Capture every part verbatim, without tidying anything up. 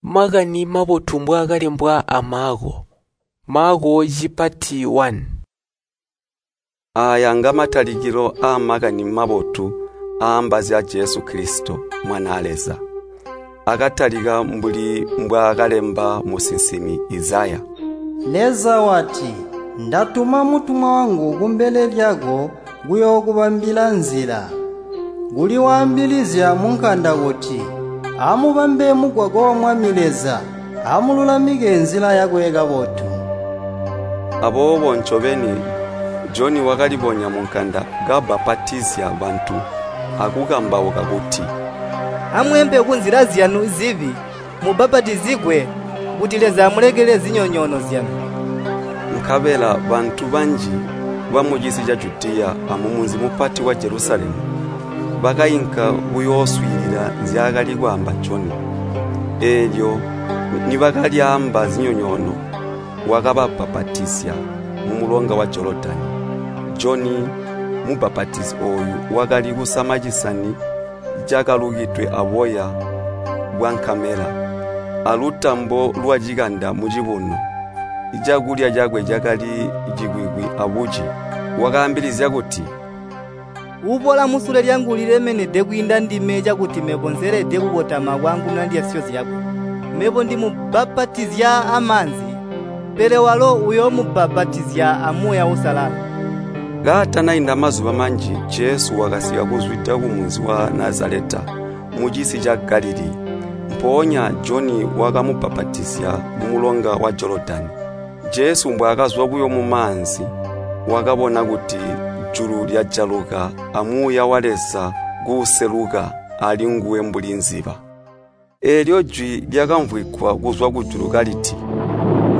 Makani mabotu mbwaakalembwa a Maako. Maako cipati one. Aaya ngamatalikilo aa Makani Mabotu aamba zya Jesu Kilisito, Mwanaa Leza. Akatalika mbuli mbwaakalemba musinsimi Izaya. Leza wati, “Ndatuma mutumwa wangu kumbele lyako kuyookubambila nzila.” Kuli waambilizya munkanda kuti, “Amubambe mugwagwa wa Mwami Leza, amululamike nzila yakwe kabotu.” Aboobo ncobeni Joni wakalibonya munkanda kabbapatizya bantu akukambauka kuti, “Amweempe kunzila zyanu zibi, mubbapatizigwe, kuti Leza amulekelele zinyonyoono zyanu.” Nkabela bantu banji bamucisi ca Judiya amumunzi mupati wa Jelusalemu bakainka kuyooswiilila nzyaakali kwaamba Joni. Eelyo nibakalyaamba zinyonyoono, wakababbapatizya mumulonga wa Jolodani. Joni Mubbapatizi ooyu wakali kusama cisani cakalukidwe aboya bwankamela, alutambo lwacikanda mucibuno. Cakulya cakwe cakali cikwikwi abuci. Wakaambilizya kuti, “Uuboola musule lyangu ulilemenede kwiinda ndime cakuti mebo nselede kukotama kwaangununa ndyasyo zyakwe. Mebo ndimubbapatizya amaanzi, pele walo uyoomubbapatizya a Muuya Uusalala.” Kaatanainda mazuba manji Jesu wakasika kuzwida kumunzi wa Nazaleta mucisi ca Galilii. Mpoonya Joni wakamubbapatizya mumulonga wa Jolodani. Jesu mbwaakazwa buyo mumaanzi, wakabona kuti julu lyajaluka a Muuya wa Leza kuuseluka alinguwe mbuli nziba. Eelyo jwi lyakamvwigwa kuzwa kujulu kaliti,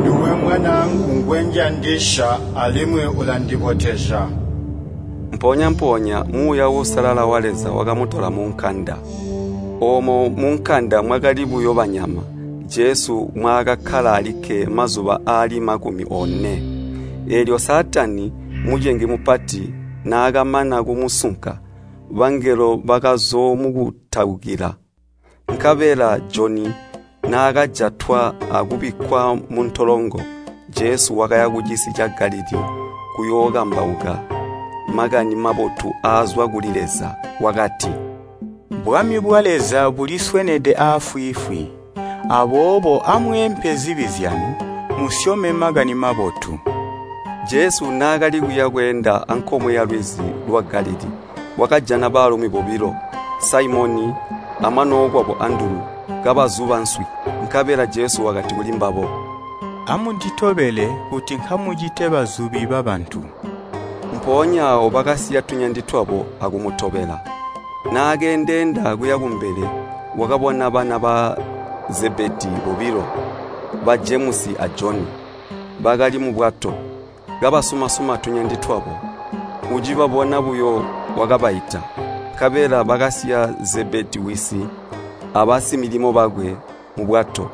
“Nduwe Mwanaangu ngwenjandisya alimwi ulandibotezya.” Mpoonya-mpoonya Muuya Uusalala wa Leza wakamutola munkanda. Oomo munkanda mwakali buyo banyama, Jesu mwaakakkala alikke mazuba aali makumi one. Eelyo Saatani, mucengi mupati, naakamana kumusunka, bangelo bakazoomukutaukila. Nkabela Joni naakajatwa akubikkwa muntolongo, Jesu wakaya kucisi ca Galilii kuyookambauka Makani Mabotu aazwa kuli Leza. Wakati, “Bwami bwa Leza buliswenede aafwiifwi. Aboobo amweempe zibi zyanu, musyome Makani Mabotu.” Jesu naakali kuya bweenda ankomwe yalwizi lwa Galilii, wakajana baalumi bobilo, Saimoni amwanookwabo Andulu, kabazuba nswi. Nkabela Jesu wakati kulimbabo, “Amunditobele kuti nkamucite bazubi babantu.” Mpoonya aawo bakasiya tunyandi twabo akumutobela. Naakeendeenda kuya kumbele, wakabona bana ba Zebedii bobilo, ba Jemusi a Joni. Bakali mubwato, kabasuma-suma tunyandi twabo. Ucibabona buyo wakabaita, nkabela bakasiya Zebedii wisi abasimilimo bakwe mubwato,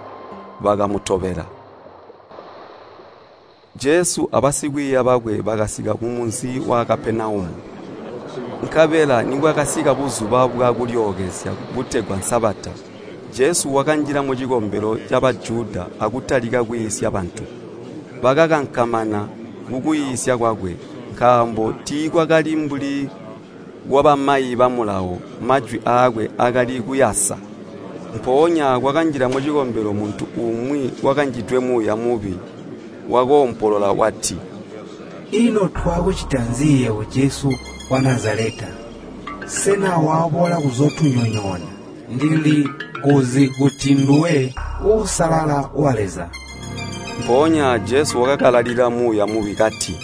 bakamutobela. Jesu abasikwiiya bakwe bakasika kumunzi wa Kapenaumu. Nkabela nibwakasika buzuba bwa kulyookezya butegwa Sabata, Jesu wakanjila mucikombelo ca Bajuda akutalika kwiisya bantu. Bakakankamana kukwiisya kwakwe, nkaambo tiikwakali mbuli kwabamayi ba Mulawo, majwi aakwe akali kuyasa. Mpoonya kwakanjila mucikombelo muntu umwi wakanjidwe muuya mubi, wakoompolola wati, “Ino twakucita nzi yebo Jesu wa Nazaleta? Sena waboola kuzootunyonyoona? Ndilikuzi kuti nduwe Uusalala wa Leza.” Mpoonya Jesu wakakalalila muuya mubi kati,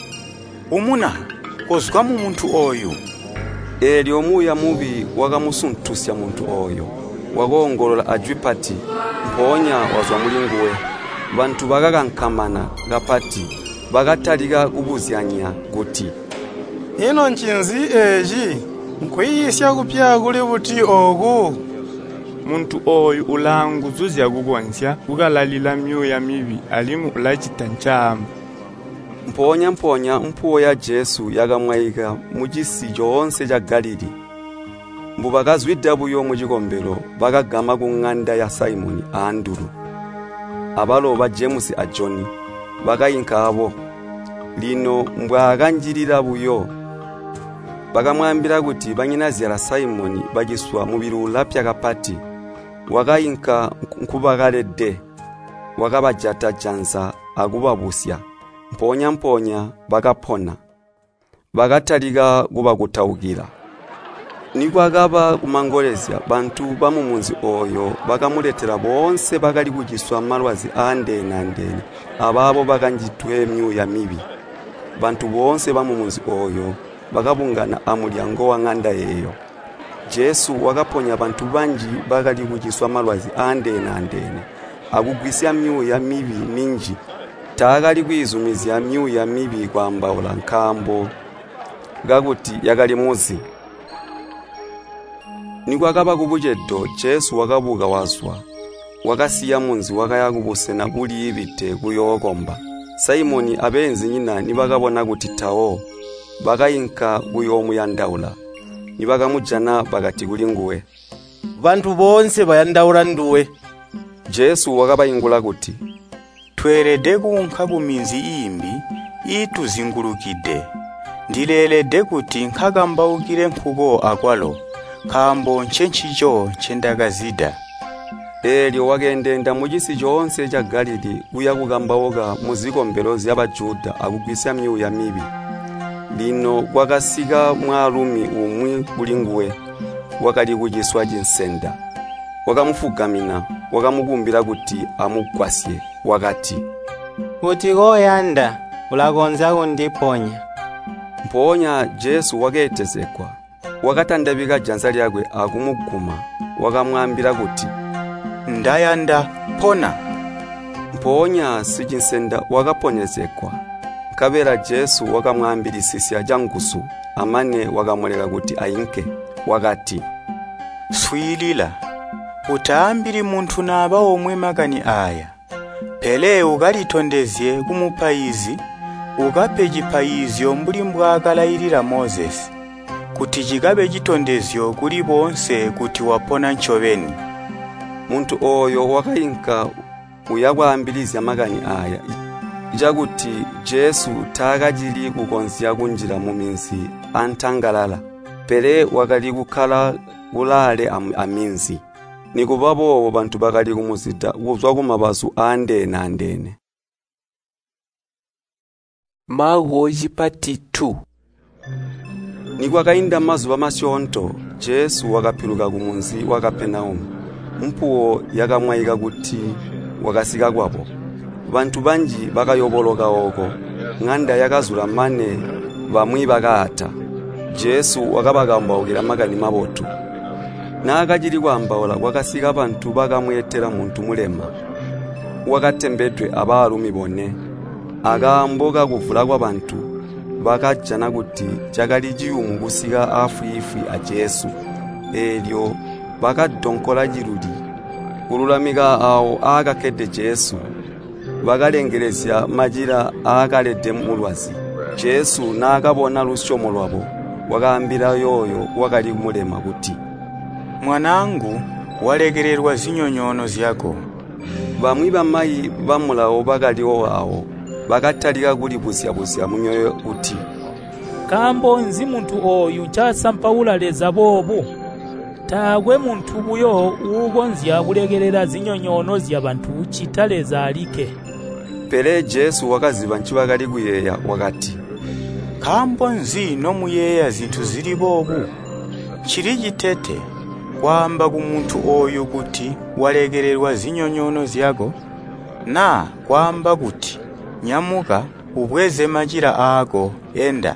“Umuna, kozwa mumuntu ooyu!” Eelyo muuya mubi wakamusuntusya muntu ooyo, wakoongolola ajwi pati, mpoonya wazwa mulinguwe. Bantu bakakankamana kapati, bakatalika kubuzyanya kuti, “Ino ncinzi eeci? Nkwiisya kupya kuli buti ooku? Muntu ooyu ulaanguzu zyakukonzya kukalalila myuuya mibi alimwi ulacita ncaamba.” Mpoonya-mpoonya mpuwo ya Jesu yakamwaika mucisi coonse ca Galilii. Mbubakazwida buyo mucikombelo bakagama kuŋanda ya Saimoni a Andulu. Abalo ba Jemusi a Joni bakainka abo. Lino mbwaakanjilila buyo, bakamwaambila kuti banyinazyala Saimoni baciswa mubili ulapya kapati. Wakainka nkubakalede, wakabajata janza akubabusya. Mpoonya-mpoonya bakapona, bakatalika kubakutaukila. Nikwakaba kumangolezya, bantu bamumunzi ooyo bakamuletela boonse bakali kuciswa malwazi aandeene-andeene abaabo bakanjidwe myuuya mibi. Bantu boonse bamumunzi ooyo bakabungana amulyango waŋanda eeyo. Jesu wakaponya bantu banji bakali kuciswa malwazi aandeene-andeene akugwisya myuuya mibi minji. Taakali kwiizumizya myuuya mibi kwaambaula nkaambo kakuti yakali muzi. Nikwakaba kubucedo, Jesu wakabuka wazwa, wakasiya munzi wakaya kubusena buliibide kuyookomba. Saimoni abeenzinyina nibakabona kuti tawo, bakainka kuyoomuyandaula. Nibakamujana bakati kulinguwe, “Bantu boonse bayandaula nduwe.” Jesu wakabaingula kuti, “Tweelede kuunka kuminzi iimbi iituzingulukide. Ndileelede kuti nkakambaukile nkuko akwalo, nkaambo ncencico ncendakazida.” Eelyo wakeendeenda mucisi coonse ca Galilii kuya kukambauka muzikombelo zya Bajuda akugwisya myuuya mibi. Lino kwakasika mwaalumi umwi kulinguwe, wakali kuciswa cinsenda. Wakamufugamina, wakamukumbila kuti amugwasye. Wakati, “Kuti koyanda, ulakonzya kundiponya.” Mpoonya Jesu wakeetezegwa, wakatandabika janza lyakwe akumuguma. Wakamwaambila kuti, “Ndayanda, pona!” Mpoonya sicinsenda wakaponyezegwa. Nkabela Jesu wakamwaambilisisya canguzu, amane wakamuleka kuti ainke. Wakati, “Swiilila, utaambili muntu naba omwe makani aaya, pele ukalitondezye kumupaizi, ukape cipaizyo mbuli mbwaakalailila Mozesi, kuti cikabe citondezyo kuli boonse kuti wapona ncobeni.” Muntu ooyo wakainka uya kwaambilizya makani aaya, cakuti Jesu taakacili kukonzya kunjila muminzi antangalala, pele wakali kukkala kulaale aminzi. Nikuba boobo bantu bakali kumuzida kuzwa kumabazu aandeene-andeene. Maako cipati two. Nikwakainda mazuba masyoonto, Jesu wakapiluka kumunzi wa Kapenaumu. Mpuwo yakamwaika kuti wakasika kwabo. Bantu banji bakayoboloka ooko, ŋanda yakazula mane bamwi bakaata. Jesu wakabakambaukila Makani Mabotu. Naakacili kwaambaula kwakasika bantu bakamweetela muntu mulema, wakatembedwe abaalumi bone. Akaambo kakuvula kwabantu, bakajana kuti cakali ciyumu kusika aafwiifwi a Jesu. Eelyo bakadonkola ciluli kululamika aawo aakakkede Jesu. Bakalengelezya macila aakalede mulwazi. Jesu naakabona lusyomo lwabo, wakaambila yooyo wakali mulema kuti, “Mwanaangu, walekelelwa zinyonyoono zyako.” Bamwi bamayi ba Mulawo bakaliwo aawo, bakatalika kulibuzya-buzya mumyoyo kuti, “Nkaambo nzi muntu ooyu ncasampaula Leza boobu? Taakwe muntu buyo uukonzya kulekelela zinyonyoono zyabantu ccita Leza alikke.” Pele Jesu wakaziba ncibakali kuyeeya wakati, “Nkaambo nzi nomuyeeya zintu zili boobu? Cili citete kwaamba kumuntu ooyu kuti walekelelwa zinyonyoono zyako, naa kwaamba kuti, ‘Nyamuka, ubweze macila aako, enda.’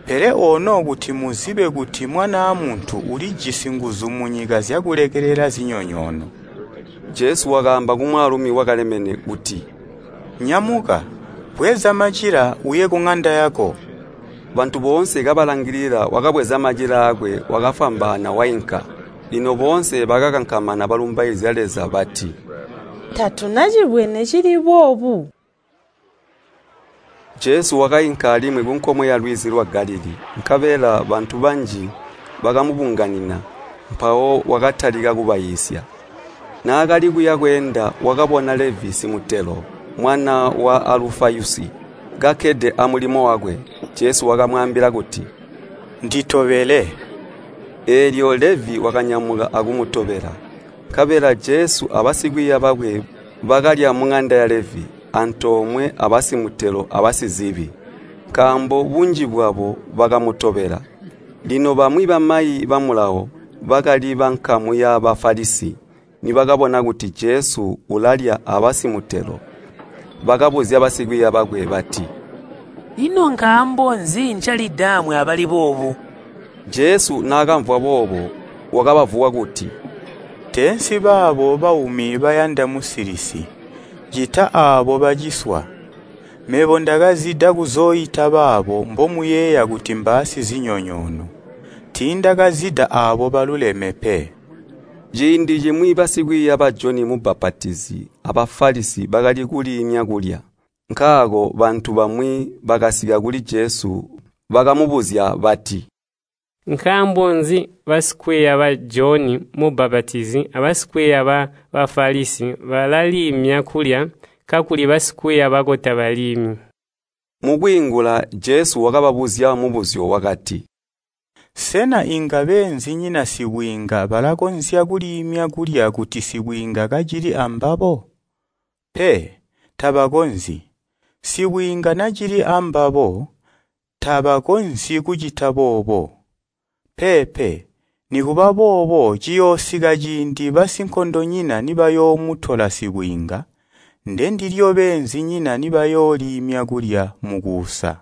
Pele ono kuti muzibe kuti Mwanaa Muntu ulijisi nguzu munyika zyakulekelela zinyonyoono.” Jesu wakaamba kumwaalumi wakalemene kuti, “Nyamuka, bweza macila uye kuŋanda yako.” Bantu boonse kabalangilila wakabweza macila aakwe wakafwambaana wainka. Lino boonse bakakankamana balumbaizya Leza bati, “Tatunacibwene cili boobu.” Jesu wakainka alimwi kunkomwe yalwizi lwa Galilii, nkabela bantu banji bakamubunganina, mpawo wakatalika kubaiisya. Naakali kuya kweenda wakabona Levi simutelo, mwana wa Alufayusi, kakkede amulimo wakwe. Jesu wakamwaambila kuti, “Nditobele.” Eelyo Levi wakanyamuka akumutobela. Nkabela Jesu abasikwiiya bakwe bakalya muŋanda ya Levi, antoomwe abasimutelo abasizibi, nkaambo bunji bwabo bakamutobela. Lino bamwi bamayi ba Mulawo bakali bankamu ya Bafalisi nibakabona kuti Jesu ulalya abasimutelo, bakabuzya basikwiiya bakwe bati, “Ino nkaambo nzi ncalidaamwi abali boobu?” Jesu naakamvwa boobo wakabavuwa kuti, “Teensi baabo baumi bayanda musilisi, ccita aabo baciswa. Mebo ndakazida kuzooita baabo mbomuyeeya kuti mbaasizinyonyoono, tiindakazida aabo baluleme pe.” Ciindi cimwi basikwiiya ba Joni Mubbapatizi a Bafalisi bakali kuliimya kulya. Nkaako bantu bamwi bakasika kuli Jesu bakamubuzya bati, “Nkaambo nzi basikwiiya ba Joni Mubbapatizi abasikwiiya ba Bafalisi balaliimya kulya, kakuli basikwiiya bako tabaliimyi?” Mukwiingula Jesu wakababuzya mubuzyo wakati, “Sena inga beenzinyina sibwiinga balakonzya kuliimya kulya kuti sibwiinga kacili ambabo? Pe, tabakonzyi. Sibwiinga nacili ambabo, tabakonzyi kucita boobo. Peepe, nikuba boobo ciyoosika ciindi basinkondonyina nibayoomutola sibwiinga, ndendilyo beenzinyina nibayooliimya kulya mukuusa.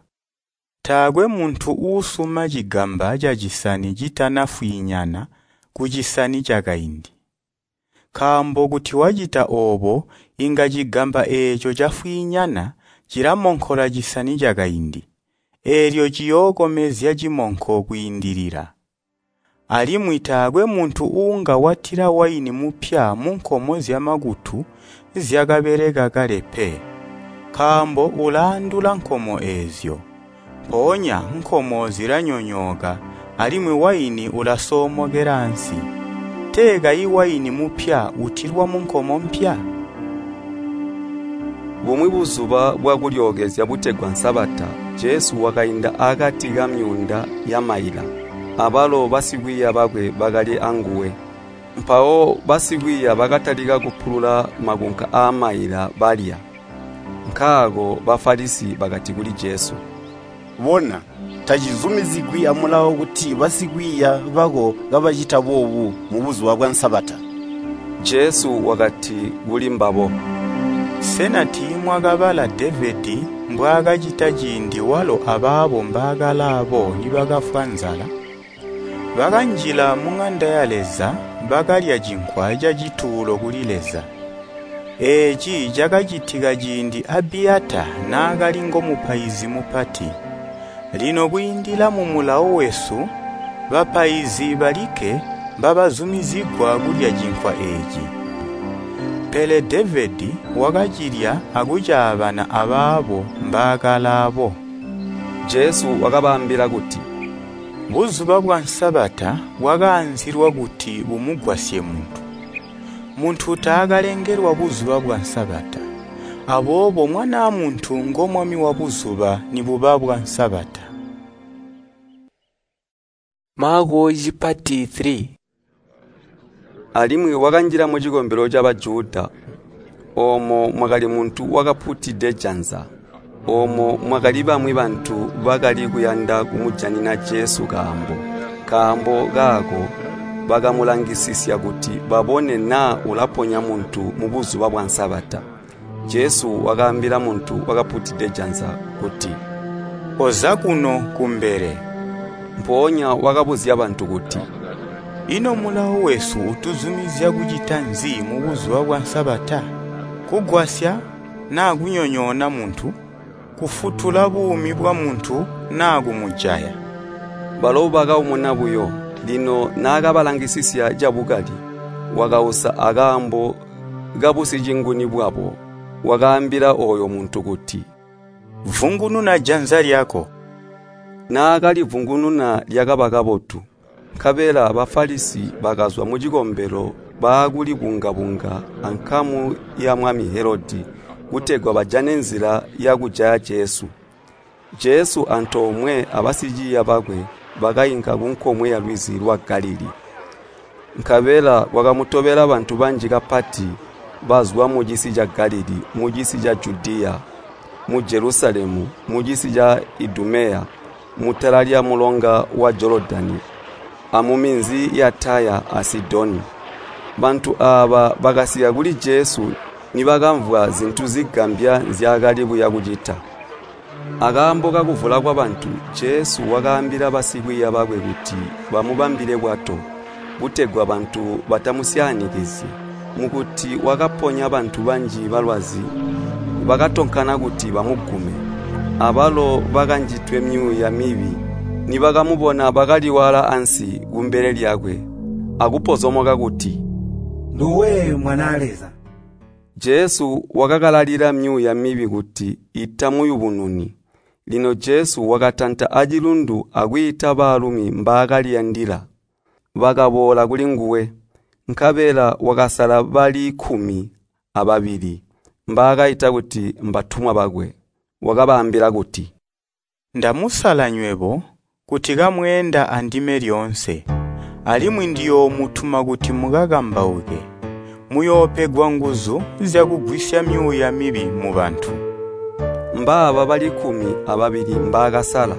Taakwe muntu uusuma cigamba cacisani citanafwiinyana kucisani cakaindi. Nkaambo kuti wacita oobo inga cigamba eeco cafwiinyana cilamonkola cisani cakaindi, eelyo ciyookomezya cimonko kwiindilila. Alimwi taakwe muntu uunga watila waini mupya munkomo zyamakutu zyakabeleka kale pe, nkaambo ulaandula nkomo eezyo. Mpoonya nkomo zilanyonyooka alimwi waini ulasoomokela ansi. Tee kayi waini mupya utilwa munkomo mpya?” Bumwi buzuba bwa kulyookezya butegwa Sabata, Jesu wakainda akati kamyuunda yamaila, abalo basikwiiya bakwe bakali anguwe. Mpawo basikwiiya bakatalika kupulula makunka aamaila balya. Nkaako Bafalisi bakati kuli Jesu, “Bona, tacizumizigwi amulawo kuti basikwiiya bako kabacita boobu mubuzuba bwa Sabata.” Jesu wakati kulimbabo, “Sena tiimwakabala Devedi mbwaakacita ciindi walo abaabo mbaakalaabo nibakafwa nzala? Bakanjila muŋanda ya Leza bakalya cinkwa cacituulo kuli Leza. Eeci cakacitika ciindi Abiyata naakali ngomupaizi mupati. Lino kwiindila mumulawo wesu, bapaizi balikke mbabazumizigwa kulya cinkwa eeci. Pele Devedi wakacilya akucaabana abaabo mbaakalaabo.” Jesu wakabaambila kuti, “Buzuba bwa Sabata bwakaanzilwa kuti bumugwasye muntu. Muntu taakalengelwa buzuba bwa Sabata. Aboobo Mwanaa Muntu ngo Mwami wabuzuba nibuba bwa Sabata.” Maako cipati three. Alimwi wakanjila mucikombelo ca Bajuda, oomo mwakali muntu wakaputide janza. Oomo mwakali bamwi bantu bakali kuyanda kumujanina Jesu kaambo. Nkaambo kaako bakamulangisisya kuti babone naa ulaponya muntu mubuzuba bwa Sabata. Jesu wakaambila muntu wakaputide janza kuti, “Koza kuno kumbele.” Mpoonya wakabuzya bantu kuti, “Ino mulawo wesu utuzumizya kucita nzi mubuzuba bwa Sabata? Kugwasya naa kunyonyoona muntu? Kufutula buumi bwamuntu naa kumujaya?” Balo bakaumuna buyo. Lino naakabalangisisya cabukali, wakausa akaambo kabusicinguni bwabo. Wakaambila ooyo muntu kuti, “Vungununa janza lyako.” Naakalivungununa lyakaba kabotu. Nkabela Bafalisi bakazwa mucikombelo baakulibunga-bunga ankamu ya mwami Helodi kutegwa bajane nzila yakujaya Jesu. Jesu antoomwe abasiciiya bakwe bakainka kunkomwe yalwizi lwa Galilii. Nkabela kwakamutobela bantu banji kapati bazwa mucisi ca Galilii, mucisi ca Judiya, mu Jelusalemu, mucisi ca Idumeya, mutala lyamulonga wa Jolodani, amuminzi ya Taya a Sidoni. Bantu aaba bakasika kuli Jesu nibakamvwa zintu zigambya nzyaakali kuya kucita. Akaambo kakuvula kwabantu, Jesu wakaambila basikwiiya bakwe kuti bamubambile bwato, kutegwa bantu batamusyaanikizyi. Mukuti wakaponya bantu banji balwazi, bakatonkana kuti bamugume. Abalo bakanjidwe myuuya mibi nibakamubona bakaliwaala ansi kumbele lyakwe akupozomoka kuti, “Nduwe Mwanaa Leza!” Jesu wakakalalila myuuya mibi kuti itamuyubununi. Lino Jesu wakatanta acilundu akwiita baalumi mbaakaliyandila. Bakaboola kulinguwe, nkabela wakasala bali kkumi ababili mbaakaita kuti mbatumwa bakwe. Wakabaambila kuti, “Ndamusala nywebo kuti kamweenda andime lyoonse, alimwi ndiyoomutuma kuti mukakambauke. Muyoopegwa nguzu zyakugwisya myuuya mibi mubantu.” Mbaaba bali kkumi ababili mbaakasala: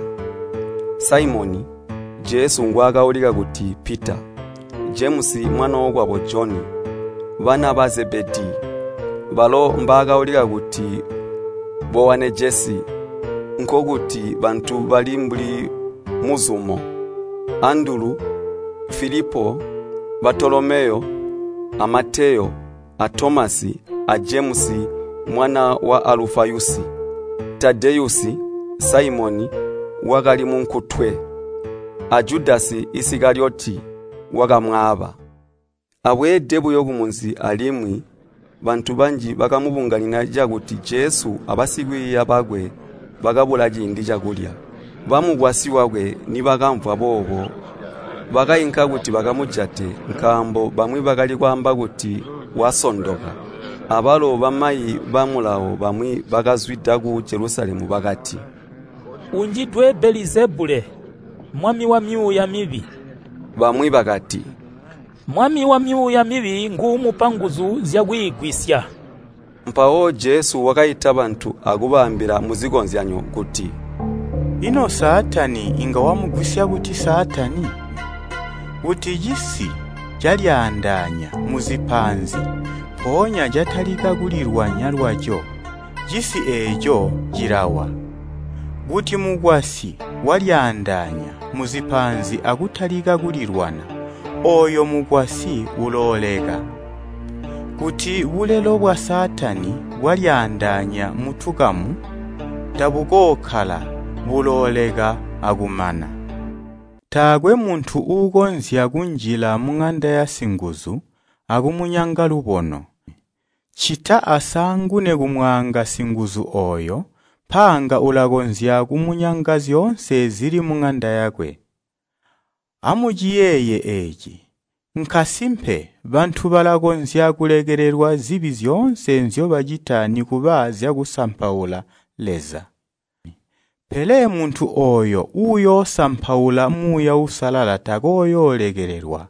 Saimoni, Jesu ngwaakaulika kuti Pita, Jemusi mwanookwabo Joni, bana ba Zebedii, balo mbaakaulika kuti Bowanejesi, nkokuti bantu bali mbuli muzumo, Andulu, Filipo, Batolomeyo, a Mateyo, a Tomasi, a Jemusi mwana wa Alufayusi, Tadeyusi, Saimoni wakali munkutwe, a Judasi Isikaliyoti wakamwaaba. Abweede buyo kumunzi alimwi bantu banji bakamubunganina cakuti Jesu abasikwiiya bakwe bakabula ciindi cakulya. Bamukwasyi wakwe nibakamvwa boobo bakainka kuti bakamujate nkaambo bamwi bakali kwaamba kuti wasondoka. Abalo bamayi ba Mulawo bamwi bakazwida ku Jelusalemu bakati, “Unjidwe Belizebule, mwami wamyuuya mibi.” Bamwi bakati, “Mwami wamyuuya mibi nguumupa nguzu zyakwiigwisya.” Mpawo Jesu wakaita bantu akubaambila muzikozyanyo kuti, “Ino Saatani inga wamugwisya buti Saatani? Kuti cisi calyaandaanya muzipaanzi, mpoonya catalika kulilwanya lwaco, cisi eeco cilawa. Kuti mukwasyi walyaandaanya muzipaanzi akutalika kulilwana, ooyo mukwasyi ulooleka. Kuti bulelo bwa Saatani bwalyaandaanya mutukamu, tabukookkala, bulooleka akumana. Taakwe muntu uukonzya kunjila muŋanda yasinguzu akumunyanga lubono, ccita asaangune kumwaanga singuzu ooyo, mpaanga ulakonzya kumunyanga zyoonse zili muŋanda yakwe. Amuciyeeye eeci! Nkasimpe bantu balakonzya kulekelelwa zibi zyoonse nzyobacita nikuba zyakusampaula Leza. Pele muntu ooyo uuyoosampaula Muuya Uusalala takooyoolekelelwa,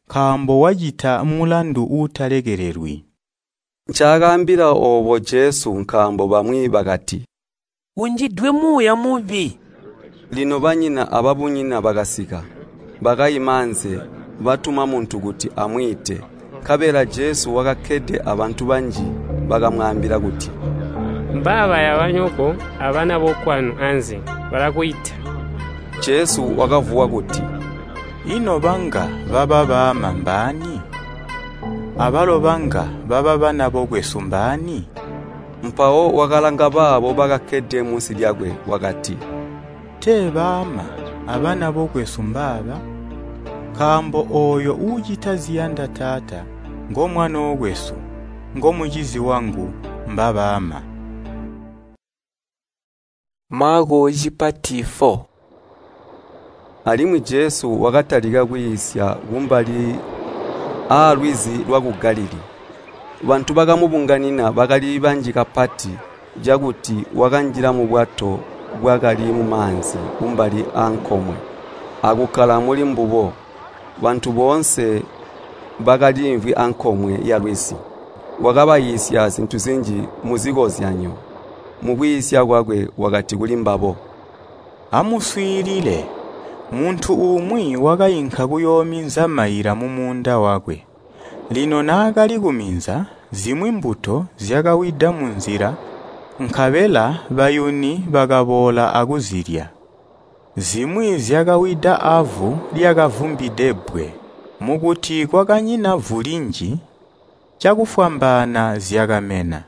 nkaambo wacita mulandu uutalekelelwi.” Ncaakaambila oobo Jesu nkaambo bamwi bakati, “Unjidwe muuya mubi.” Lino banyina ababunyina bakasika, bakaima anze, batuma muntu kuti amwiite. Nkabela Jesu wakakkede abantu banji bakamwaambila kuti, “Mbaabaya banyoko abana bokwanu anze, balakwiita.” Jesu wakavuwa kuti, “Ino banga baba baama mbaani? Abalo banga baba bana bokwesu mbaani?” Mpawo wakalanga baabo bakakkede munsi lyakwe wakati, “Tee baama abana bokwesu mbaaba? Nkaambo ooyo uucita ziyanda Taata ngomwanookwesu, ngomucizi wangu, mbabaama.” Maako cipati four. Alimwi Jesu wakatalika kwiisya kumbali aalwizi lwaku Galilii. Bantu bakamubunganina bakali banji kapati cakuti wakanjila mubwato bwakali mumaanzi kumbali aankomwe, akukkala muli mbubo. Bantu boonse bakaliimvwi ankomwe yalwizi. Wakabaiisya zintu zinji muzikozyanyo. Mukwiisya kwakwe wakati kulimbabo, “Amuswiilile! Muntu umwi wakainka kuyoominza maila mumuunda wakwe. Lino naakali kuminza, zimwi mbuto zyakawida munzila, nkabela bayuni bakaboola akuzilya. Zimwi zyakawida avu lyakavumbide bbwe. Mukuti kwakanyina vu linji, cakufwambaana zyakamena.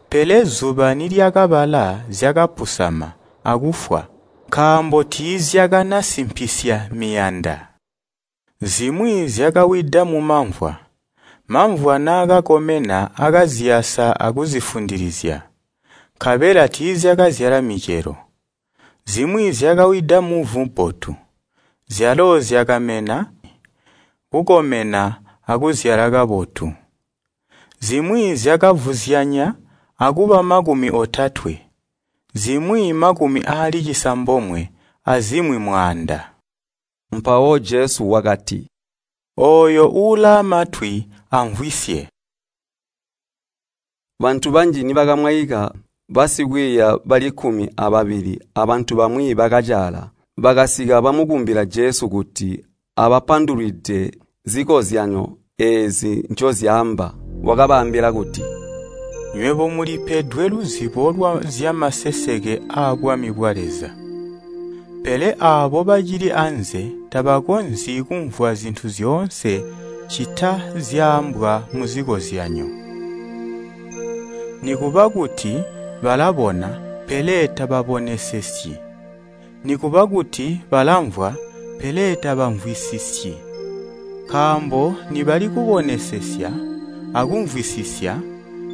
Pele zuba nilyakabala zyakapusama akufwa, nkaambo tiizyakanasimpisa miyanda. Zimwi zyakawida mumamvwa. Mamvwa naakakomena akaziyasa akuzifundilizya, nkabela tiizyakazyala micelo. Zimwi zyakawida muvu bbotu, zyalo zyakamena, kukomena akuzyala kabotu. Zimwi zyakavuzyanya akuba makumi otatwe, zimwi makumi aali cisambomwe, azimwi mwaanda.” Mpawo Jesu wakati, “Ooyo uulaamatwi amvwisye.” Bantu banji nibakamwaika, basikwiiya bali kkumi ababili abantu bamwi bakacaala, bakasika bamukumbila Jesu kuti abapandulwide zikozyanyo eezi ncozyaamba. Wakabaambila kuti, “Nywebo mulipedwe luzibo lwa zyamaseseke aabwami bwa Leza. Pele aabo bacili anze tabakonzyi kumvwa zintu zyoonse ccita zyaambwa muzikozyanyo. Nikuba kuti balabona, pele tababonesesyi. Nikuba kuti balamvwa, pele tabamvwisisyi. Nkaambo nibali kubonesesya akumvwisisya,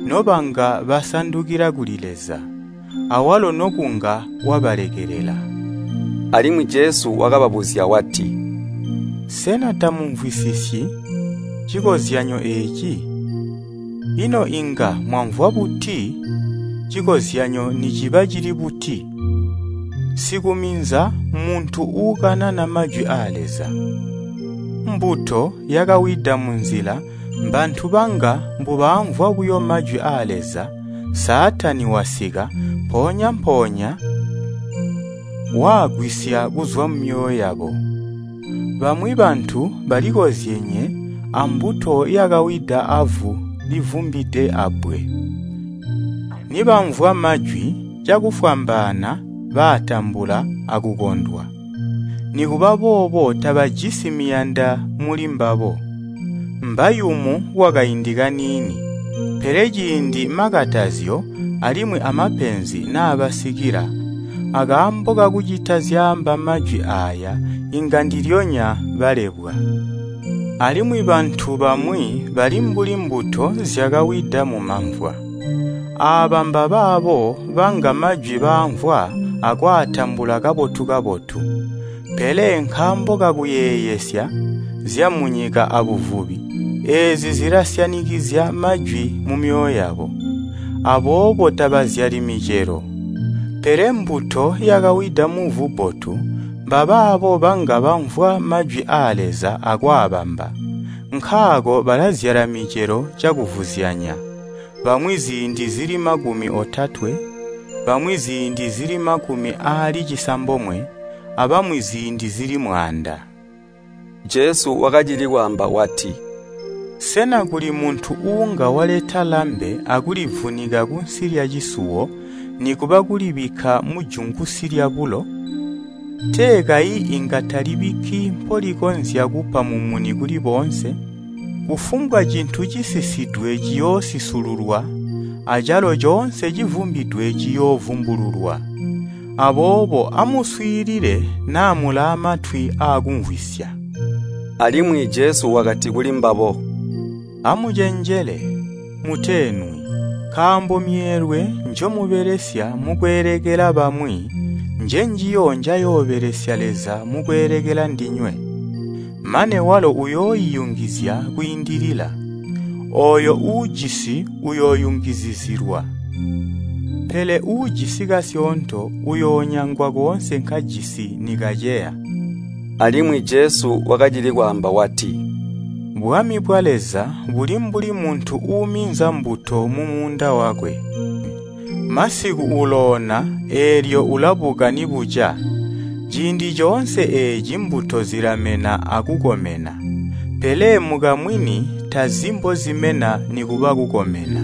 nobanga basandukila kuli Leza, awalo nokunga wabalekelela.” Alimwi Jesu wakababuzya wati, “Sena tamumvwisisyi cikozyanyo eeci? Ino inga mwamvwa buti cikozyanyo niciba cili buti? Sikuminza muntu uukanana majwi aa Leza. Mbuto yakawida munzila mbantu banga mbubaamvwa buyo majwi aa Leza, Saatani wasika, mpoonya-mpoonya waagwisya kuzwa mumyoyo yabo. Bamwi bantu balikozyenye ambuto yakawida avu livumbide abbwe. Nibamvwa majwi, cakufwambaana baatambula akukondwa. Nikuba boobo tabajisi miyanda muli mbabo. Mbayumu kwakaindi kaniini, pele ciindi makatazyo alimwi amapenzi naabasikila, akaambo kakucita zyaamba majwi aaya inga ndilyonya balebwa. Alimwi bantu bamwi bali mbuli mbuto zyakawida mumamvwa. Aaba mbabaabo banga majwi baamvwa akwaatambula kabotu-kabotu. Pele nkaambo kakuyeeyesya zyamunyika abuvubi, eezi zilasyanikizya majwi mumyoyo yabo. Aboobo tabazyali micelo. Pele mbuto yakawida muvu bbotu, mbabaabo banga bamvwa majwi aa Leza akwaabamba. Nkaako balazyala micelo cakuvuzyanya, bamwi ziindi zili makumi otatwe, bamwi ziindi zili makumi aali cisambomwe, abamwi ziindi zili mwaanda.” Jesu wakacili kwaamba wati, “Sena kuli muntu uunga waleta lambe akulivunika kunsi lyacisuwo nikuba kulibikka mujungusi lyabulo? Tee kayi inga talibikki mpolikonzya kupa mumuni kuli boonse? Kufumbwa cintu cisisidwe ciyoosisululwa, acalo coonse civumbidwe ciyoovumbululwa. Aboobo amuswiilile naa mulaamatwi aakumvwisya.” Alimwi Jesu wakati kulimbabo, “Amucenjele, muteenwi, nkaambo myeelwe njomubelesya mukweelekela bamwi njenjiyo njayoobelesya Leza mukweelekela ndinywe. Mane walo uyooiyungizya kwiindilila. Ooyo uujisi uyooyungizizilwa. Pele uujisi kasyoonto uyoonyangwa koonse nkajisi nikaceya. Alimwi Jesu wakacili kwaamba wati, Bwami bwa Leza buli mbuli muntu uuminza mbuto mumuunda wakwe. Masiku uloona eelyo ulabuka nibuca. Ciindi coonse eeci mbuto zilamena akukomena, pele mukamwini tazi mbozimena nikuba kukomena.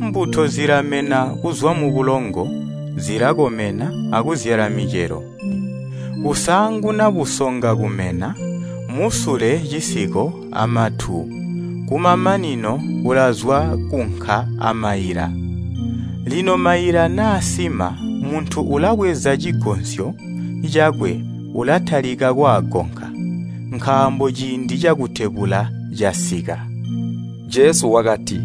Mbuto zilamena kuzwa mubulongo, zilakomena akuzyala micelo. Kusaanguna busonga kumena, musule cisiko amatu, kumamanino kulazwa kunka amaila. Lino maila naasima, muntu ulabweza cigonsyo cakwe ulatalika kwaagonka, nkaambo ciindi cakutebula casika. Jesu wakati,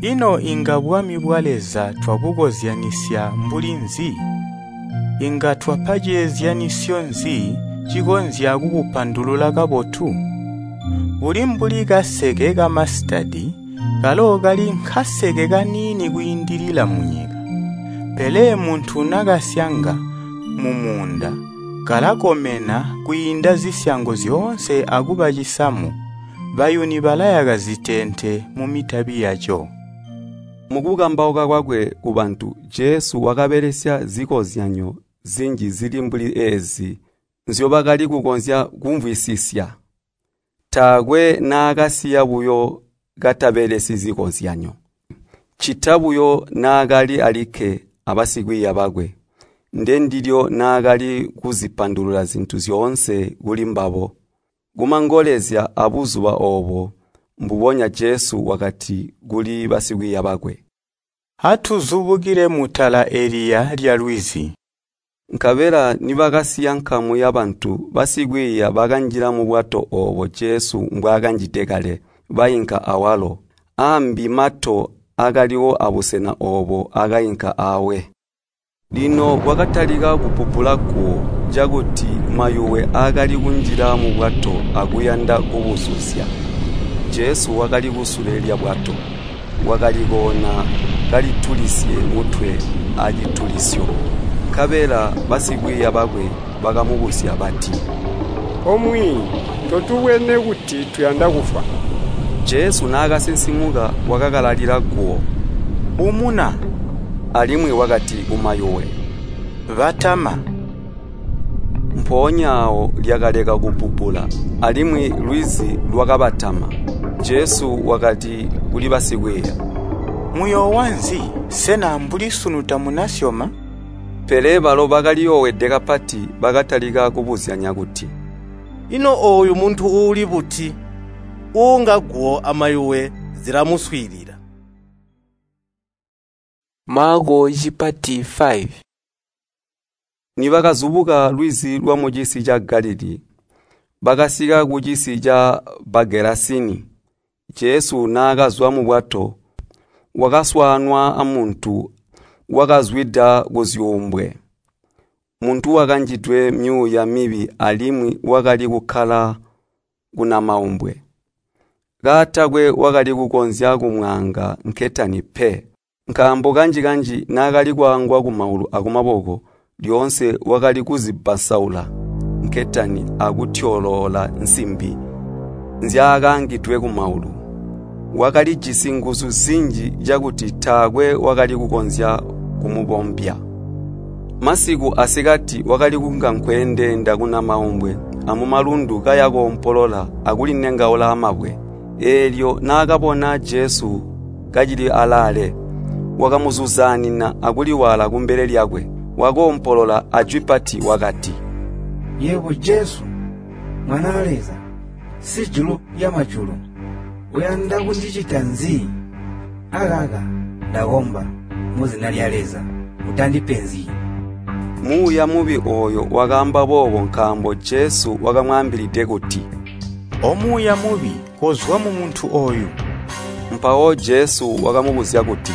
Ino inga bwami bwa Leza twabukozyanisya mbuli nzi? Inga twapa ceezyanisyo nzi cikonzya kubupandulula kabotu? Buli mbuli kaseke kamasitadi, kalo kali nkaseke kaniini kwiindilila munyika. Pele muntu nakasyanga mumuunda, kalakomena kwiinda zisyango zyoonse akuba cisamu. Bayuni balayaka ziteente mumitabi yaco. Mukukambauka kwakwe kubantu, Jesu wakabelesya zikozyanyo zinji zili mbuli eezi nzyobakali kukonzya kumvwisisya. Taakwe naakasiya buyo katabelesyi zikozyanyo, ccita buyo naakali alikke abasikwiiya bakwe. Ndendilyo naakali kuzipandulula zintu zyoonse kuli mbabo. Kumangolezya abuzuba oobo, mbubonya Jesu wakati kuli basikwiiya bakwe, Atuzubukile mutala eliya lyalwizi. Nkabela nibakasiya nkamu yabantu, basikwiiya bakanjila mubwato oobo Jesu mbwaakanjide kale, bainka awalo. Aambi mato akaliwo abusena oobo akainka awe. Lino kwakatalika kubbubbula guwo cakuti mayuwe aakali kunjila mubwato akuyanda kubuzuzya. Jesu wakali kusule lyabwato, wakali koona kalitulisye mutwe acitulisyo. Nkabela basikwiiya bakwe bakamubuzya bati, “Omwiiyi, totubwene kuti tuyanda kufwa?” Jesu naakasinsimuka wakakalalila guwo, “Umuna!” Alimwi wakati kumayuwe, “Batama!” Mpoonya aawo lyakaleka kubbubbula, alimwi lwizi lwakabatama. Jesu wakati kuli basikwiiya, “Muyoowa nzi? Sena mbuli sunu tamunasyoma?” Pele balo bakaliyoowede kapati bakatalika kubuzyanya kuti, “Ino ooyu muntu uuli buti, uunga guwo amayuwe zilamuswiilila?” Maako cipati five. Nibakazubuka lwizi lwamucisi ca Galilii, bakasika kucisi ca Bagelasini. Jesu naakazwa mubwato, wakaswaanwa amuntu wakazwida kuzyuumbwe. Muntu wakanjidwe myuuya mibi alimwi wakali kukkala kunamaumbwe. Kaatakwe wakali kukonzya kumwaanga nketani pe, nkaambo kanji-kanji naakali kwaangwa kumaulu akumaboko, lyoonse wakali kuzibbasaula nketani akutyoloola nsimbi nzyaakaangidwe kumaulu. Wakalijisi nguzu zinji cakuti taakwe wakali kukonzya kumubombya. Masiku asikati wakali kunga nkweendeenda kunamaumbwe amumalundu kaya koompolola akulinengaula amabwe. Eelyo naakabona Jesu kacili alaale, wakamuzuzaanina akuliwaala kumbele lyakwe. Wakoompolola ajwi pati wakati, “Yebo Jesu, Mwanaa Leza, Sijulu lyamajulu, uyanda kundicita nzi? Akaka ndakomba muzina lya Leza, utandipenzyi!” Muuya mubi ooyo wakaamba boobo nkaambo Jesu wakamwaambilide kuti, “Omuuya mubi, kozwa mumuntu ooyu!” Mpawo Jesu wakamubuzya kuti,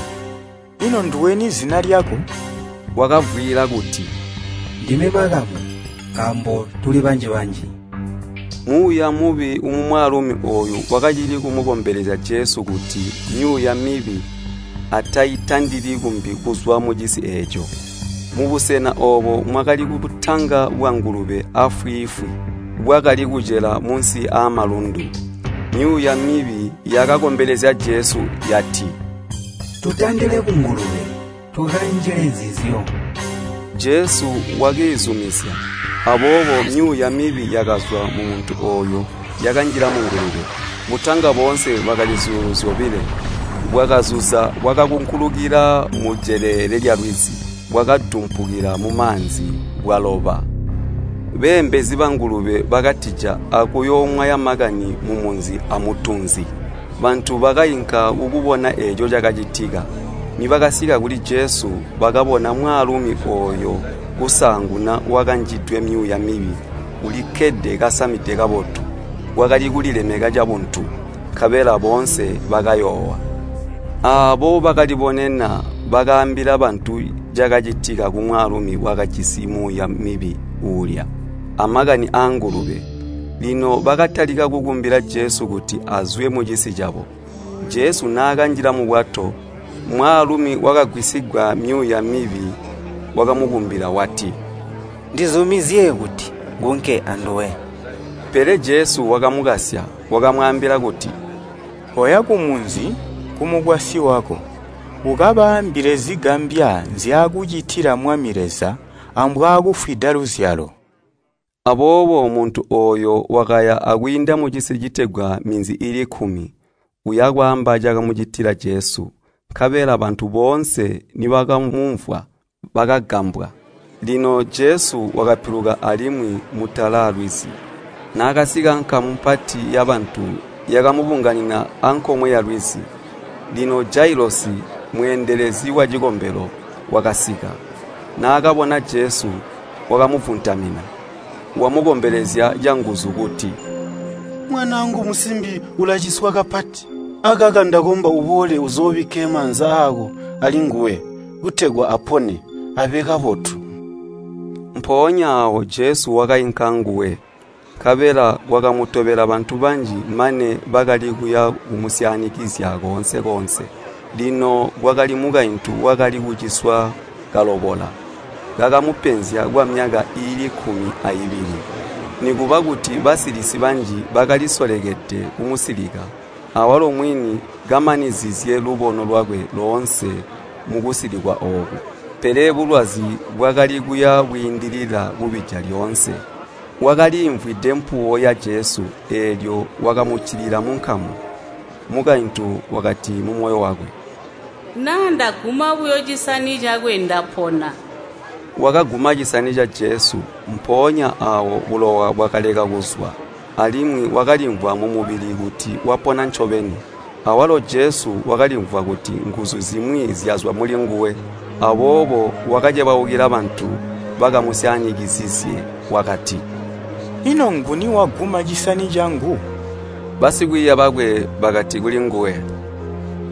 “Ino nduweni zina lyako?” Wakavwiila kuti, “Ndime Makamu, nkaambo tuli banji-banji.” Muuya mubi mumwaalumi ooyu wakacili kumukombelezya Jesu kuti myuuya mibi ataitandili kumbi kuzwa mucisi eeco. Mubusena oobo mwakali butanga bwangulube afwiifwi bwakali kucela munsi aamalundu. Myuuya mibi yakakombelezya Jesu yati, “Tutandile kungulube, tukanjile nzizyo.” Jesu wakiizumizya. Aboobo myuuya mibi yakazwa mumuntu ooyo yakanjila mungulube. Butanga boonse bwakali zyuulu zyobilo. Bwakazuza bwakakunkulukila mujeleele lyalwizi, bwakadumpukila mumaanzi bwaloba. Beembezi bangulube bakatija akuyoomwaya makani mumunzi amutunzi. Bantu bakainka kukubona eeco cakacitika. Nibakasika kuli Jesu bakabona mwaalumi ooyo kusaanguna wakanjidwe myuuya mibi ulikkede kasamide kabotu, wakali kulilemeka cabuntu, nkabela boonse bakayoowa. Aabo bakalibonena bakaambila bantu cakacitika kumwaalumi wakajisi muuya mibi uulya, amakani aangulube. Lino bakatalika kukumbila Jesu kuti azwe mucisi cabo. Jesu naakanjila mubwato, mwaalumi wakagwisigwa myuuya mibi wakamukumbila wati, “Ndizumizye kuti ngunke anduwe.” Pele Jesu wakamukasya, wakamwaambila kuti, “Koya kumunzi kumukwasyi wako, ukabaambile zigambya nzyaakucitila Mwami Leza ambwaakufwida luzyalo.” Aboobo muntu ooyo wakaya akwiinda mucisi citegwa Minzi iili kkumi, uya kwaamba cakamucitila Jesu. Nkabela bantu boonse nibakamumvwa bakagambwa. Lino Jesu wakapiluka alimwi mutala aalwizi. Naakasika nkamu mpati yabantu yakamubunganina ankomwe yalwizi. Lino Jailosi, mweendelezi wacikombelo, wakasika. Naakabona Jesu, wakamuvuntamina, wamukombelezya canguzu kuti, “Mwanaangu musimbi ulaciswa kapati. Akaka ndakomba uboole uzoobikke maanza aako alinguwe, kutegwa apone, abe kabotu.” Mpoonya aawo Jesu wakainka anguwe, nkabela kwakamutobela bantu banji mane bakali kuya kumusyaanikizya koonse-koonse. Lino kwakali mukaintu wakali kuciswa kalobola, kakamupenzya kwamyaka iili kkumi aibili. Nikuba kuti basilisi banji bakalisolekede kumusilika, awalo mwini kamanizizye lubono lwakwe loonse mukusilikwa ooku. Pele bulwazi bwakali kuya bwiindilila kubija lyoonse. Wakalimvwide mpuwo ya Jesu, eelyo wakamuccilila munkamu. Mukaintu wakati mumoyo wakwe, “Naa ndaguma buyo cisani cakwe ndapona.” Wakaguma cisani ca Jesu, mpoonya aawo bulowa bwakaleka kuzwa, alimwi wakalimvwa mumubili kuti wapona ncobeni. Awalo Jesu wakalimvwa kuti nguzu zimwi zyazwa mulinguwe, aboobo wakacebaukila bantu bakamusyaanikizizye wakati, “Ino nguni waguma cisani cangu?” Basikwiiya bakwe bakati kulinguwe,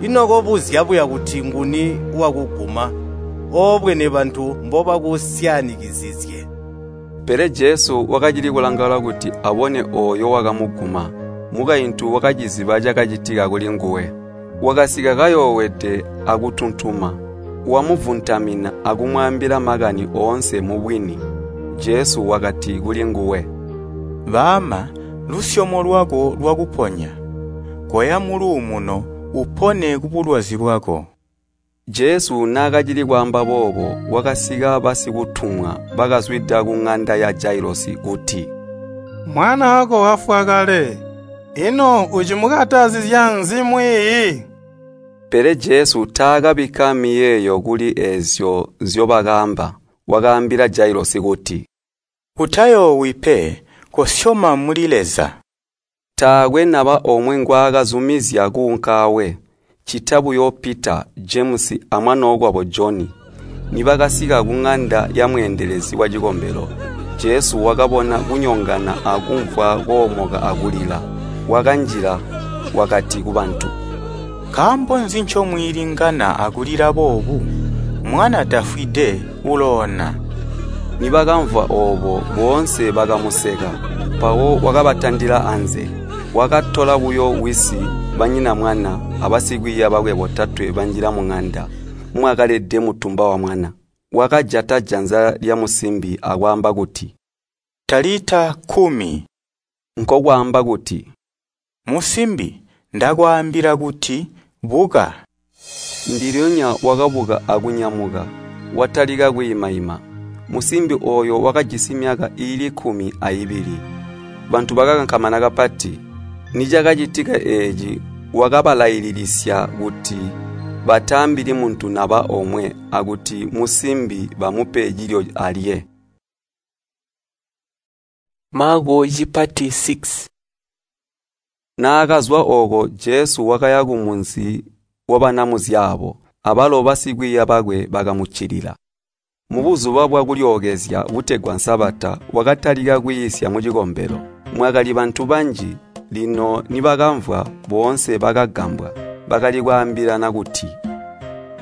“Ino kobuzya buya kuti nguni wakuguma, oobwene bantu mbobakusyaanikizizye?” Pele Jesu wakacili kulangaula kuti abone ooyo wakamuguma. Mukaintu wakaciziba cakacitika kulinguwe. Wakasika kayoowede akutuntuma, wamuvuntamina akumwaambila makani oonse mubwini. Jesu wakati kulinguwe, “Baama, lusyomo lwako lwakuponya. Koya muluumuno, upone kubulwazi bwako.” Jesu naakacili kwaamba boobo, kwakasika basikutumwa bakazwida kuŋanda ya Jailosi kuti, “Mwanaako wafwa kale. Ino ucimukatazizya nzi mwiiyi?” Pele Jesu taakabikka miyeeyo kuli eezyo nzyobakaamba. Wakaambila Jailosi kuti, “Utayoowi pe, kosyoma muli Leza.” Taakwe naba omwe ngwaakazumizya kuunka awe, ccita buyo Pita, Jemusi amwanookwabo Joni. Nibakasika kuŋanda yamweendelezi wacikombelo, Jesu wakabona kunyongana akumvwa koomoka akulila. Wakanjila, wakati kubantu, “Nkaambo nzi ncomwiilingana akulila boobu? Mwana tafwide, uloona.” Nibakamvwa oobo boonse bakamuseka, mpawo wakabatandila anze. Wakatola buyo wisi, banyina mwana, abasikwiiya bakwe botatwe banjila muŋanda mwakalede mutumba wamwana. Wakajata janza lyamusimbi akwaamba kuti, “Talita kumi,” nkokwaamba kuti, “Musimbi, ndakwaambila kuti, buka!” Ndilyonya wakabuka akunyamuka, watalika kwiima-ima. Musimbi ooyo wakajisi myaka iili kkumi aibili. Bantu bakakankamana kapati. Nicakacitika eeci wakabalaililisya kuti bataambili muntu naba omwe akuti musimbi bamupe cilyo alye. Maako cipati six. Naakazwa ooko Jesu wakaya kumunzi wabanamuzyaabo, abalo basikwiiya bakwe bakamuccilila. Mubuzuba bwa kulyookezya butegwa Sabata wakatalika kwiisya mucikombelo. Mwakali bantu banji, lino nibakamvwa boonse bakagambwa. Bakali kwaambilana kuti,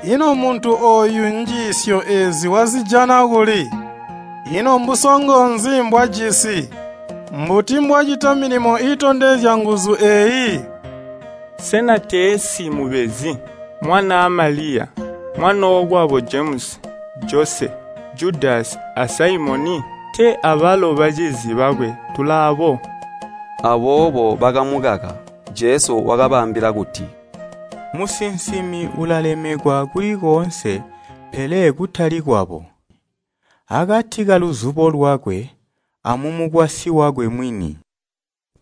Ino muntu ooyu njiisyo eezi wazijana kuli? Ino mbusongo nzi mbwajisi? Mbuti mbwacita milimo iitondezya nguzu eeyi? Sena teesi mubezi, mwanaa Maliya, mwanookwabo Jemusi, Jose, Judasi a Saimoni? Tee abalo bacizi bakwe tulaabo? Aboobo bakamukaka. Jesu wakabaambila kuti, Musinsimi ulalemekwa kuli koonse pele kutali kwabo. Akati kaluzubo lwakwe amumukwasyi wakwe mwini.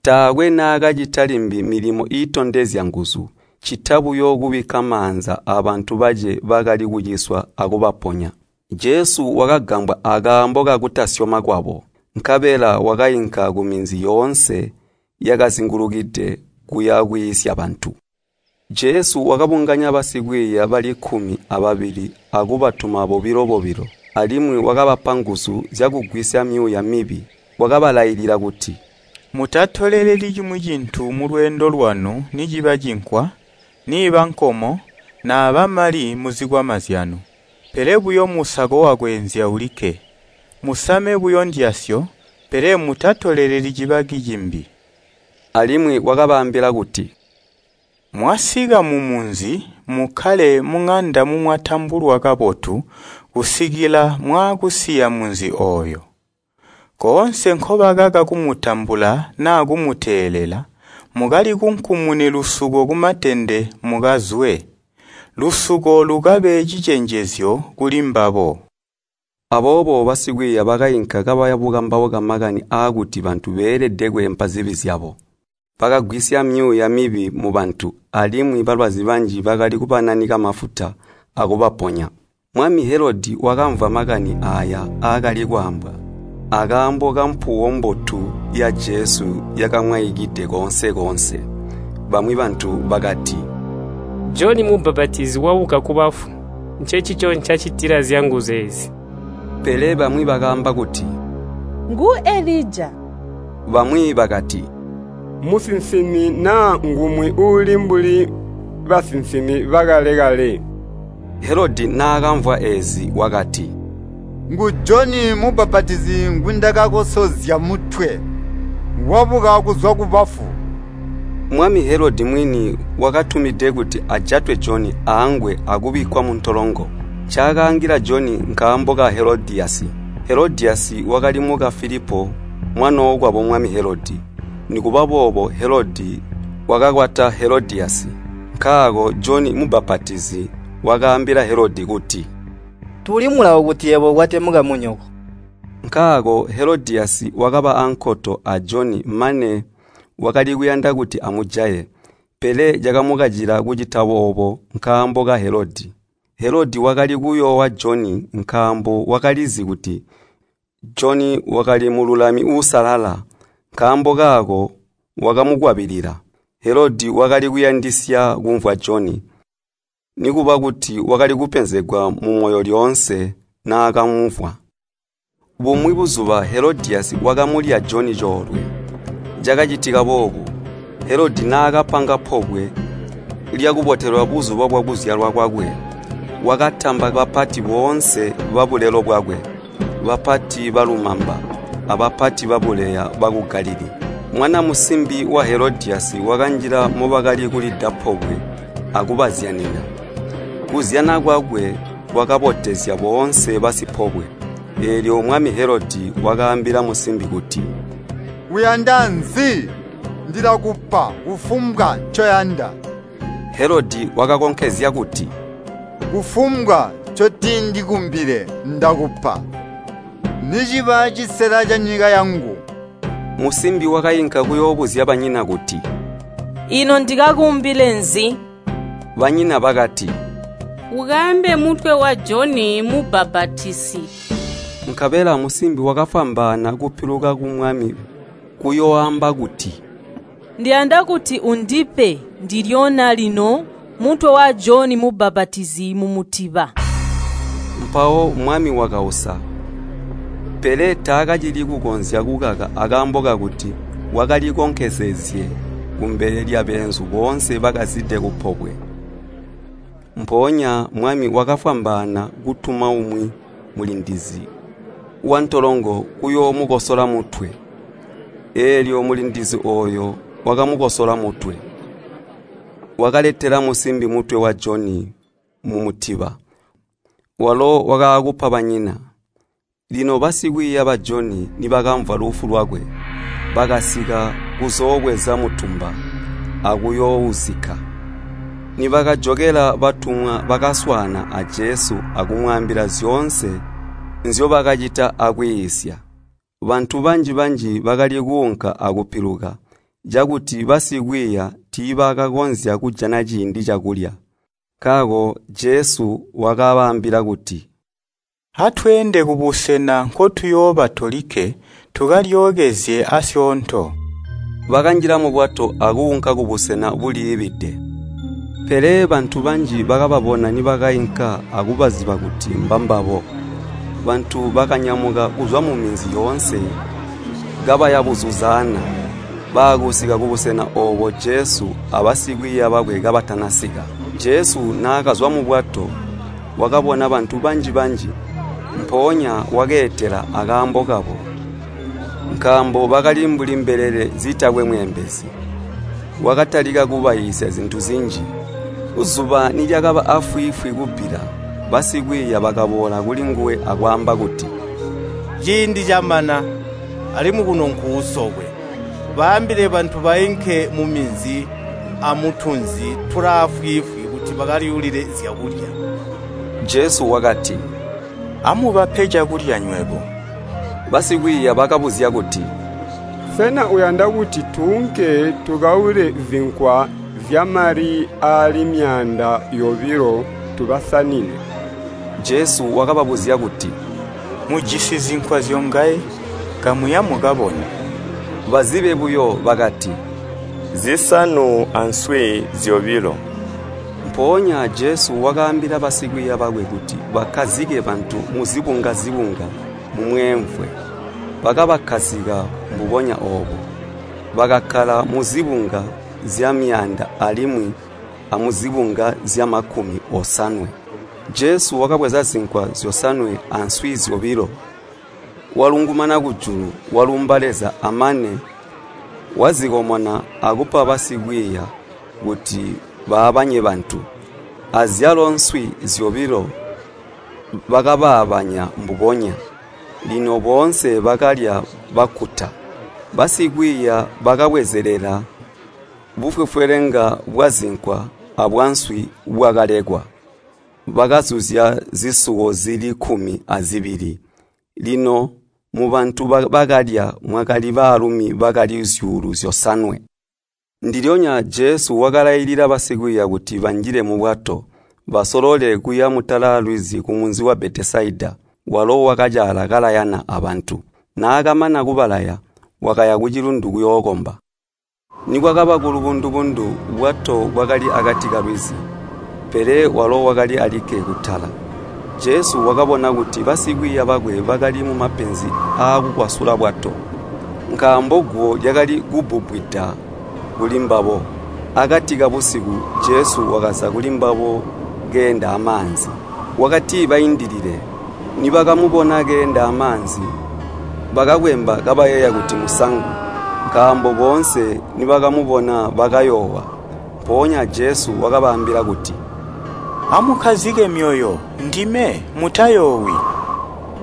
Taakwe naakacita limbi milimo iitondezya nguzu, ccita buyo kubikka maanza abantu bace bakali kuciswa akubaponya. Jesu wakagambwa akaambo kakutasyoma kwabo, nkabela wakainka kuminzi yoonse yakazingulukide kuya kwiisya bantu. Jesu wakabunganya basikwiiya bali kkumi ababili akubatuma bobilo-bobilo, alimwi wakabapa nguzu zyakugwisya myuuya mibi. Wakabalailila kuti, Mutatoleleli cimwi cintu mulweendo lwanu niciba cinkwa, niiba nkomo, naaba mali muzikwama zyanu, pele buyo musako wakweenzya ulikke. Musame buyo ndyasyo, pele mutatoleleli cibaki cimbi. Alimwi wakabaambila kuti, Mwasika mumunzi, mukkale muŋanda mumwatambulwa kabotu kusikila mwaakusiya munzi ooyo. Koonse nkobakaka kumutambula naa kumuteelela, mukalikunkumune lusuko kumatende mukazwe. Lusuko lukabe cicenjezyo kulimbabo. Aboobo basikwiiya bakainka kabaya bukambauka makani aakuti bantu beelede kweempa zibi zyabo. Bakagwisya myuuya mibi mubantu, alimwi balwazi banji bakali kubananika mafuta akubaponya. Mwami Helodi wakamvwa makani aaya aakali kwaambwa, akaambo kampuwo mbotu ya Jesu yakamwaikide koonse-koonse. Bamwi bantu bakati, Joni Mubbapatizi wabuka kubafu, ncencico ncacitila zyanguzu eezi. Pele bamwi bakaamba kuti, Ngu Elija. Bamwi bakati, Musinsimi naa ngumwi uuli mbuli basinsimi bakale-kale. Helodi naakamvwa eezi wakati, Ngu Joni Mubbapatizi ngwindakakosozya mutwe, wabuka kuzwa kubafu. Mwami Helodi mwini wakatumide kuti ajatwe Joni aangwe akubikkwa muntolongo. Ncaakaangila Joni nkaambo ka Helodiyasi. Helodiyasi wakali muka Filipo mwanookwabo mwami Helodi. Nikuba boobo Helodi wakakwata Helodiyasi. Nkaako Joni Mubbapatizi wakaambila Helodi kuti, Tuli mulawo kuti yebo ukwate mukamunyoko. Nkaako Helodiyasi wakaba ankoto a Joni mane wakali kuyanda kuti amujaye, pele cakamukacila kucita boobo nkaambo ka Helodi. Helodi wakali kuyoowa Joni nkaambo wakalizi kuti Joni wakali mululami uusalala, nkaambo kaako wakamukwabilila. Helodi wakali kuyandisya kumvwa Joni, nikuba kuti wakali kupenzegwa mumoyo lyoonse naakamumvwa. Bumwi buzuba Helodiyasi wakamulya Joni coolwe. Cakacitika boobu, Helodi naakapanga pobwe lyakubotelwa buzuba bwakuzyalwa kwakwe, wakatamba bapati boonse babulelo bwakwe, bapati balumamba, abapati babuleya baku Galilii. Mwana musimbi wa Helodiyasi wakanjila mobakali kulida pobwe akubazyanina. Kuzyana kwakwe kwakabotezya boonse basipobwe. Eelyo mwami Helodi wakaambila musimbi kuti, “Uyanda nzi? Ndilakupa kufumbwa ncoyanda.” Helodi wakakonkezya kuti, “Kufumbwa ncotindikumbile ndakupa, niciba cisela canyika yangu.” Musimbi wakainka kuyoobuzya banyina kuti, “Ino ndikakumbile nzi?” Banyina bakati, “Ukaambe mutwe wa Joni Mubbapatizi.” Nkabela musimbi wakafwambaana kupiluka kumwami kuyooamba kuti, “Ndiyanda kuti undipe ndilyona lino mutwe wa Joni Mubbapatizi mumutiba.” Mpawo mwami wakausa, pele taakacili kukonzya kukaka akaambo kakuti wakalikonkezezye kumbele lyabeenzu boonse bakazide kupobwe. Mpoonya mwami wakafwambaana kutuma umwi mulindizi wantolongo kuyoomukosola mutwe. Eelyo mulindizi ooyo wakamukosola mutwe. Wakaletela musimbi mutwe wa Joni mumutiba, walo wakaakupa banyina. Lino basikwiiya ba Joni nibakamvwa lufu lwakwe, bakasika kuzoobweza mutumba akuyoouzikka. Nibakajokela batumwa bakaswaana a Jesu akumwaambila zyoonse nzyobakacita akwiisya. Bantu banji-banji bakali kuunka akupiluka, cakuti basikwiiya tiibakakonzya kujana ciindi cakulya. Nkaako Jesu wakabaambila kuti, “Atweende kubusena nkotuyooba tolikke tukalyookezye asyoonto.” Bakanjila mubwato akuunka kubusena buliibide. Pele bantu banji bakababona nibakainka akubaziba kuti mbambabo. Bantu bakanyamuka kuzwa muminzi yoonse kabaya buzuzaana, baakusika kubusena oobo Jesu abasikwiiya bakwe kabatanasika. Jesu naakazwa mubwato, wakabona bantu banji-banji, mpoonya wakeetela akaambo kabo, nkaambo bakali mbuli mbelele zitakwe mweembezi. Wakatalika kubaiisya zintu zinji. Zuba nilyakaba afwiifwi kubbila, basikwiiya bakaboola kulinguwe akwaamba kuti, “Ciindi camana, alimwi kuno nkuusokwe. Baambile bantu bainke muminzi amutunzi tulaafwiifwi kuti bakalyuulile zyakulya.” Jesu wakati, “Amubape cakulya nywebo.” Basikwiiya bakabuzya kuti, “Sena uyanda kuti tuunke tukaule zinkwa zyamali aali myaanda yobilo tubasanine?” Jesu wakababuzya kuti, “Mujisi zinkwa zyongaye? Kamuya mukabone.” Bazibe buyo bakati, “Zisanu answi zyobilo.” Mpoonya Jesu wakaambila basikwiiya bakwe kuti bakkazike bantu muzibunga-zibunga mumweemvwe. Bakabakkazika mbubonya oobo. Bakakkala muzibunga zyamyaanda alimwi amuzibunga zyamakumi osanwe. Jesu wakabweza zinkwa zyosanwe answi zyobilo, walungumana kujulu, walumba Leza amane wazikomona akupa basikwiiya kuti baabanye bantu. Azyalo nswi zyobilo bakabaabanya mbubonya. Lino boonse bakalya bakkuta. Basikwiiya bakabwezelela bufwefwelenga bwazinkwa abwanswi bwakalekwa. Bakazuzya zisuwo zili kkumi azibili. Lino mubantu bakalya mwakali baalumi bakali zyuulu zyosanwe. Ndilyonya Jesu wakalailila basikwiiya kuti banjile mubwato, basolole kuya mutala lwizi kumunzi wa Betesaida. Walo wakacaala kalayana abantu. Naakamana kubalaya, wakaya kucilundu kuyookomba. Nikwakaba kulubundubundu, bwato bwakali akati kalwizi, pele walo wakali alikke kutala. Jesu wakabona kuti basikwiiya bakwe bakali mumapenzi aakukwasula bwato, nkaambo guwo lyakali kubbubbwida kulimbabo. Akati kabusiku Jesu wakaza kulimbabo keenda amaanzi. Wakati baindilile, Nibakamubona keenda amaanzi, bakakwemba kabayeeya kuti musangu, nkaambo boonse nibakamubona bakayoowa. Mpoonya Jesu wakabaambila kuti, “Amukkazike myoyo, ndime, mutayoowi.”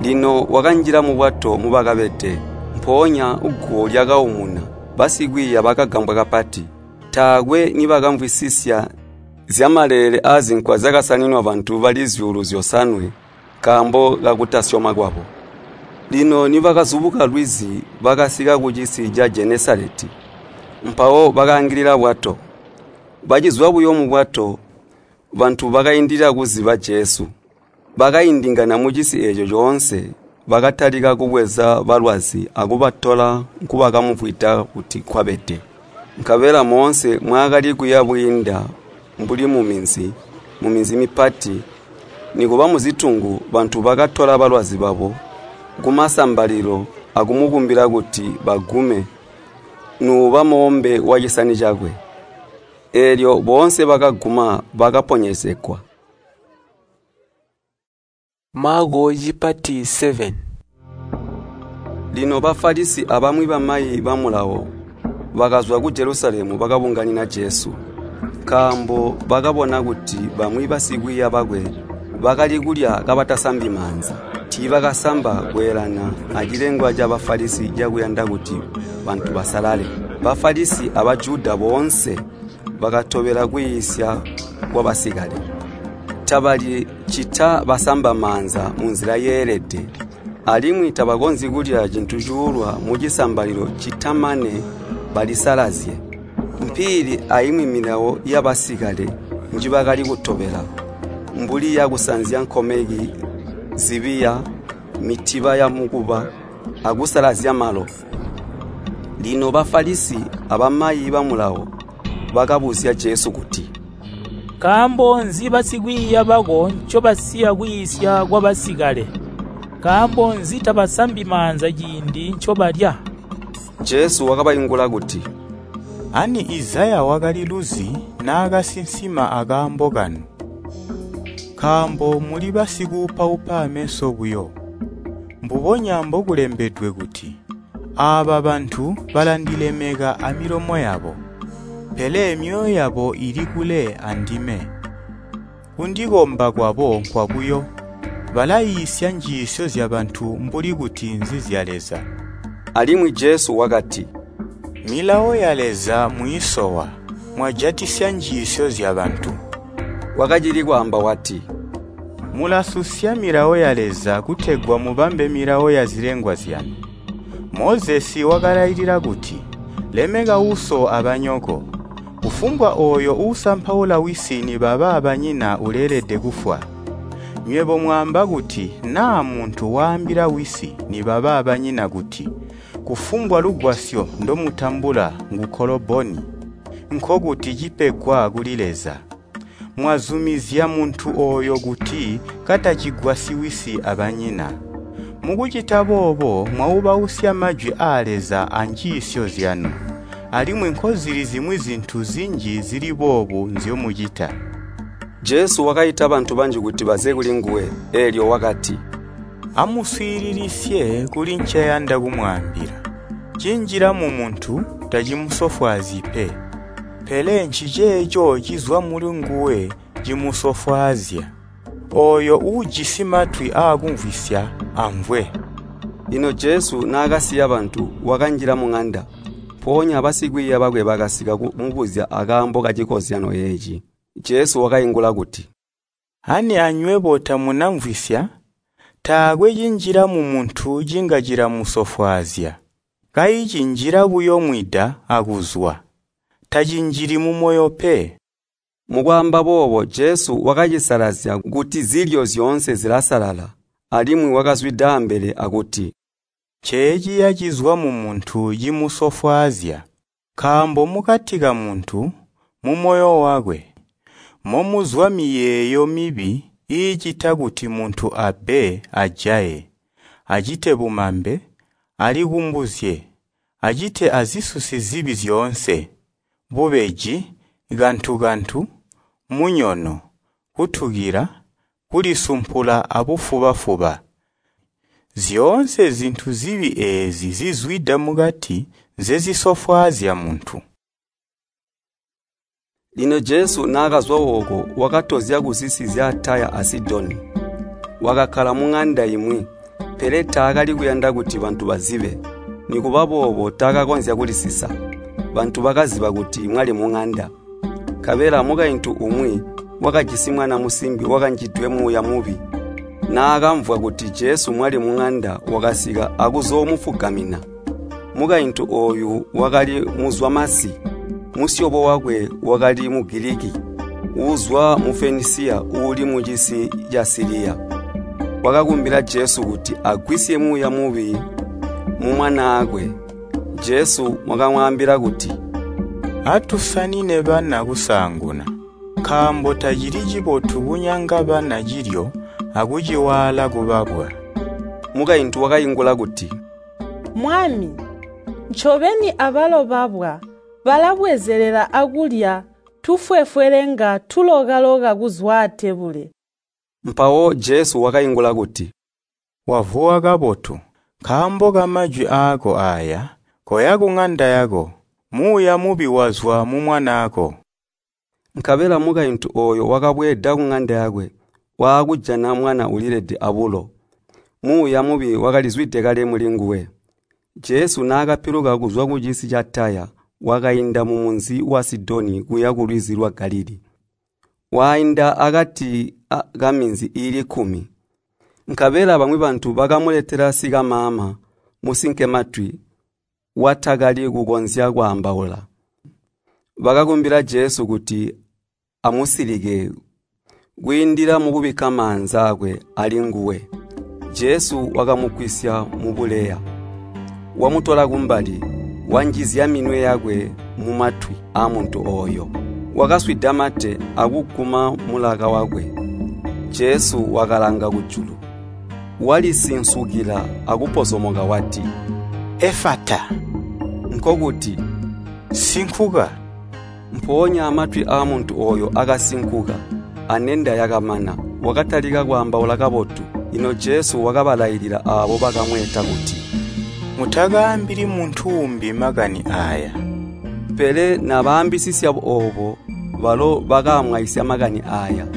Lino wakanjila mubwato mubakabede, mpoonya guwo lyakaumuna. Basikwiiya bakagambwa kapati. Taakwe nibakamvwisisya zyamaleele aazinkwa zyakasaninwa bantu bali zyuulu zyosanwe nkaambo kakutasyoma kwabo. Lino nibakazubuka lwizi bakasika kucisi ca Jenesaleti, mpawo bakaangilila bwato. Bacizwa buyo mubwato, bantu bakaindilila kuziba Jesu. Bakaindingana mucisi eeco coonse, bakatalika kubweza balwazi akubatola nkubakamumvwida kuti nkwabede. Nkabela moonse mwaakali kuya bwiinda mbuli muminzi, muminzi mipati, nikuba muzitungu, bantu bakatola balwazi babo kumasambalilo akumukumbila kuti bagume nuuba moombe wacisani cakwe. Eelyo boonse bakaguma bakaponyezegwa. Maako cipati seven. Lino Bafalisi abamwi bamayi ba Mulawo bakazwa ku Jelusalemu bakabunganina Jesu, nkaambo bakabona kuti bamwi basikwiiya bakwe bakali kulya kabatasambi maanza. Tiibakasamba kweelana acilengwa ca Bafalisi cakuyanda kuti bantu basalale. Bafalisi a Bajuda boonse bakatobela kwiisya kwabasikale. Tabalyi ccita basamba maanza munzila yeelede, alimwi tabakonzyi kulya cintu cuulwa mucisambalilo ccita mane balisalazye. Mpiili aimwi milawo yabasikale njibakali kutobela, mbuli yakusanzya nkomeki, zibiya, mitiba yamukuba, akusalazya malo. Lino Bafalisi abamayi ba Mulawo bakabuzya Jesu kuti, “Nkaambo nzi basikwiiya bako ncobasiya kwiisya kwabasikale? Nkaambo nzi tabasambi maanza ciindi ncobalya?” Jesu wakabaingula kuti, “Ani Izaya wakaliluzi naakasinsima akaambo kanu, nkaambo muli basikuupaupa aameso buyo. Mbubonya mbokulembedwe kuti, ‘Aaba bantu balandilemeka amilomo yabo, pele myoyo yabo ili kule andime. Kundikomba kwabo nkwabuyo, balaiisya njiisyo zyabantu mbuli kuti nzizya Leza.’” Alimwi Jesu wakati, “Milawo ya Leza mwiisowa, mwajatisya njiisyo zyabantu.” Wakacili kwaamba wati, “Mulasusya milawo ya Leza kutegwa mubambe milawo yazilengwa zyanu. Mozesi wakalailila kuti, ‘Lemeka uso abanyoko. Kufumbwa ooyo uusampaula wisi nibaba banyina uleelede kufwa.’ Nywebo mwaamba kuti naa muntu waambila wisi nibaba banyina kuti, ‘Kufumbwa lugwasyo ndomutambula ngu Koloboni,’ nkokuti cipegwa kuli Leza. Mwazumizya muntu ooyo kuti katacigwasyi wisi abanyina. Mukucita boobo mwaubausya majwi aa Leza anjiisyo zyanu. Alimwi nkozili zimwi zintu zinji zili boobu nzyomucita.” Jesu wakaita bantu banji kuti baze kulinguwe, eelyo wakati, “Amuswiililisye kuli nceyanda kumwaambila. Cinjila mumuntu tacimusofwaazyi pe, pele nciceeco cizwa mulinguwe cimusofwaazya. Ooyo uujisi matwi aakumvwisya amvwe.” Lino Jesu naakasiya bantu, wakanjila muŋanda. Mpoonya basikwiiya bakwe bakasika kumubuzya akaambo kacikozyanyo eeci. Jesu wakaingula kuti, “Ani anywebo tamunamvwisya? Taakwe cinjila mumuntu cinga cilamusofwaazya. Kayi cinjila buyo mwida akuzwa, tacinjili mumoyo pe.” Mukwaamba boobo Jesu wakacisalazya kuti zilyo zyoonse zilasalala. Alimwi wakazwida ambele akuti, “Nceeciya cizwa mumuntu cimusofwaazya. Nkaambo mukati kamuntu, mumoyo wakwe, momuzwa miyeeyo mibi iicita kuti muntu abbe ajaye, acite bumambe, alikumbuzye, acite azisusi zibi zyoonse, bubeji, kantu-kantu, munyono, kutukila, kulisumpula abufuba-fuba. Zyoonse zintu zibi eezi zizwida mukati nzezisofwaazya muntu. Lino Jesu naakazwa ooko wakatozya kuzisi zya Taya a Sidoni. Wakakkala muŋanda imwi, pele taakali kuyanda kuti bantu bazibe. Nikuba boobo taakakonzya kulisisa. Bantu bakaziba kuti mwali muŋanda. Nkabela mukaintu umwi wakajisi mwana musimbi wakanjidwe muuya mubi. Naakamvwa kuti Jesu mwali muŋanda wakasika akuzoomufugamina. Mukaintu ooyu wakali muzwamasi, musyobo wakwe wakali Mugiliki, uuzwa mu Fenisiya uuli mucisi ca Siliya. Wakakumbila Jesu kuti agwisye muuya mubi mumwanaakwe. Jesu wakamwaambila kuti, “Atusanine bana kusaanguna, nkaambo tacili cibotu kunyanga bana cilyo akuciwaala kubabwa.” Mukaintu wakaingula kuti, “Mwami, ncobeni abalo babwa balabwezelela akulya tufwefwelenga tuloka-loka kuzwa atebule.” Mpawo Jesu wakaingula kuti, “Wavuwa kabotu, nkaambo kamajwi aako aaya, koya kuŋanda yako, muuya mubi wazwa mumwanaako.” Nkabela mukaintu ooyo wakabweeda kuŋanda yakwe, waakujana mwana ulilede abulo. Muuya mubi wakalizwide kale mulinguwe. Jesu naakapiluka kuzwa kucisi ca Taya, wakainda mumunzi wa Sidoni kuya kulwizi lwa Galilii. Wainda akati kaminzi iili kkumi. Nkabela bamwi bantu bakamuletela sikamaama musinkematwi watakali kukonzya kwaambaula. Bakakumbila Jesu kuti amusilike kwiindila mukubikka maanza aakwe alinguwe. Jesu wakamugwisya mubuleya, wamutola kumbali, wanjizya minwe yakwe mumatwi aamuntu ooyo. Wakaswida mate akuguma mulaka wakwe. Jesu wakalanga kujulu, walisinsukila akupozomoka wati, “Efata,” nkokuti, “Sinkuka.” Mpoonya matwi aamuntu ooyo akasinkuka, anenda yakamana, wakatalika kwaambaula kabotu. Lino Jesu wakabalailila aabo bakamweeta kuti, “Mutakaambili muntu uumbi makani aaya.” Pele nabaambisisya oobo, balo bakaamwaisya makani aaya.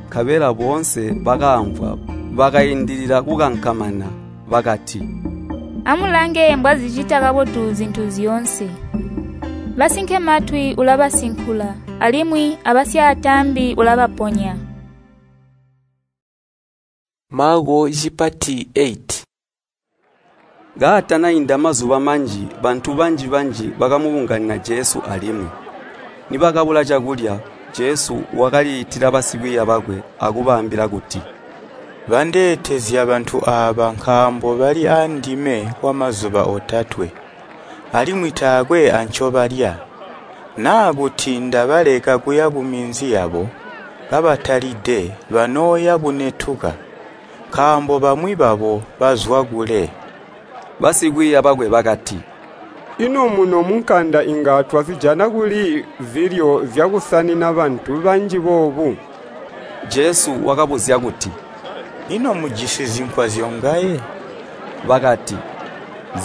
Nkabela boonse bakaamvwa bakaindilila kukankamana, bakati, “Amulange mbwazicita kabotu zintu zyoonse. Basinkematwi ulabasinkula, alimwi abasyaataambi ulabaponya.” Maako cipati eight. Kaatanainda mazuba manji, bantu banji-banji bakamubunganina Jesu alimwi. Nibakabula cakulya, Jesu wakaliitila basikwiiya bakwe akubaambila kuti, “Bandeetezya bantu aaba nkaambo bali aandime kwamazuba otatwe, alimwi taakwe ancobalya. Naa kuti ndabaleka kuya kuminzi yabo kabatalide banooya bunetuka, nkaambo bamwi babo bazwa kule.” Basikwiiya bakwe bakati, “Ino muno munkanda inga twazijana kuli zilyo zyakusanina bantu banji boobu?” Jesu wakabuzya kuti, “Ino mujisi zinkwa zyongaye?” Bakati,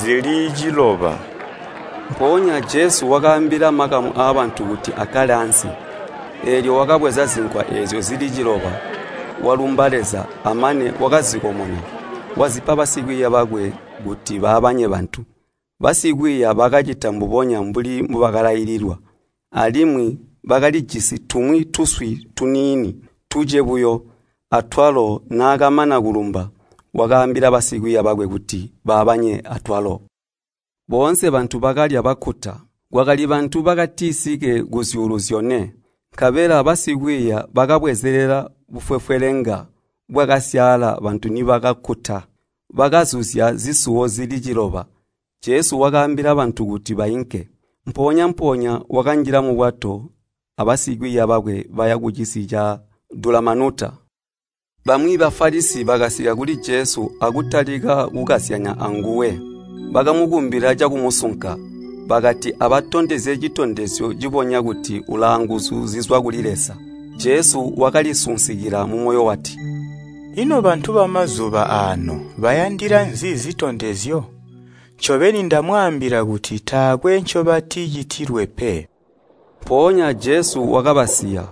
“Zili ciloba.” Mpoonya Jesu wakaambila makamu aabantu kuti akkale ansi. Eelyo wakabweza zinkwa eezyo zili ciloba, walumba Leza, amane wakazikomona, wazipa basikwiiya bakwe kuti baabanye bantu. Basikwiiya bakacita mbubonya mbuli mbubakalaililwa. Alimwi bakalijisi tumwi tuswi tuniini tuce buyo, atwalo naakamana kulumba, wakaambila basikwiiya bakwe kuti baabanye atwalo. Boonse bantu bakalya bakkuta. Kwakali bantu bakatisike kuzyuulu zyone. Nkabela basikwiiya bakabwezelela bufwefwelenga bwakasyaala bantu nibakakkuta. Bakazuzya zisuwo zili ciloba. Jesu wakaambila bantu kuti bainke. Mpoonya-mpoonya wakanjila mubwato abasikwiiya bakwe baya kucisi ca Dulamanuta. Bamwi Bafalisi bakasika kuli Jesu akutalika kukazyanya anguwe. Bakamukumbila cakumusunka, bakati abatondezye citondezyo cibonya kuti ulaanguzu zizwa kuli Leza. Jesu wakalisunsikila mumoyo wati, Ino bantu bamazuba aano bayandila nzi zitondezyo? Ncobeni ndamwaambila kuti taakwe ncobaticitilwe pe.” Mpoonya Jesu wakabasiya,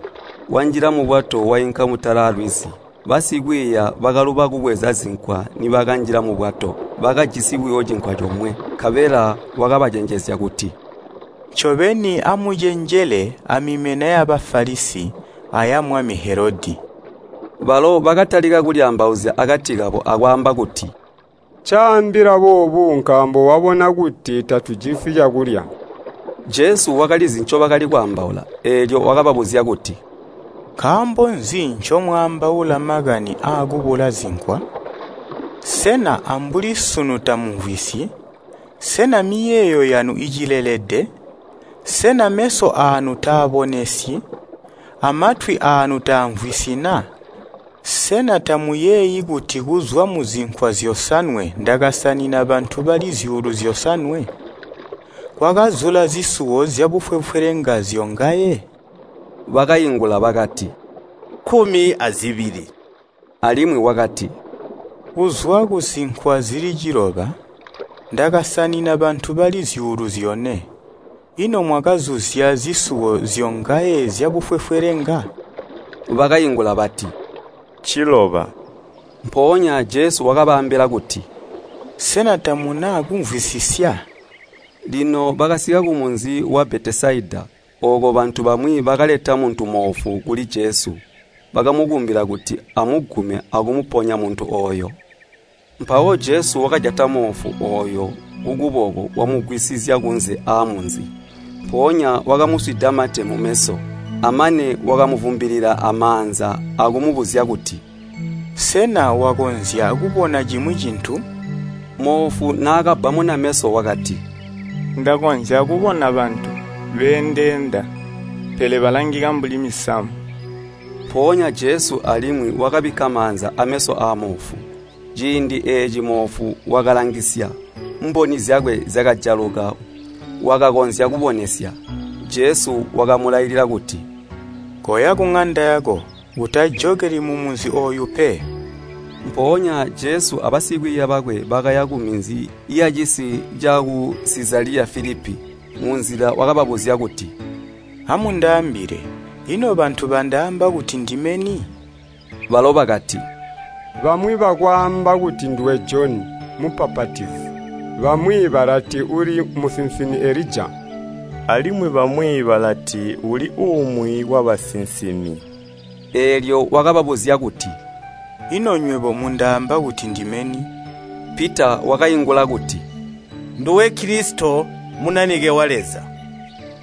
wanjila mubwato wainka mutala aalwizi. Basikwiiya bakaluba kubweza zinkwa nibakanjila mubwato, bakajisi buyo cinkwa comwe. Nkabela wakabacenjezya kuti, “Ncobeni amucenjele amimena ya Bafalisi aya mwami Helodi.” Balo bakatalika kulyaambauzya akati kabo akwaamba kuti, “Ncaambila boobu nkaambo wabona kuti tatujisi cakulya.” Jesu wakalizi ncobakali kwaambaula, eelyo wakababuzya kuti, “Nkaambo nzi ncomwaambaula makani aakubula zinkwa? Sena ambuli sunu tamumvwisyi? Sena miyeeyo yanu icilelede? Sena meso aanu taabonesyi? Amatwi aanu taamvwisyi na? Sena tamuyeeyi kuti kuzwa muzinkwa zyosanwe ndakasanina bantu bali zyuulu zyosanwe? Kwakazula zisuwo zyabufwefwelenga zyongaye?” Bakaingula bakati, “Kkumi azibili.” Alimwi wakati, “Kuzwa kuzinkwa zili ciloba, ndakasanina bantu bali zyuulu zyone. Ino mwakazuzya zisuwo zyongaye zyabufwefwelenga?” Bakaingula bati, “Ciloba.” Mpoonya Jesu wakabaambila kuti, “Sena tamuna kumvwisisya?” Lino bakasika kumunzi wa Betesaida. Ooko bantu bamwi bakaleta muntu moofu kuli Jesu. Bakamukumbila kuti amugume akumuponya muntu ooyo. Mpawo Jesu wakajata moofu ooyo kukuboko wamugwisizya kunze aamunzi. Mpoonya wakamuswida mate mumeso, amane wakamuvumbilila amaanza akumubuzya kuti, “Sena wakonzya kubona cimwi cintu?” Moofu naakabbamuna meso wakati, “Ndakonzya kubona bantu, beendeenda, pele balangika mbuli misamu.” Mpoonya Jesu alimwi wakabikka maanza ameso aamoofu. Ciindi eeci moofu wakalangisya, mboni zyakwe zyakajaluka wakakonzya kubonesya. Jesu wakamulailila kuti, “Koya kuŋanda yako, utajokeli mumunzi ooyu pe.” Mpoonya Jesu abasikwiiya bakwe bakaya kuminzi yacisi caku Sizaliya Filipi. Munzila wakababuzya kuti, “Amundaambile, ino bantu bandaamba kuti ndime ni?” Balo bakati, “Bamwi bakwaamba kuti nduwe Joni Mubbapatizi, bamwi balati uli musinsimi Elija, alimwi bamwi balati uli umwi wabasinsimi.” Eelyo wakababuzya kuti, “Ino nywebo mundaamba kuti ndime ni?” Pita wakaingula kuti, “Nduwe Kilisito, Munanike wa Leza.”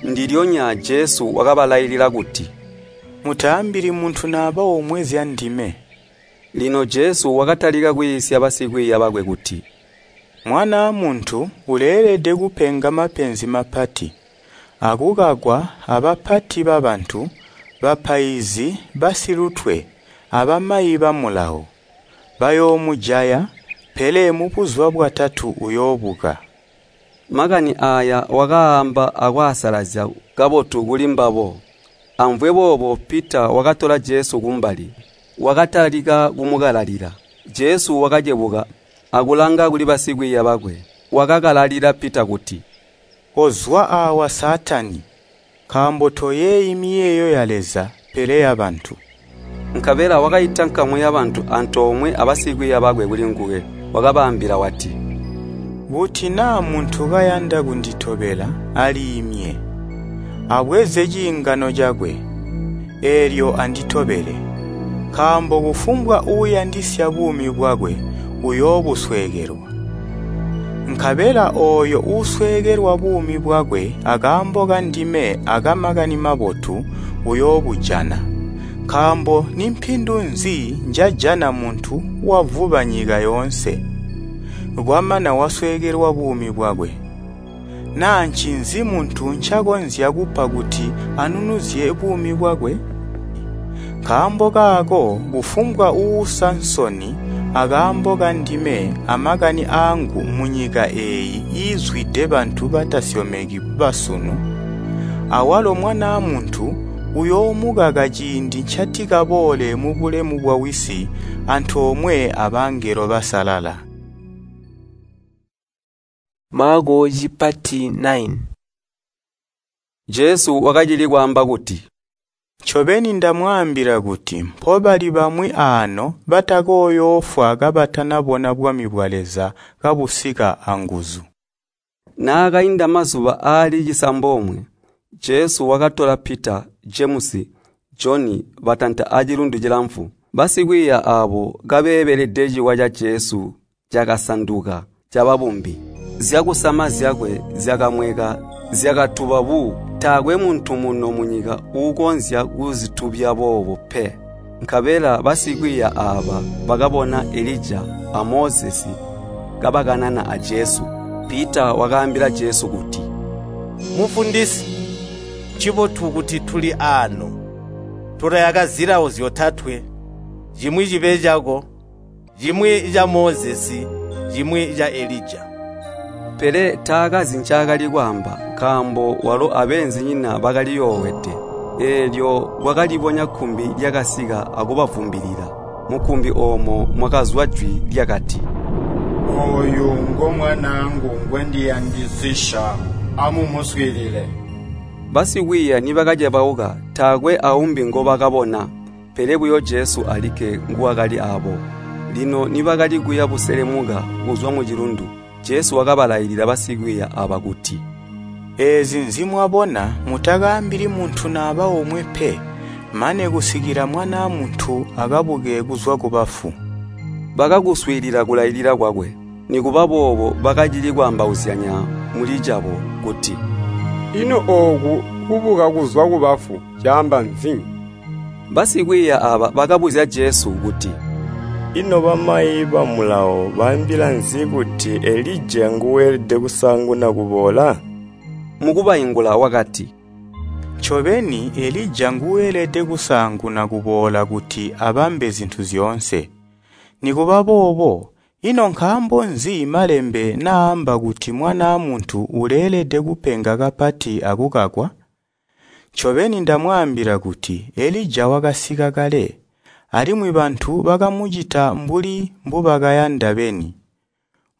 Ndilyonya Jesu wakabalailila kuti, “Mutaambili muntu naba omwe zyandime.” Lino Jesu wakatalika kwiisya basikwiiya bakwe kuti, “Mwanaa Muntu uleelede kupenga mapenzi mapati, akukakwa abapati babantu, bapaizi basilutwe abamayi ba Mulawo. Bayoomujaya, pele mubuzuba bwatatu uyoobuka.” Makani aaya wakaamba akwaasalazya kabotu kuli mbabo. Amvwe boobo Pita wakatola Jesu kumbali, wakatalika kumukalalila. Jesu wakacebuka akulanga kuli basikwiiya bakwe, wakakalalila Pita kuti, “Kozwa aawa Saatani! Nkaambo toyeeyi miyeeyo ya Leza, pele yabantu.” Nkabela wakaita nkamu yabantu antoomwe abasikwiiya bakwe kulinguwe, wakabaambila wati, “Kuti naa muntu kayanda kunditobela, aliimye, abweze ciingano cakwe, eelyo anditobele. Nkaambo kufumbwa uuyandisya buumi bwakwe uyoobusweekelwa. Nkabela ooyo uusweekelwa buumi bwakwe akaambo kandime aka Makani Mabotu uyoobujana. Nkaambo nimpindu nzi njajana muntu wavuba nyika yoonse, kwamana wasweekelwa buumi bwakwe? Naa ncinzi muntu ncakonzya kupa kuti anunuzye buumi bwakwe? Nkaambo kaako kufumbwa uusa nsoni akaambo kandime amakani aangu munyika eeyi iizwide bantu batasyomeki basunu, awalo Mwanaa Muntu uyoomukaka ciindi ncatikaboole mubulemu bwa Wisi antoomwe abangelo basalala. Maako cipati nine. Jesu wakacili kwaamba kuti, Ncobeni ndamwaambila kuti mpobali bamwi aano batakooyoofwa kabatanabona bwami bwa Leza kabusika anguzu. Naakainda mazuba aali cisambomwe, Jesu wakatola Pita, Jemusi, Joni batanta acilundu cilamfu. Basikwiiya aabo kabeebelede ciwa ca Jesu cakasanduka caba bumbi. Zyakusama zyakwe zyakamweka zyakatuba bu. Taakwe muntu muno munyika uukonzya kuzitubya boobo pe. Nkabela basikwiiya aaba bakabona Elija a Mozesi kabakanana a Jesu. Pita wakaambila Jesu kuti, Mufundisi, ncibotu kuti tuli aano. Tulayaka zilawo zyotatwe, cimwi cibe cako, cimwi ca Mozesi, cimwi ca Elija. Pele taakazi ncaakali kwaamba, nkaambo walo abeenzinyina bakaliyoowede. Eelyo kwakalibonya kkumbi lyakasika akubavumbilila. Mukkumbi oomo mwakazwa jwi lyakati, Ooyu ngomwanaangu ngwendiyandisisya, amumuswiilile. Basikwiiya nibakacebauka taakwe aumbi ngobakabona, pele buyo Jesu alikke nguwakali aabo. Lino nibakali kuya buselemuka kuzwa mucilundu, Jesu wakabalailila basikwiiya aaba kuti, Eezi nzimwabona mutakaambili muntu naba omwe pe, mane kusikila Mwanaa Muntu akabuke kuzwa kubafu. Bakakuswiilila kulailila kwakwe. Nikuba boobo bakacili kwaambauzyanya mulicabo kuti, Ino ooku kubuka kuzwa kubafu caamba nzi? Basikwiiya aaba bakabuzya Jesu kuti, Ino bamayi ba Mulawo baambila nzi kuti Elija nguweelede kusaanguna kuboola? Mukubaingula wakati, Ncobeni Elija nguweelede kusaanguna kuboola kuti abambe zintu zyoonse. Nikuba boobo, ino nkaambo nzi Malembe naamba kuti Mwanaa Muntu uleelede kupenga kapati akukakwa? Ncobeni ndamwaambila kuti Elija wakasika kale, alimwi bantu bakamucita mbuli mbubakayanda beni,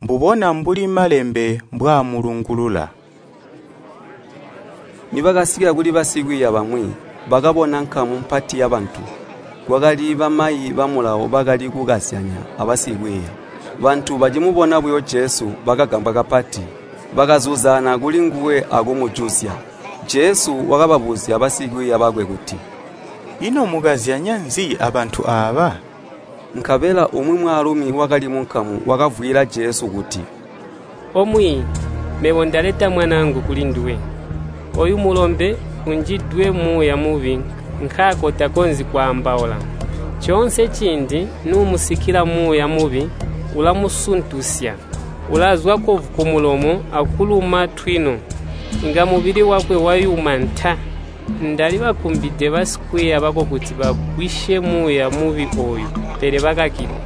mbubona mbuli Malembe mbwaamulungulula. Nibakasika kuli basikwiiya bamwi, bakabona nkamu mpati yabantu. Kwakali bamayi ba Mulawo bakali kukazyanya abasikwiiya. Bantu bacimubona buyo Jesu bakagambwa kapati, bakazuzana kulinguwe akumujuzya. Jesu wakababuzya basikwiiya bakwe kuti, Ino mukazyanya nzi abantu aaba? Nkabela umwi mwaalumi wakali munkamu wakavwiila Jesu kuti, Omwiiyi, mebo ndaleta mwanaangu kulinduwe. Ooyu mulombe unjidwe muuya mubi nkaako takonzyi kwaambaula. Coonse ciindi nuumusikila muuya mubi ulamusuntusya, ulazwa kkovu kumulomo akuluma twino, inga mubili wakwe wayuma nta. Ndalibakumbide basikwiiya bako kuti bagwisye muuya mubi ooyu, pele bakakilwa.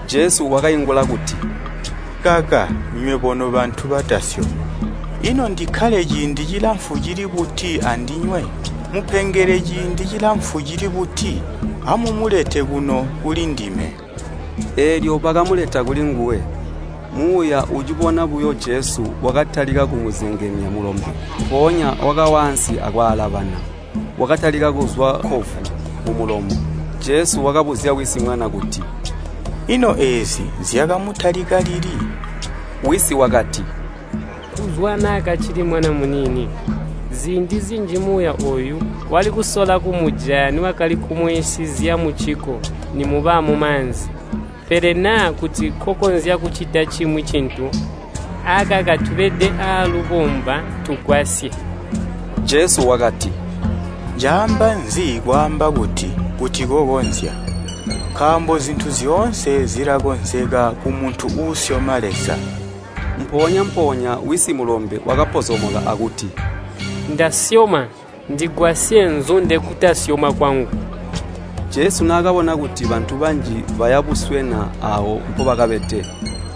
Jesu wakaingula kuti, Kaka nywebo nobantu batasyomi, ino ndikkale ciindi cilamfu cili buti andinywe? Mupengele ciindi cilamfu cili buti? Amumulete kuno kulindime. Eelyo bakamuleta kulinguwe. Muuya ucibona buyo Jesu wakatalika kumuzengemya mulombe, mpoonya wakawa ansi akwaalabana. Wakatalika kuzwa kkovu mumulomo. Jesu wakabuzya wisi mwana kuti, Ino eezi zyakamutalika lili? Wisi wakati, Kuzwa naakacili mwana muniini. Ziindi zinji muuya ooyu wali kusola kumujaya niwakali kumwiisizya muciko nimuba mumaanzi. Pele naa kuti kokonzya kucita cimwi cintu, akaka tubede aalubomba tugwasye. Jesu wakati, Caamba nzi kwaamba kuti, kuti kokonzya? Nkaambo zintu zyoonse zilakonzeka kumuntu uusyoma Leza. Mpoonya-mpoonya wisi mulombe wakapozomoka akuti, Ndasyoma, ndigwasye nzunde kutasyoma kwangu. Jesu naakabona kuti bantu banji baya buswena aawo mpobakabede,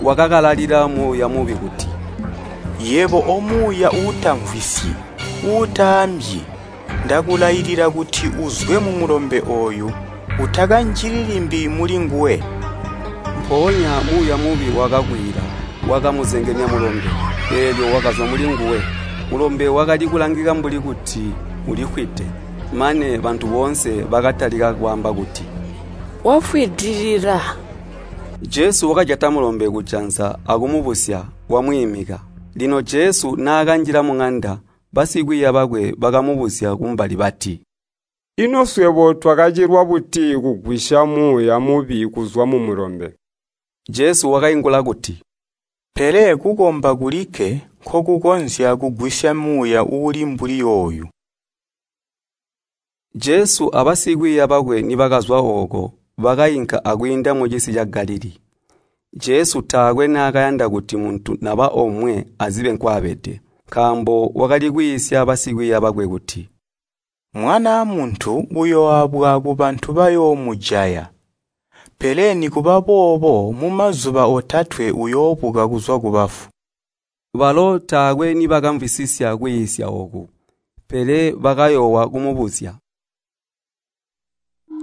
wakakalalila muuya mubi kuti, Yebo omuuya uutamvwisyi, uutaambyi, ndakulailila kuti uzwe mumulombe ooyu, utakanjili limbi mulinguwe.” Mpoonya muuya mubi wakakwiila, wakamuzengemya mulombe, eelyo wakazwa mulinguwe. Mulombe wakali kulangika mbuli kuti ulifwide, mane bantu boonse bakatalika kwaamba kuti, “Wafwidilila!” Jesu wakajata mulombe kujanza akumubusya, wamwiimika. Lino Jesu naakanjila muŋanda, basikwiiya bakwe bakamubuzya kumbali bati, “Ino swebo twakacilwa buti kugwisya muuya mubi kuzwa mumulombe?” Jesu wakaingula kuti, “Pele kukomba kulikke nkokukonzya kugwisya muuya uuli mbuli yooyu.” Jesu abasikwiiya bakwe nibakazwa ooko, bakainka akwiinda mucisi ca Galilii. Jesu taakwe naakayanda kuti muntu naba omwe azibe nkwaabede, nkaambo wakali kwiisya basikwiiya bakwe kuti, “Mwanaa Muntu uyooabwa kubantu bayoomujaya, pele nikuba boobo mumazuba otatwe uyoobuka kuzwa kubafu.” Balo taakwe nibakamvwisisya kwiisya ooku, pele bakayoowa kumubuzya.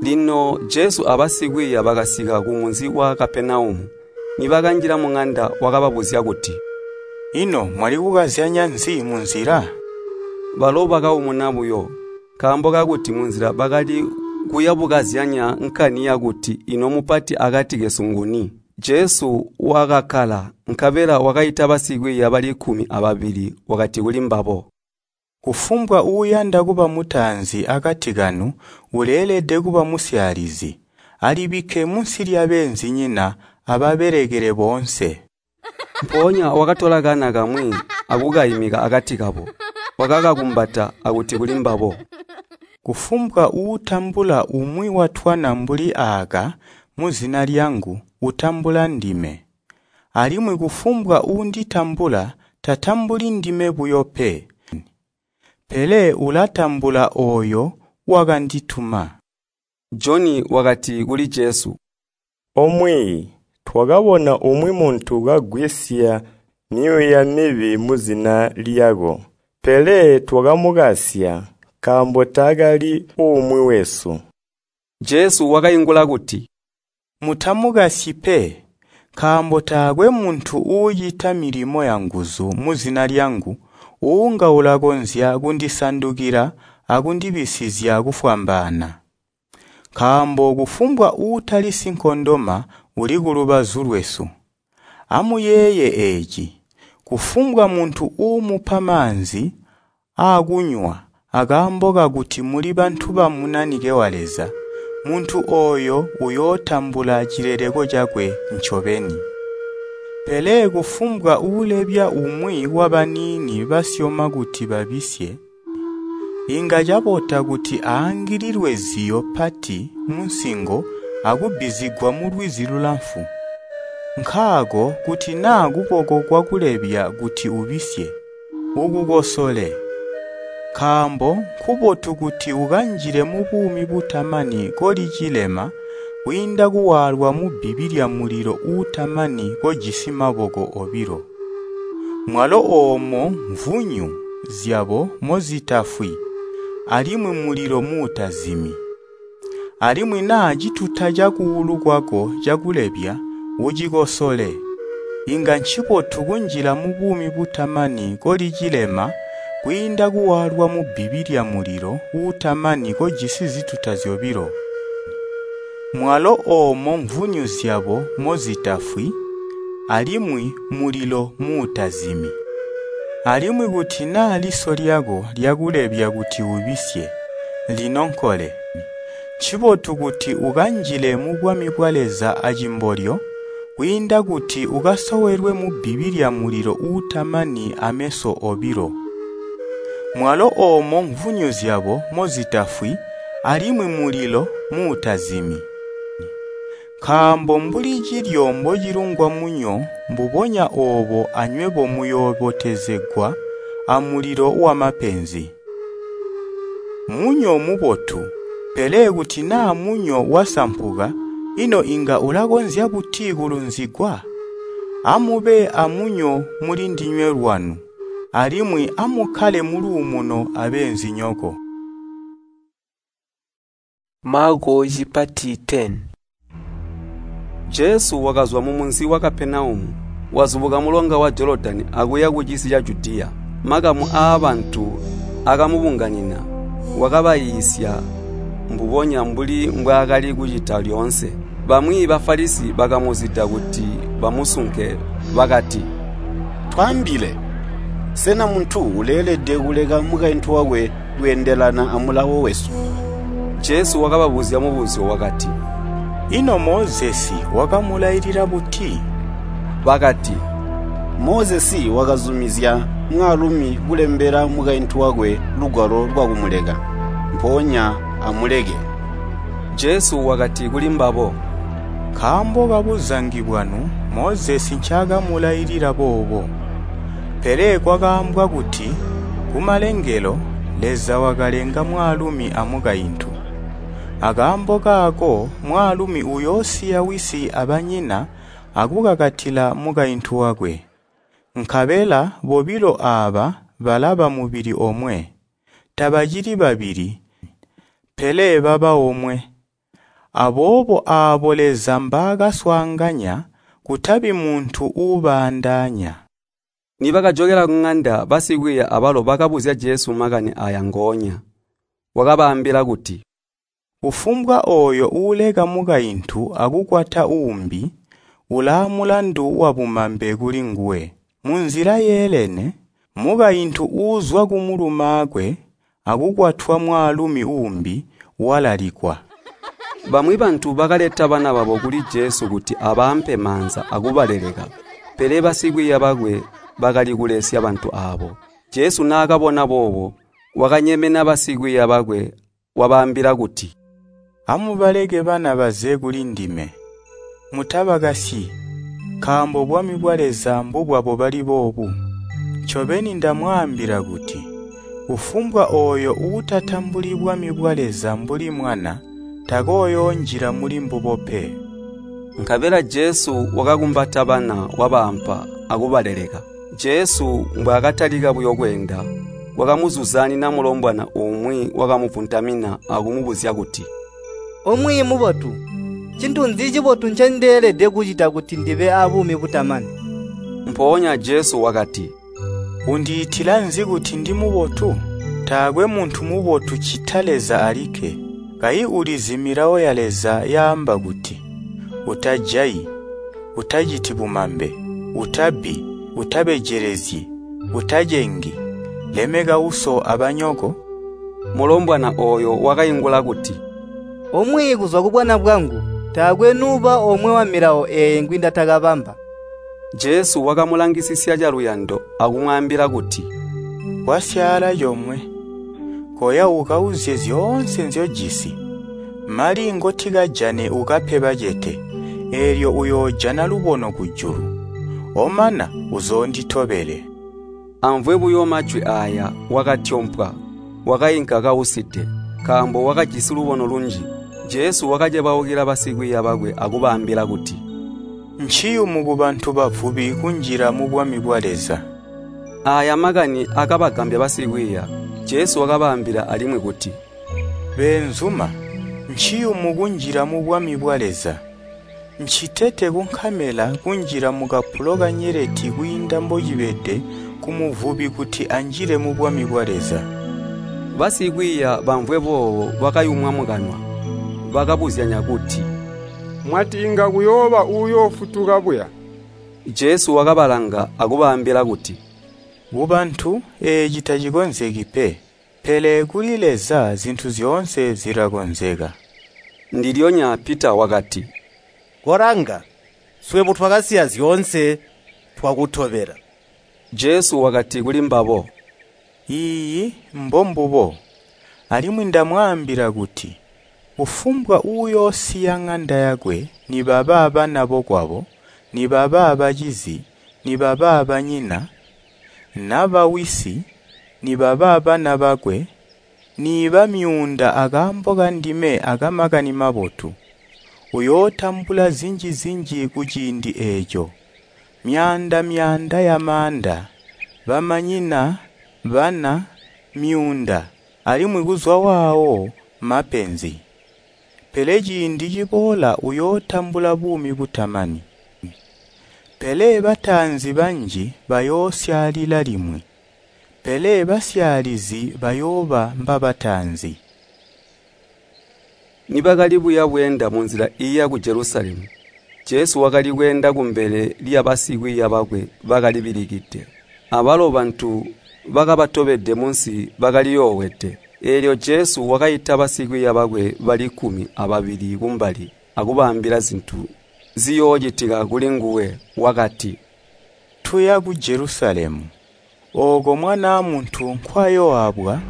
Lino Jesu abasikwiiya bakasika kumunzi wa Kapenaumu. Nibakanjila muŋanda wakababuzya kuti, “Ino mwali kukazyanya nzi munzila?” Balo bakaumuna buyo, nkaambo kakuti munzila bakali kuya bukazyanya nkani yakuti ino mupati akati kesu nguni. Jesu wakakkala, nkabela wakaita basikwiiya bali kkumi ababili wakati kulimbabo, “Kufumbwa uuyanda kuba mutaanzi akati kanu uleelede kuba musyaalizi, alibikke munsi lyabeenzinyina ababelekele boonse.” Mpoonya wakatola kana kamwi akukaimika akati kabo, wakakakumbata akuti kulimbabo, “Kufumbwa uutambula umwi watwana mbuli aaka muzina lyangu utambula ndime, alimwi kufumbwa uunditambula tatambuli ndime buyo pe, pele ulatambula ooyo wakandituma.” Joni wakati kuli Jesu, “Omwiiyi, twakabona umwi muntu kagwisya myuuya mibi muzina lyako, pele twakamukasya, nkaambo taakali umwi wesu.” Jesu wakaingula kuti, “Mutamukasyi pe, nkaambo taakwe muntu uucita milimo yanguzu muzina lyangu uunga ulakonzya kundisandukila akundibisizya kufwambaana. Nkaambo kufumbwa uutali sinkondoma uli kulubazu lwesu. Amuyeeye eeci, kufumbwa muntu uumupa maanzi aakunywa akaambo kakuti muli bantu ba Munanike wa Leza, muntu ooyo uyootambula cileleko cakwe ncobeni. Pele kufumbwa uulebya umwi wabaniini basyoma kuti babisye, inga cabota kuti aangililwe ziyo pati munsingo akubbizigwa mulwizi lulamfu. Nkaako kuti naa kuboko kwakulebya kuti ubisye, ukukosole. Nkaambo nkubotu kuti ukanjile mubuumi butamani koli cilema kwiinda kuwaalwa mubbibi lyamulilo uutamani kojisi maboko obilo. Mwalo oomo mvunyu zyabo mozitafwi, alimwi mulilo muutazimi. Alimwi naa cituta cakuulu kwako cakulebya, ucikosole. Inga ncibotu kunjila mubuumi butamani koli cilema kwiinda kuwaalwa mubbibi lyamulilo uutamani kojisi zituta zyobilo. Mwalo oomo mvunyu zyabo mozitafwi, alimwi mulilo muutazimi. Alimwi kuti naa liso lyako lyakulebya kuti ubisye, linonkole. Ncibotu kuti ukanjile mubwami bwa Leza acimbolyo, kwiinda kuti ukasowelwe mubbibi lyamulilo uutamani ameso obilo. Mwalo oomo mvunyu zyabo mozitafwi, alimwi mulilo muutazimi. Nkaambo mbuli cilyo mbocilungwa munyo mbubonya oobo anywebo muyoobotezegwa amulilo wamapenzi. Munyo mubotu, pele kuti naa munyo wasampuka, ino inga ulakonzya buti kulunzigwa? Amube amunyo mulindinywe lwanu, alimwi amukkale muluumuno abeenzinyoko. Maako cipati ten. Jesu wakazwa mumunzi wa Kapenaumu, wazubuka mulonga wa Jolodani akuya kucisi ca Judiya. Makamu aabantu akamubunganina, wakabayiisya mbubonya mbuli mbwaakali kucita lyoonse. Bamwi Bafalisi bakamuzida kuti bamusunke, bakati, “Twaambile, sena muntu uleelede kuleka mukaintu wakwe kweendelana amulawo wesu?” Jesu wakababuzya mubuzyo wakati, “Ino Mozesi wakamulailila buti?” Bakati, “Mozesi wakazumizya mwaalumi kulembela mukaintu wakwe lugwalo lwakumuleka, mpoonya amuleke.” Jesu wakati kulimbabo, “Nkaambo kabuzangi bwanu Mozesi ncaakamulailila boobo. Pele kwakaambwa kuti kumalengelo Leza wakalenga mwaalumi amukaintu. Akaambo kaako mwaalumi uyoosiya wisi abanyina akukakatila mukaintu wakwe. Nkabela bobilo aaba balaba mubili omwe. Tabacili babili, pele baba omwe. Aboobo aabo Leza mbaakaswaanganya, kutabi muntu uubaandaanya.” Nibakajokela kuŋanda, basikwiiya abalo bakabuzya Jesu makani aaya ngoonya. Wakabaambila kuti, “Kufumbwa ooyo uuleka mukaintu akukwata uumbi, ulaamulandu wabumambe kulinguwe. Munzila yeelene, mukaintu uuzwa kumulumaakwe akukwatwa mwaalumi uumbi walalikwa.” Bamwi bantu bakaleta bana babo kuli Jesu kuti abaampe maanza akubaleleka, pele basikwiiya bakwe bakali kulesya bantu aabo. Jesu naakabona boobo, wakanyemena basikwiiya bakwe wabaambila kuti, “Amubaleke bana baze kulindime, mutabakasyi, nkaambo bwami bwa Leza mbubwabo bali boobu. Ncobeni ndamwaambila kuti, kufumbwa ooyo uutatambuli bwami bwa Leza mbuli mwana takooyoonjila mulimbubo pe.” Nkabela Jesu wakakumbata bana wabaampa akubaleleka. Jesu mbwaakatalika buyo kweenda, wakamuzuzanina mulombwana umwi wakamuvuntamina akumubuzya kuti, “Omwiiyi mubotu, ncintu nzi cibotu ncendeelede kucita kuti ndibe aabuumi butamani?” Mpoonya Jesu wakati, “Undiitila nzi kuti ndimubotu? Taakwe muntu mubotu ccita Leza alikke. Kayi ulizi milawo ya Leza yaamba kuti, ‘Utajayi, utaciti bumambe, utabbi, utabejelezyi, utacengi, lemeka uso abanyoko.’” Mulombwana ooyo wakaingula kuti, “Omwiiyi kuzwa kubwana bwangu, taakwe nuuba omwe wamilawo eeyi ngwindatakabamba.” Jesu wakamulangisisya caluyando akumwaambila kuti, “Kwasyaala comwe. Koya ukauzye zyoonse nzyojisi, mali ngotikajane ukape bacete, eelyo uyoojana lubono kujulu. Omana uzoonditobele.” Amvwe buyo majwi aaya wakatyompwa, wakainka kauside, nkaambo wakajisi lubono lunji. Jesu wakacebaukila basikwiiya bakwe akubaambila kuti, “Nciyumu kubantu bavubi kunjila mubwami bwa Leza.” Aaya makani akabagambya basikwiiya. Jesu wakabaambila alimwi kuti, “Beenzuma, nciyumu kunjila mubwami bwa Leza. Ncitete kunkamela kunjila mukapulo kanyeleti kwiinda mbocibede kumuvubi kuti anjile mubwami bwa Leza.” Basikwiiya bamvwe boobo bakayumwa mukanwa, bakabuzyanya kuti, “Mwati inga kuyooba uuyoofutuka buya?” Jesu wakabalanga akubaambila kuti, “Kubantu eeci tacikonzeki pe, pele kuli Leza zintu zyoonse zilakonzeka.” Ndilyonya Pita wakati, “Kolanga, swebo twakasiya zyoonse twakutobela.” Jesu wakati kulimbabo, “Iiyi, mbombubo. Alimwi ndamwaambila kuti, kufumbwa uuyoosiya ŋanda yakwe, nibaba bana bokwabo, nibaba bacizi, nibaba banyina, naba wisi, nibaba bana bakwe, niiba myuunda akaambo kandime akamakani mabotu, uyootambula zinji-zinji kuciindi eeco, myaanda-myaanda yamaanda, bamanyina, bana, myuunda, alimwi kuzwa waawo mapenzi. pele ciindi ciboola uyootambula buumi butamani. Pele bataanzi banji bayoosyaalila limwi, pele basyaalizi bayooba mbabataanzi. Nibakali buya bweenda munzila iiya ku Jelusalemu, Jesu wakali kweenda kumbele lyabasikwiiya bakwe bakalibilikide. Abalo bantu bakabatobede munsi bakaliyoowede. Eelyo Jesu wakaita basikwiiya bakwe bali kkumi ababili kumbali akubaambila zintu ziyoocitika kulinguwe. Wakati, “Tuya ku Jelusalemu, ooko Mwanaa Muntu nkwayooabwa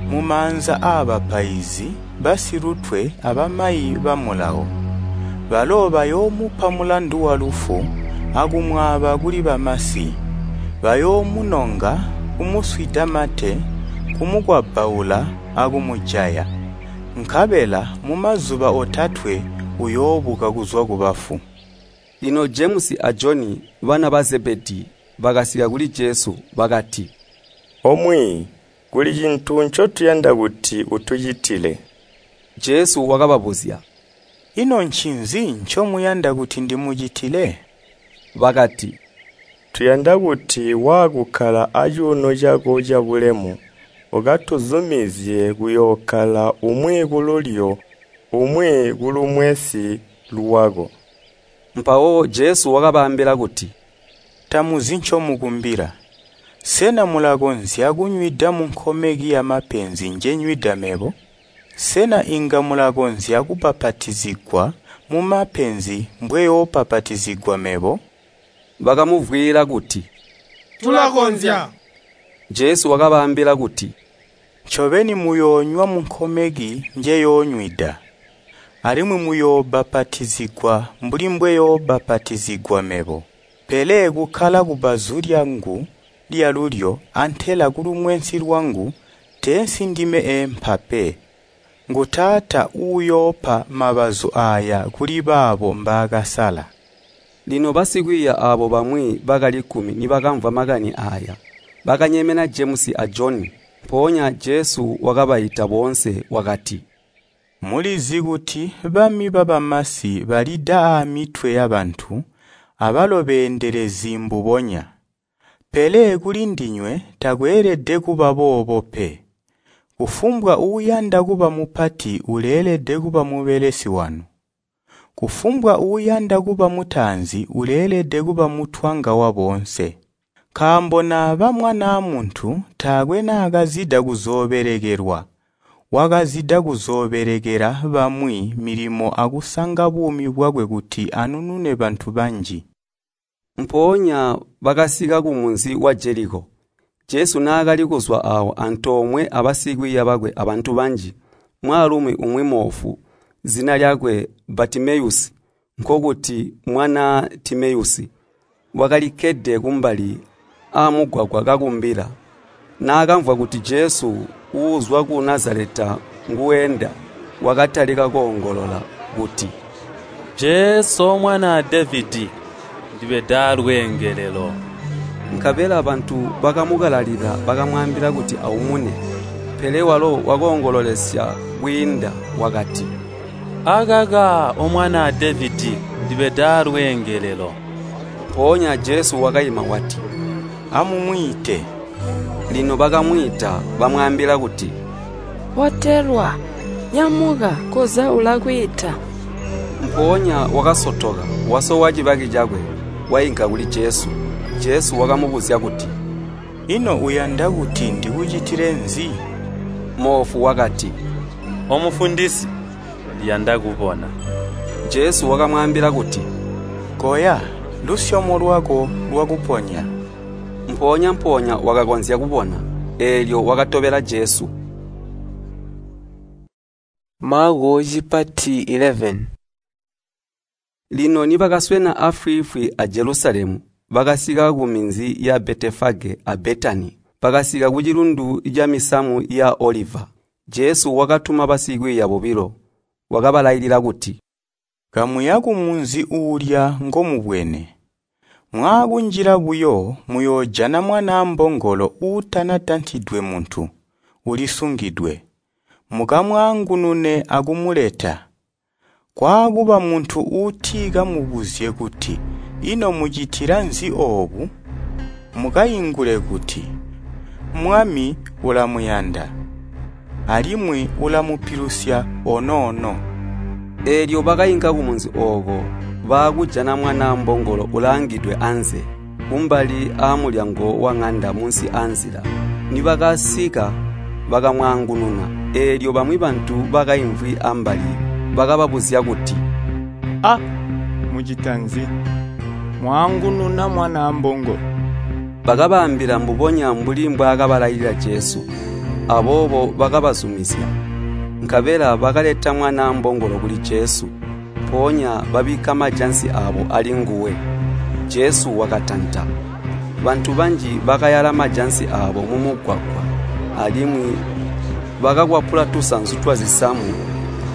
mumaanza aabapaizi basilutwe abamayi ba Mulawo. Balo bayoomupa mulandu walufu akumwaaba kuli bamasi. Bayoomunonga, kumuswida mate, kumukwabbaula akumujaya. Nkabela mumazuba otatwe uyoobuka kuzwa kubafu.” Lino Jemusi a Joni bana ba Zebedii bakasika kuli Jesu bakati, “Omwiiyi, kuli cintu ncotuyanda kuti utucitile.” Jesu wakababuzya, “Ino ncinzi ncomuyanda kuti ndimucitile?” Bakati, “Tuyanda kuti waakukkala acuuno cako cabulemu, ukatuzumizye kuyookkala umwi kululyo umwi kulumwensi lwako.” Mpawo Jesu wakabaambila kuti, “Tamuzi ncomukumbila. Sena mulakonzya kunywida munkomeki yamapenzi njenywida mebo? Sena inga mulakonzya kubbapatizigwa mumapenzi mbweyoobbapatizigwa mebo?” Bakamuvwiila kuti, “Tulakonzya.” Jesu wakabaambila kuti, “Ncobeni muyoonywa munkomeki njeyoonywida, alimwi muyoobbapatizigwa mbuli mbweyoobbapatizigwa mebo. Pele kukkala kubbazu lyangu lyalulyo antela kulumwensi lwangu teensi ndime eempa pe. Ngu Taata uuyoopa mabazu aaya kuli baabo mbaakasala.” Lino basikwiiya aabo bamwi bakali kkumi nibakamvwa makani aaya, bakanyemena Jemusi a Joni. Mpoonya Jesu wakabaita boonse wakati, “Mulizi kuti bami babamasi balida aamitwe yabantu, abalo beendelezi mbubonya. Pele kulindinywe takweelede kuba boobo pe. Kufumbwa uuyanda kuba mupati uleelede kuba mubelesi wanu. Kufumbwa uuyanda kuba mutaanzi uleelede kuba mutwanga waboonse. Nkaambo naba Mwanaa Muntu taakwe naakazida kuzoobelekelwa, wakazida kuzoobelekela bamwi milimo akusanga buumi bwakwe kuti anunune bantu banji. Mpoonya bakasika kumunzi wa Jeliko. Jesu naakali kuzwa aawo antoomwe abasikwiiya bakwe abantu banji, mwaalumi umwi moofu, zina lyakwe Batimeyusi, nkokuti mwanaa Timeyusi, wakalikkede kumbali aamugwagwa kakumbila. Naakamvwa kuti Jesu uuzwa ku Nazaleta nguweenda, wakatalika koongolola kuti, “Jesu, Mwanaa Devedi, ndibeda lweengelelo!” Nkabela bantu bakamukalalila bakamwaambila kuti aumune. Pele walo wakoongololesya kwiinda wakati, “Akaka, O Mwanaa Devedi, ndibeda lweengelelo!” Mpoonya Jesu wakaima wati, “Amumwiite.” Lino bakamwiita bamwaambila kuti, “Botelwa, nyamuka, koza ulakwiita.” Mpoonya wakasotoka, wasowa cibaki cakwe, wainka kuli Jesu. Jesu wakamubuzya kuti, “Ino uyanda kuti ndikucitile nzi?” Moofu wakati, “Omufundisi, ndiyanda kubona.” Jesu wakamwaambila kuti, “Koya, lusyomo lwako lwakuponya.” Mpoonya-mpoonya wakakonzya kubona, eelyo wakatobela Jesu. Maako cipati eleven. Lino nibakaswena afwiifwi a Jelusalemu, bakasika kuminzi ya Betefage a Betani. Bakasika kucilundu camisamu ya Oliva. Jesu wakatuma basikwiiya bobilo, wakabalailila kuti, “Kamuya kumunzi uulya ngomubwene. Mwaakunjila buyo muyoojana mwanaa mbongolo uutanatantidwe muntu, ulisungidwe. Mukamwaangunune akumuleta. Kwaakuba muntu uutikamubuzye kuti, ‘Ino mucitila nzi oobu?’ Mukaingule kuti, ‘Mwami ulamuyanda, alimwi ulamupilusya onoono.’” Eelyo bakainka kumunzi ooko, baakujana mwanaa mbongolo ulaangidwe anze, kumbali aamulyango waŋanda munsi aanzila. Nibakasika bakamwaangununa. Eelyo bamwi bantu bakaimvwi ambali bakababuzya kuti, “A, mucita nzi? Mwaangununa mwanaa mbongolo?” Bakabaambila mbubonya mbuli mbwaakabalailila Jesu. Aboobo bakabazumizya. Nkabela bakaleta mwanaa mbongolo kuli Jesu, mpoonya babikka majansi aabo alinguwe. Jesu wakatanta. Bantu banji bakayala majansi aabo mumugwagwa, alimwi bakakwapula tusanzu twazisamu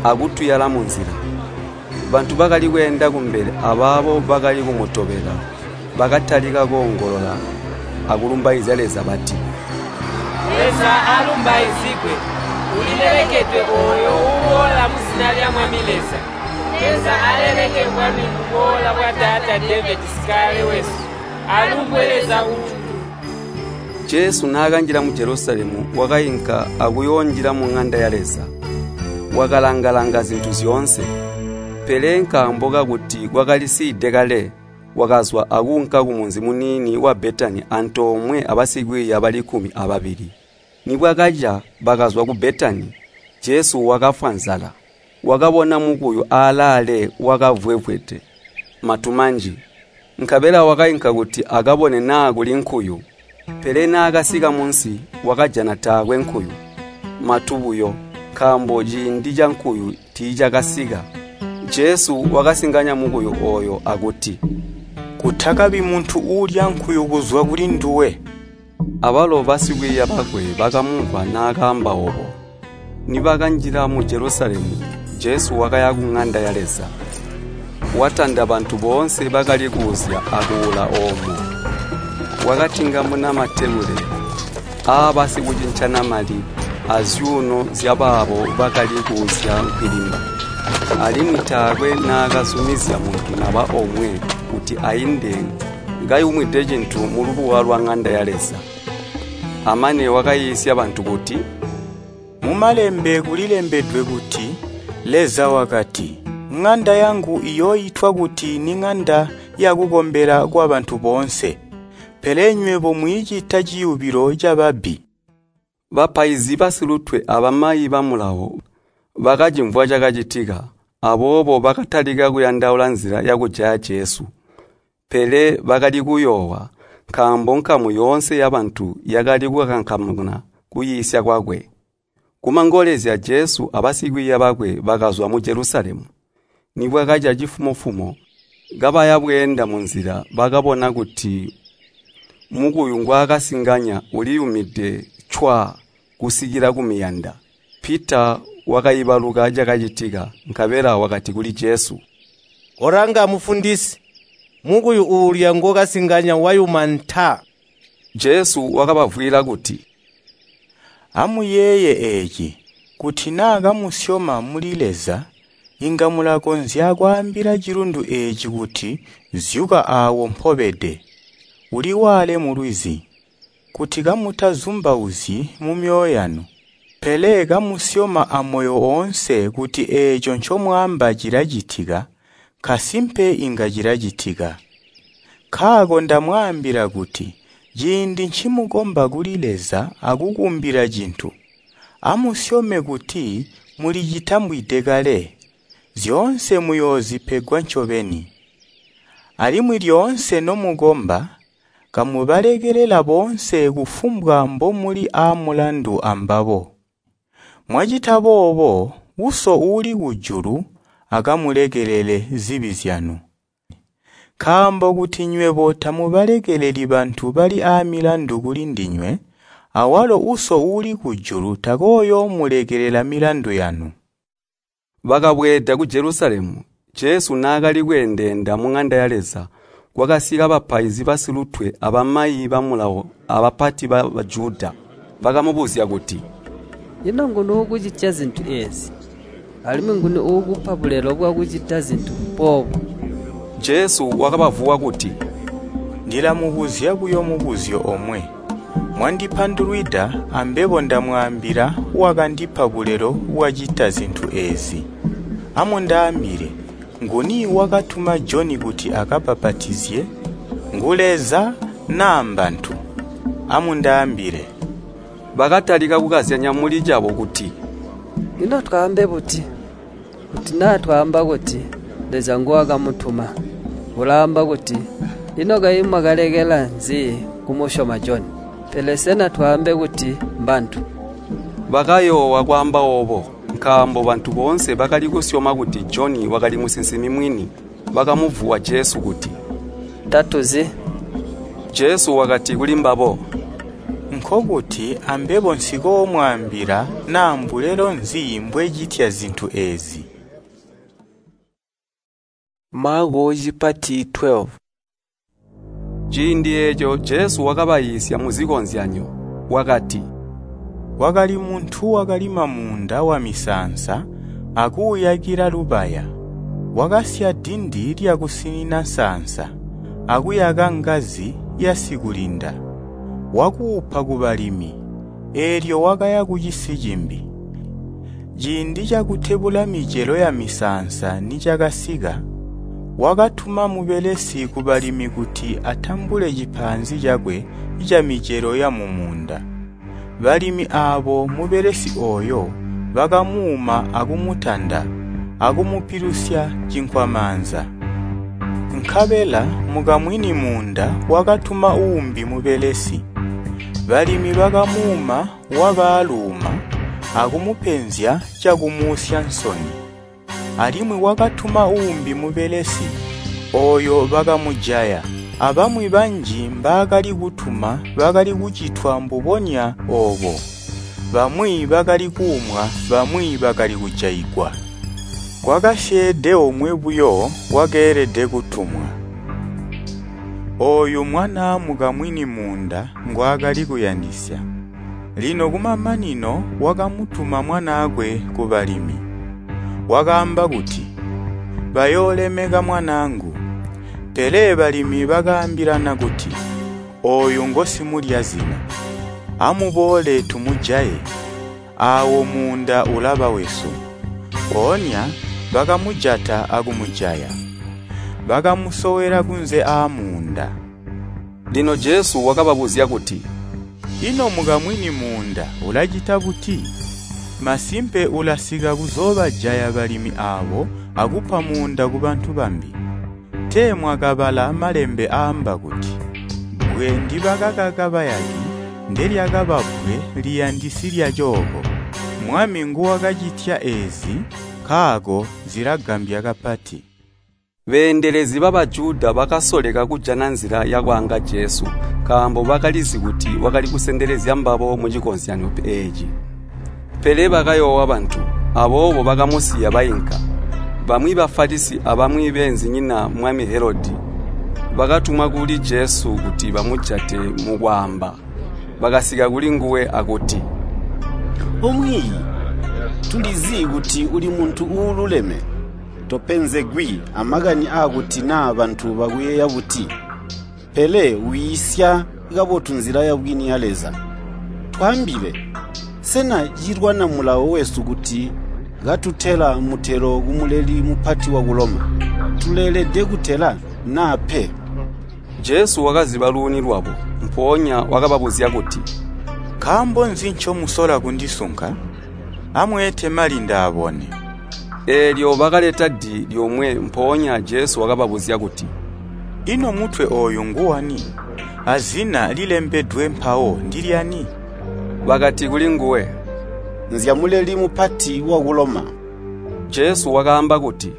akutuyala munzila. Bantu bakali kweenda kumbele abaabo bakali kumutobela bakatalika koongolola akulumbaizya Leza bati, “Leza alumbaizigwe! Ulilelekedwe ooyo uuboola muzina lya Mwami Leza! Leza aleleke bwami buboola bwa taata Devedi sikale wesu! Alumbwe Leza kujulu!” Jesu naakanjila mu Jelusalemu wakainka akuyoonjila muŋanda ya Leza. Wakalanga-langa zintu zyoonse. Pele nkaambo kakuti kwakalisiide kale, wakazwa akuunka kumunzi muniini wa Betani antoomwe abasikwiiya bali kkumi ababili. Nibwakaca bakazwa ku Betani, Jesu wakafwa nzala. Wakabona mukuyu alaale wakavwevwede matu manji. Nkabela wakainka kuti akabone naa kuli nkuyu. Pele naakasika munsi, wakajana taakwe nkuyu, matu buyo, nkaambo ciindi cankuyu tiicakasika. Jesu wakasinganya mukuyu ooyo akuti, “Kutakabi muntu uulya nkuyu kuzwa kulinduwe.” Abalo basikwiiya bakwe bakamumvwa naakaamba oobo. Nibakanjila mu Jelusalemu, Jesu wakaya kuŋanda ya Leza. Watanda bantu boonse bakali kuuzya akuula oomo. Wakatingamuna matebule aabasikucincana mali azyuuno zyabaabo bakali kuuzya nkwilimba. Alimwi taakwe naakazumizya muntu naba omwe kuti ainde kayumwide cintu mulubuwa lwaŋanda ya Leza. Amane wakaiisya bantu kuti, “Mumalembe kulilembedwe kuti, Leza wakati, ‘Ŋanda yangu iyooitwa kuti niŋanda yakukombela kwabantu boonse.’ Pele nywebo mwiicita ciyubilo cababbi.” Bapaizi basilutwe abamayi ba Mulawo bakacimvwa cakacitika, aboobo bakatalika kuyandaula nzila yakujaya Jesu. Pele bakali kuyoowa, nkaambo nkamu yoonse yabantu yakali kukankamana kuyiisya kwakwe. Kumangolezya Jesu abasikwiiya bakwe bakazwa mu Jelusalemu. Nibwakaca cifumo-fumo, kabaya bweenda munzila bakabona kuti mukuyu ngwaakasinganya uliyumide cwaa kusikila kumiyanda. Pita wakaibaluka cakacitika, nkabela wakati kuli Jesu, “Kolanga Mufundisi, mukuyu uulya ngookasinganya wayuma nta!” Jesu wakabavwiila kuti, “Amuyeeye eeci, kuti naa kamusyoma muli Leza, inga mulakonzya kwaambila cilundu eeci kuti, ‘Zyuka aawo mpobede, uliwaale mulwizi.’ Kuti kamutazumbauzyi mumyoyo yanu, pele kamusyoma amoyo oonse kuti eeco ncomwaamba cilacitika, nkasimpe inga cilacitika. Nkaako ndamwaambila kuti ciindi ncimukomba kuli Leza akukumbila cintu, amusyome kuti mulicitambwide kale, zyoonse muyoozipegwa ncobeni. Alimwi lyoonse nomukomba, kamubalekelela boonse kufumbwa mbomuli aamulandu ambabo. Mwacita boobo, Uso uuli kujulu akamulekelele zibi zyanu. Nkaambo kuti nywebo tamubalekeleli bantu bali aamilandu kulindinywe, awalo Uso uuli kujulu takooyoomulekelela milandu yanu.” Bakabweeda ku Jelusalemu. Jesu naakali kweendeenda muŋanda ya Leza, kwakasika bapaizi basilutwe abamayi ba Mulawo abapati ba Bajuda. Bakamubuzya kuti, “Ino nguni uukucitya zintu eezi? Alimwi nguni uukupa bulelo bwakucita zintu boobu?” Jesu wakabavuwa kuti, “Ndilamubuzya buyo mubuzyo omwe. Mwandipandulwida ambebo ndamwaambila wakandipa bulelo bwacita zintu eezi. Amundaambile, nguni wakatuma Joni kuti akabbapatizye? Ngu Leza naa mbantu? Amundaambile!” Bakatalika kukazyanya muli cabo kuti, “Ino twaambe buti? Kuti naa twaamba kuti, ‘Leza nguwakamutuma,’ ulaamba kuti, ‘Ino kayi mwakalekela nzi kumusyoma Joni?’ Pele sena twaambe kuti, ‘Mbantu?’” Bakayoowa kwaamba oobo, nkaambo bantu boonse bakali kusyoma kuti Joni wakali musinsimi mwini. Bakamuvuwa Jesu kuti, “Tatuzi.” Jesu wakati kulimbabo, “Nkokuti ambebo nsikoomwaambila naa mbulelo nzi mbwecitya zintu eezi.” Maako cipati twelve. Ciindi eeco Jesu wakabayiisya muzikozyanyo, wakati, “Kwakali muntu wakalima muunda wamisaansa akuuyakila lubaya. Wakasya dindi lyakusinina nsaansa, akuyaka ngazi yasikulinda. Wakuupa kubalimi, eelyo wakaya kucisi cimbi. Ciindi cakutebula micelo yamisaansa nicakasika, wakatuma mubelesi kubalimi kuti atambule cipaanzi cakwe camicelo yamumuunda. Balimi aabo mubelesi ooyo bakamuuma akumutanda akumupilusya cinkwamaanza. Nkabela mukamwini muunda wakatuma uumbi mubelesi. Balimi bakamuuma wabaaluuma akumupenzya cakumuusya nsoni. Alimwi wakatuma uumbi mubelesi, ooyo bakamujaya. Abamwi banji mbaakali kutuma bakali kucitwa mbubonya oobo. Bamwi bakali kuumwa, bamwi bakali kujaigwa. Kwakasyeede omwe buyo wakeelede kutumwa. Ooyu mwanaa mukamwini muunda ngwaakali kuyandisya. Lino kumamanino wakamutuma mwanaakwe kubalimi. Wakaamba kuti, ‘Bayoolemeka mwanaangu.’ Pele balimi bakaambilana kuti, ‘Ooyu ngosimulyazina. Amuboole tumujaye, aawo muunda ulaba wesu.’ Mpoonya bakamujata akumujaya. Bakamusowela kunze aamuunda. Lino Jesu wakababuzya kuti, “Ino mukamwini muunda ulacita buti? Masimpe ulasika kuzoobajaya balimi aabo akupa muunda kubantu bambi. Tee mwakabala Malembe aamba kuti, ‘Bbwe ndibakakaka bayaki ndelyakaba bbwe liyandisi lyacooko. Mwami nguwakacitya eezi, nkaako zilagambya kapati.’” Beendelezi ba Bajuda bakasoleka kujana nzila yakwaanga Jesu, nkaambo bakalizi kuti wakali kusendelezya mbabo mucikozyanyo eeci. Pele bakayoowa bantu, aboobo bakamusiya bainka. Bamwi Bafalisi abamwi beenzinyina mwami Helodi bakatumwa kuli Jesu kuti bamujate mukwaamba. Bakasika kulinguwe akuti, “Omwiiyi, tulizi kuti uli muntu uululeme. Topenzegwi amakani aakuti naa bantu bakuyeeya buti, pele wiisya kabotu nzila yabwini ya Leza. Twaambile, sena cilwana mulawo wesu kuti katutela mutelo kumuleli mupati waku Loma? Tuleelede kutela naa pe?” Jesu wakaziba luuni lwabo, mpoonya wakababuzya kuti, “Nkaambo nzi ncomusola kundisunka? Amweete mali ndaabone.” Eelyo bakaleta di lyomwe mpoonya Jesu wakababuzya kuti, “Ino mutwe ooyu nguwani? Azina lilembedwe mpawo ndilyani?” Bakati kulinguwe, “Nzyamuleli mupati waku Loma.” Jesu wakaamba kuti,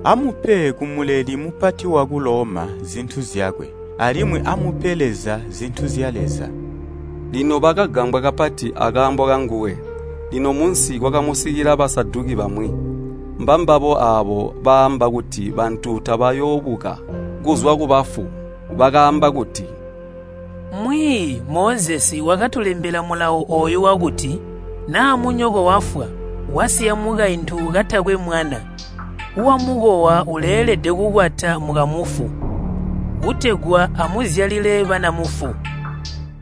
“Amupe kumuleli mupati waku Loma zintu zyakwe, alimwi amupe Leza zintu zya Leza.” Lino bakagambwa kapati akaambo kanguwe. Lino munsi kwakamusikila Basaduki bamwi. Mbambabo aabo baamba kuti bantu tabayoobuka kuzwa kubafu. Bakaamba kuti, “Mwiiyi Mozesi wakatulembela mulawo ooyu wakuti, ‘Naa munyoko wafwa, wasiya mukaintu katakwe mwana, wamukowa uleelede kukwata mukamufu, kutegwa amuzyalile bana mufu.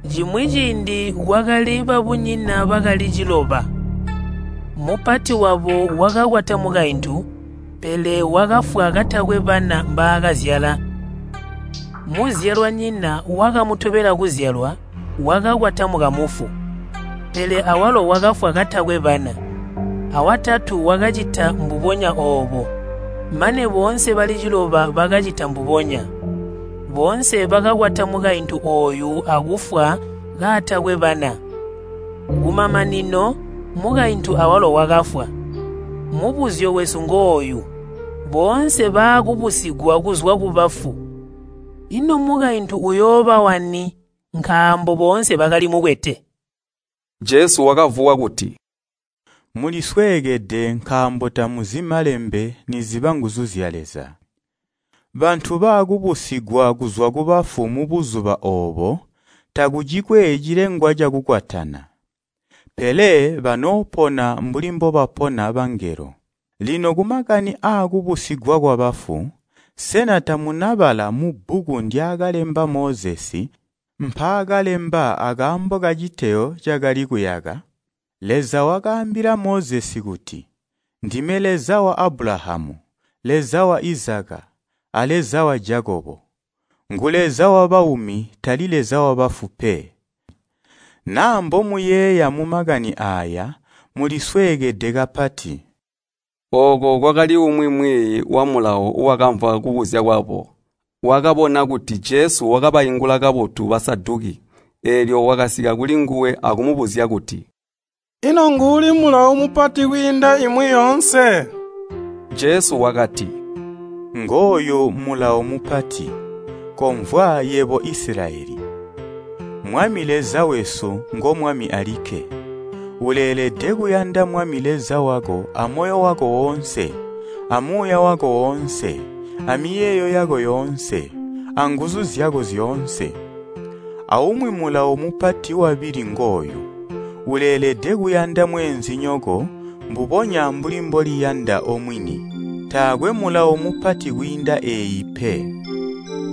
Cimwi ciindi kwakali babunyina bakali ciloba. Mupati wabo wakakwata mukaintu, pele wakafwa katakwe bana mbaakazyala. Muzyalwanyina wakamutobela kuzyalwa wakakwata mukamufu, pele awalo wakafwa katakwe bana. Awatatu wakacita mbubonya oobo, mane boonse bali ciloba bakacita mbubonya. Boonse bakakwata mukaintu ooyu akufwa kaatakwe bana. Kumamanino mukaintu awalo wakafwa. Mubuzyo wesu ngooyu, boonse baakubusigwa kuzwa kubafu, ino mukaintu uyooba wani nkaambo boonse bakali mukwete? Jesu wakavuwa kuti, Mulisweekede nkaambo tamuzi malembe niziba nguzu zya Leza. Bantu baakubusigwa kuzwa kubafu mubuzuba oobo takucikwe cilengwa cakukwatana. Pele banoopona mbuli mbobapona bangelo. Lino kumakani aakubusigwa kwabafu, sena tamunabala mubbuku ndyaakalemba Mozesi mpaakalemba akaambo kaciteyo cakali kuyaka? Leza wakaambila Mozesi kuti, ‘Ndime Leza wa Abulahamu, Leza wa Izaka, a Leza wa Jakobo.’ Ngu Leza wabaumi tali Leza wabafu pe. Naa mbomuyeeya mumakani aaya mulisweekede kapati. Ooko kwakali umwi mwiiyi wa Mulawo wakamvwa kubuzya kwabo. Wakabona kuti Jesu wakabaingula kabotu Basaduki, eelyo wakasika kulinguwe akumubuzya kuti, “Ino nguuli mulawo mupati kwiinda imwi yoonse?” Jesu wakati, “Ngooyu mulawo mupati, komvwa yebo Isilayeli. Mwami Leza wesu ngo Mwami alikke. Uleelede kuyanda Mwami Leza wako amoyo wako woonse, amuuya wako woonse, amiyeeyo yako yoonse, anguzu zyako zyoonse. Aumwi mulawo mupati wabili ngooyu, uleelede kuyanda mweenzinyoko mbubonya mbuli mboliyanda omwini. Taakwe mulawo mupati kwiinda eeyi pe.”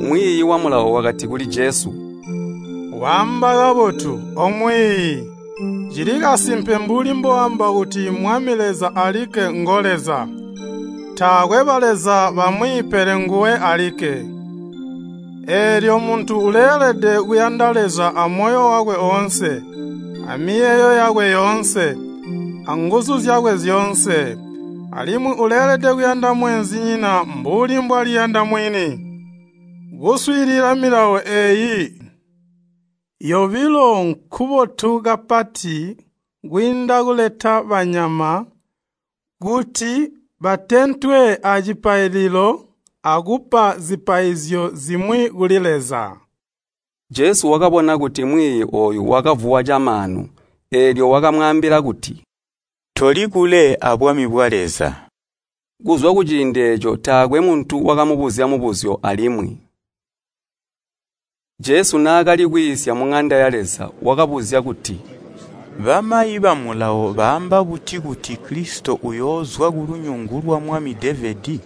Mwiiyi wa Mulawo wakati kuli Jesu, “Waamba kabotu, omwiiyi. Cili kasimpe mbuli mboamba kuti Mwami Leza alikke ngo Leza. Taakwe baleza bamwi pele nguwe alikke. Eelyo muntu uleelede kuyanda Leza amoyo wakwe oonse, amiyeeyo yakwe yoonse, anguzu zyakwe zyoonse. Alimwi uleelede kuyanda mweenzinyina mbuli mbwaliyanda mwini. Kuswiilila milawo eeyi yobilo nkubotu kapati kwiinda kuleta banyama kuti batentwe acipaililo akupa zipaizyo zimwi kuli Leza. Jesu wakabona kuti mwiiyi ooyu wakavuwa camaanu, eelyo wakamwaambila kuti, “Toli kule abwami bwa Leza.” Kuzwa kuciindi eeco taakwe muntu wakamubuzya mubuzyo alimwi. Jesu naakali kwiisya muŋanda ya Leza wakabuzya kuti, “Bamayi ba Mulawo baamba buti kuti Kilisito uyoozwa kulunyungu lwa mwami Devedi?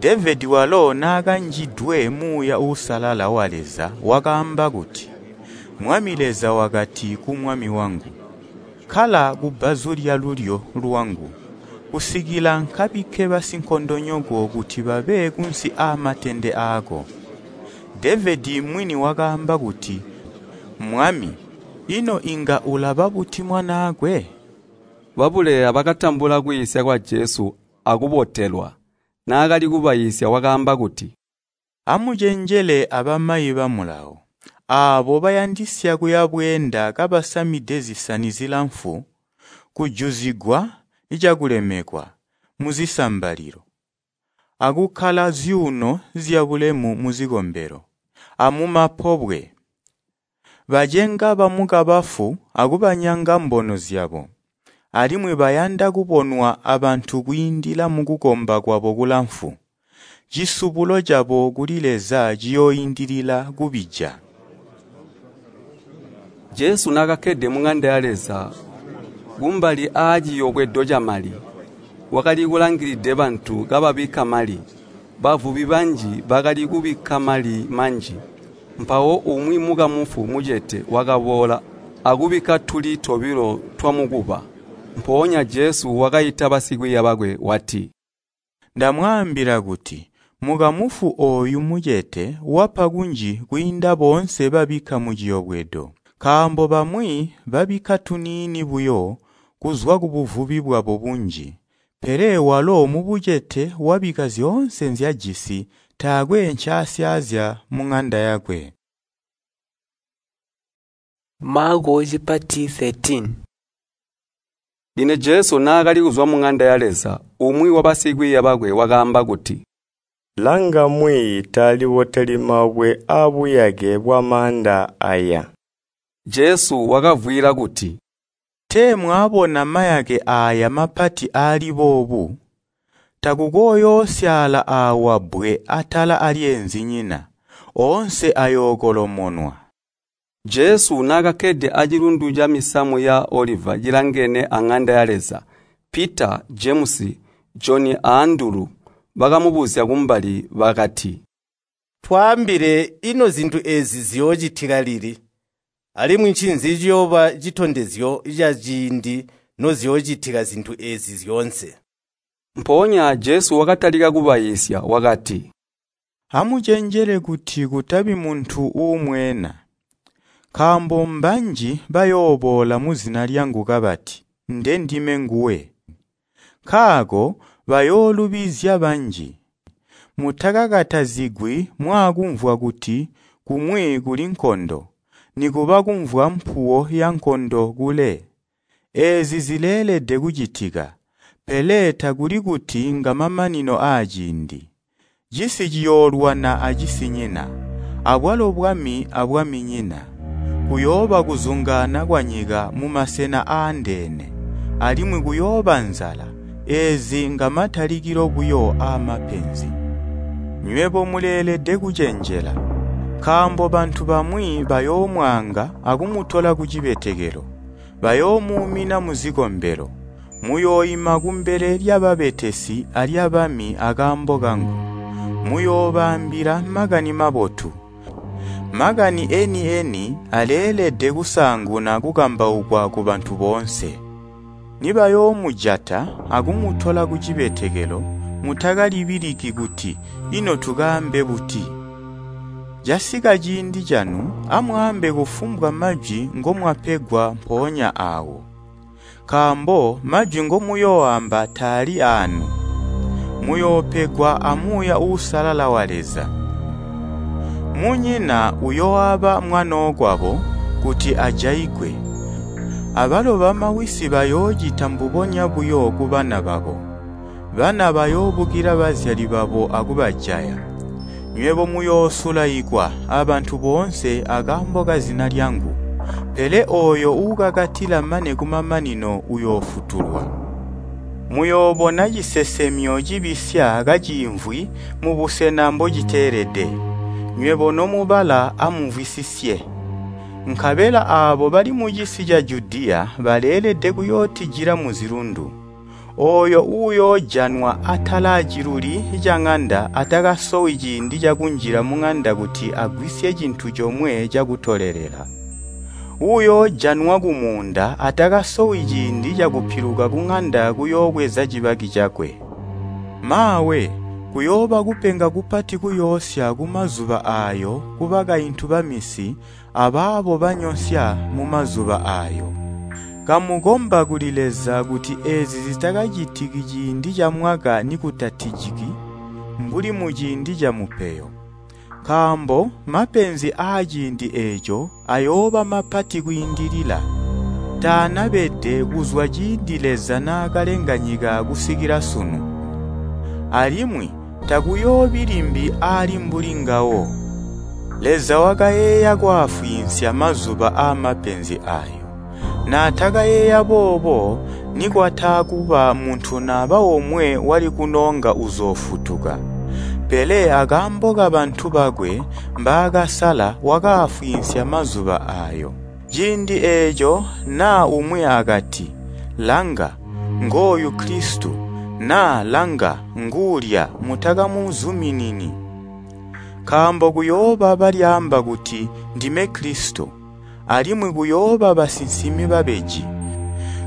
Devedi walo naakanjidwe Muuya Uusalala wa Leza wakaamba kuti, ‘Mwami Leza wakati ku Mwami wangu, ‘Kkala kubbazu lyalulyo lwangu, kusikila nkabikke basinkondonyoko kuti babe kunsi aamatende aako.’ Devedi mwini wakaamba kuti, ‘Mwami,’ ino inga ulaba buti mwanaakwe?” Babuleya bakatambula kwiisya kwa Jesu akubotelwa. Naakali kubaiisya wakaamba kuti, “Amucenjele abamayi ba Mulawo, aabo bayandisya kuya bweenda kabasamide zisani zilamfu, kujuzigwa cakulemekwa muzisambalilo, akukkala zyuuno zyabulemu muzikombelo, amumapobwe. Bacenga bamukabafu akubanyanga mbono zyabo, alimwi bayanda kubonwa abantu kwiindila mukukomba kwabo kulamfu. Cisubulo cabo kuli Leza ciyooindilila kubija.” Jesu naakakkede muŋanda ya Leza kumbali aaciyobwedo camali, wakali kulangilide bantu kababikka mali. Bavubi banji bakali kubikka mali manji. Mpawo umwi mukamufu mucete wakaboola akubikka tuli tobilo twamukuba. Mpoonya Jesu wakaita basikwiiya bakwe wati, “Ndamwaambila kuti mukamufu ooyu mucete wapa kunji kwiinda boonse babikka muciyobwedo. Nkaambo bamwi babikka tuniini buyo kuzwa kubuvubi bwabo bunji, pele walo mubucete wabikka zyoonse nzyajisi taakwe ncaasyaazya muŋanda yakwe.” Maako cipati thirteen. Lino Jesu naakali kuzwa muŋanda ya Leza, umwi wabasikwiiya bakwe wakaamba kuti, “Langa mwiiyi taaliboteli mabwe aabuyake bwamaanda aaya!” Jesu wakavwiila kuti, “Tee mwaabona mayake aaya mapati aali boobu? Takukooyoosyaala aawa bbwe atala alyeenzinyina, oonse ayookolomonwa.” Jesu naakakkede acilundu camisamu ya Oliva cilangene aŋanda ya Leza, Pita, Jemusi, Joni a Andulu bakamubuzya kumbali bakati, “Twaambile, ino zintu eezi ziyoocitika lili? Alimwi ncinzi ciyooba citondezyo caciindi noziyoocitika zintu eezi zyoonse?” Mpoonya Jesu wakatalika kubaiisya wakati, “Amucenjele kuti kutabi muntu uumweena. Nkaambo mbanji bayooboola muzina lyangu kabati, ‘Ndendime nguwe!’ Nkaako bayoolubizya banji. Mutakakatazigwi mwaakumvwa kuti kumwi kuli nkondo, nikuba kumvwa mpuwo yankondo kule. Eezi zileelede kucitika, pele takuli kuti ngamamanino aaciindi. Cisi ciyoolwana acisinyina, abwalo bwami abwaminyina. Kuyooba kuzungaana kwanyika mumasena aandeene, alimwi kuyooba nzala. Eezi ngamatalikilo buyo aamapenzi. Nywebo muleelede kucenjela, nkaambo bantu bamwi bayoomwaanga akumutola kucibetekelo, bayoomuumina muzikombelo. Muyooima kumbele lyababetesi alyabami akaambo kangu. Muyoobaambila Makani Mabotu. Makani eni-eni aleelede kusaanguna kukambaukwa kubantu boonse. Nibayoomujata akumutola kucibetekelo, mutakalibiliki kuti ino tukaambe buti. Casika ciindi canu, amwaambe kufumbwa majwi ngomwapegwa mpoonya aawo. Nkaambo majwi ngomuyooamba taali aanu, muyoopegwa a Muuya Uusalala wa Leza. Munyina uyooaba mwanookwabo kuti ajaigwe, abalo bamawisi bayoocita mbubonya buyo kubana babo. Bana bayoobukila bazyali babo akubajaya. Nywebo muyoosulaikwa abantu boonse akaambo kazina lyangu, pele ooyo uukakatila mane kumamanino uyoofutulwa. Muyoobona cisesemyo cibisya kaciimvwi mubusena mbociteelede. Nywebo nomubala amumvwisisye. Nkabela aabo bali mucisi ca Judiya baleelede kuyootijila muzilundu. Ooyo uuyoojanwa atalaaciluli caŋanda atakasowi ciindi cakunjila muŋanda kuti agwisye cintu comwe cakutolelela. Uuyoojanwa kumuunda atakasowi ciindi cakupiluka kuŋanda kuyoobweza cibaki cakwe. Maawe, kuyooba kupenga kupati kuyoosya kumazuba aayo kubakaintu bamisi abaabo banyonsya mumazuba aayo. Kamukomba kuli Leza kuti eezi zitakacitiki ciindi camwaka nikutatijiki, mbuli muciindi camupeyo. Nkaambo mapenzi aaciindi eeco ayooba mapati kwiindilila, taanabede kuzwa ciindi Leza naakalenga nyika kusikila sunu. Alimwi takuyoobi limbi aali mbuli ngawo. Leza wakayeeya kwaafwiinsya mazuba aamapenzi aayo. Naatakayeeya boobo nikwataakuba muntu naba omwe wali kunoonga uzoofutuka. Pele akaambo kabantu bakwe mbaakasala wakaafwiinsya mazuba aayo. Ciindi eeco naa umwi akati, ‘Langa, ngooyu Kilisito,’ naa ‘Langa, nguulya,’ mutakamuzuminini. Nkaambo kuyooba balyaamba kuti, ‘Ndime Kilisito,’ alimwi kuyooba basinsimi babeji.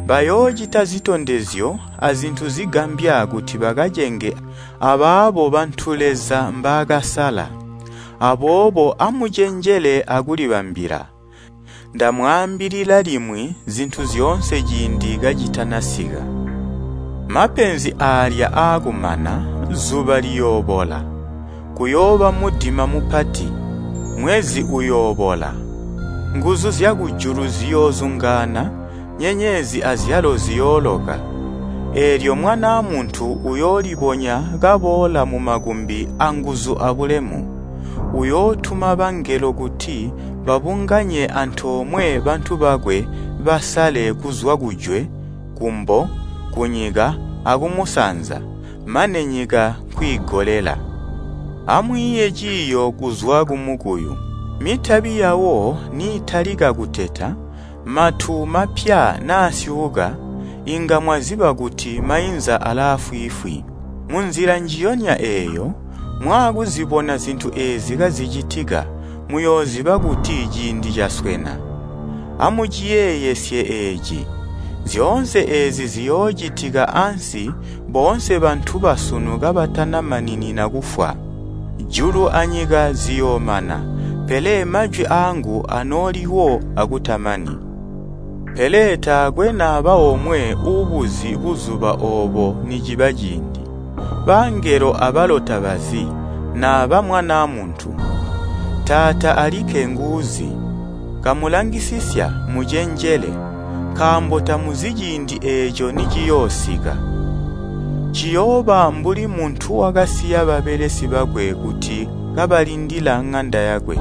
Bayoocita zitondezyo azintu zigambya kuti bakacenge abaabo bantu Leza mbaakasala. Aboobo amucenjele akulibambila. Ndamwaambilila limwi zintu zyoonse ciindi kacitanasika. Mapenzi aalya aakumana, zuba liyoobola, kuyooba mudima mupati, mwezi uyoobola. Nguzu zyakujulu ziyoozungaana, nyenyezi azyalo ziyooloka. Eelyo Mwanaa Muntu uyoolibonya kaboola mumakumbi anguzu abulemu. Uyootuma bangelo kuti babunganye antoomwe bantu bakwe basale kuzwa kujwe, kumbo, kunyika akumusanza, mane nyika nkwiigolela. Amwiiye ciiyo kuzwa kumukuyu. Mitabi yawo niitalika kuteta, matu mapya naasyuuka, inga mwaziba kuti mainza alaafwiifwi. Munzila njiyonya eeyo, mwaakuzibona zintu eezi kazicitika, muyooziba kuti ciindi caswena. Amuciyeeyesye eeci! Zyoonse eezi ziyoocitika ansi boonse bantu basunu kabatanamaninina kufwa. Julu anyika ziyoomana, pele majwi aangu anooliwo akutamani. Pele taakwe naba omwe uubuzi buzuba oobo niciba ciindi. Bangelo abalo tabazi, naba Mwanaa Muntu. Taata alikke nguuzi. Kamulangisisya mucenjele, nkaambo tamuzi ciindi eeco niciyoosika. Ciyooba mbuli muntu wakasiya babelesi bakwe kuti kabalindila ŋanda yakwe.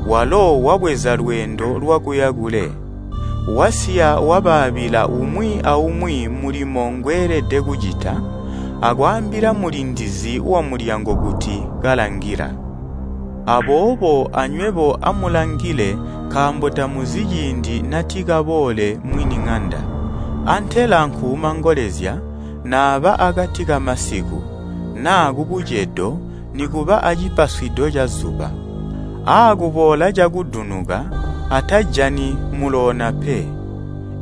Walo wabweza lweendo lwakuya kule. Wasiya wabaabila umwi aumwi mulimo ngweelede kucita, akwaambila mulindizi wamulyango kuti kalangila. Aboobo anywebo amulangile nkaambo tamuzi ciindi natikaboole mwini ŋanda, antela nkuumangolezya, naaba akati kamasiku, naa kubucedo nikuba acipaswido cazuba. Aakuboola cakudunuka, atajani muloona pe.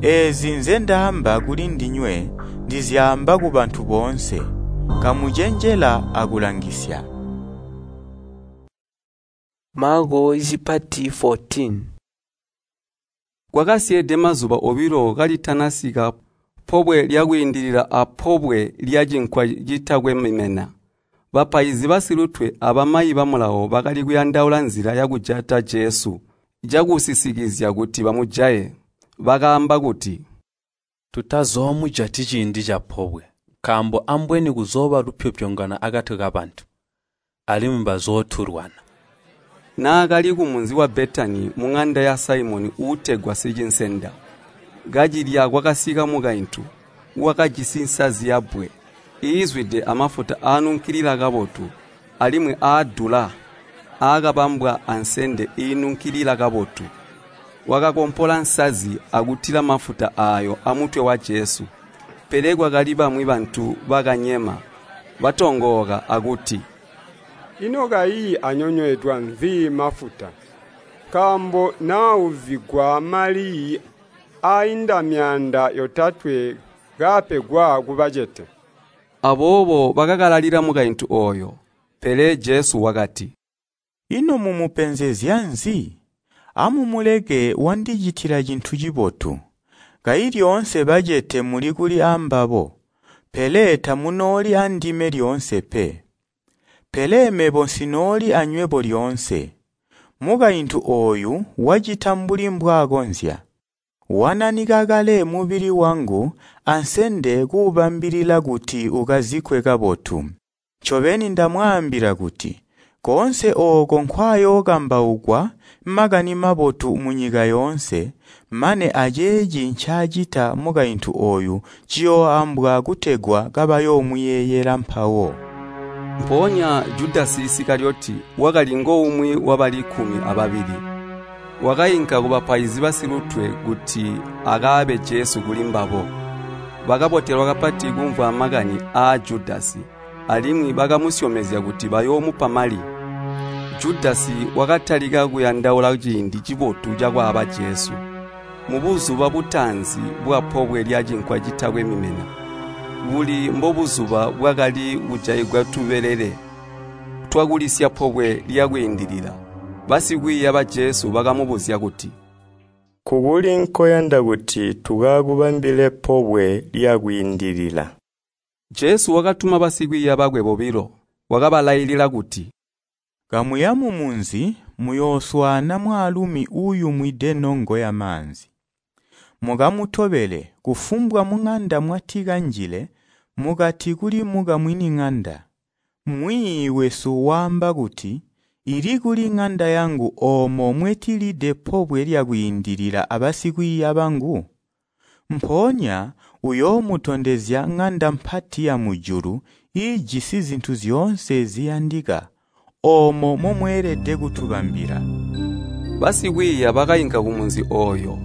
Eezi nzendaamba kulindinywe ndizyaamba kubantu boonse. Kamucenjela akulangisya. Maako cipati fourteen. Kwakasyeede mazuba obilo kalitanasika Pobwe lya Kwiindilila a Pobwe lya Cinkwa Citakwe Mimena. Bapaizi basilutwe abamayi ba Mulawo bakali kuyandaula nzila yakujata Jesu cakusisikizya kuti bamujaye. Bakaamba kuti, Tutazoomujati ciindi capobwe, nkaambo ambweni kuzooba lupyopyongano akati kabantu, alimwi bazootulwana. Naakali kumunzi wa Betani muŋanda ya Saimoni uutegwa Sicinsenda, kacilya kwakasika mukaintu wakajisi nsazi yabbwe iizwide amafuta aanunkilila kabotu alimwi aadula aakabambwa ansende iinunkilila kabotu. Wakakompola nsazi akutila mafuta aayo amutwe wa Jesu. Pele kwakali bamwi bantu bakanyema, batongooka akuti, “Ino kayi anyonyweedwa nzi mafuta? Nkaambo naauzigwa mali aainda myaanda yotatwe kaapegwa kubacete.” Aboobo bakakalalila mukaintu ooyo. Pele Jesu wakati, “Ino mumupenzezya nzi? Amumuleke wandicitila cintu cibotu. Kayi lyoonse bacete muli kuli ambabo, pele tamunooli andime lyoonse pe. Pele mebo nsinooli anywebo lyoonse. Mukaintu ooyu wacita mbuli mbwakonzya. Wananika kale mubili wangu ansende kuubambilila kuti ukazikkwe kabotu. Ncobeni ndamwaambila kuti, koonse ooko nkwayookambaukwa Makani Mabotu munyika yoonse, mane aceeci ncaacita mukaintu ooyu ciyooambwa kutegwa kabayoomuyeeyela mpawo.” Mpoonya Judasi Isikaliyoti wakali ngoumwi wabali kkumi ababili, wakainka kubapaizi basilutwe kuti akaabe Jesu kulimbabo. bakabotelwa kapati kumvwa makani aa Judasi, alimwi bakamusyomezya kuti bayoomupa mali. Judasi wakatalika kuyandaula ciindi cibotu cakwaaba Jesu. Mubuzuba butaanzi bwa Pobwe lya Cinkwa Citakwe Mimena, buli mbobuzuba bwakali kujaigwa tubelele twakulisya Pobwe lya Kwiindilila, basikwiiya ba Jesu bakamubuzya kuti, “Kukuli nkoyanda kuti tukakubambile Pobwe lya Kwiindilila?” Jesu wakatuma basikwiiya bakwe bobilo, wakabalailila kuti, “Kamuya mumunzi muyooswaana mwaalumi uuyumwide nongo yamaanzi. Mukamutobele kufumbwa muŋanda mwatikanjile mukati kuli mukamwini ŋanda, ‘Mwiiyi wesu waamba kuti, ili kuli ŋanda yangu oomo mwetilide Pobwe lya Kwiindilila abasikwiiya bangu?’ Mpoonya uyoomutondezya ŋanda mpati yamujulu iijisi zintu zyoonse ziyandika, oomo momweelede kutubambila.” Basikwiiya bakainka kumunzi ooyo,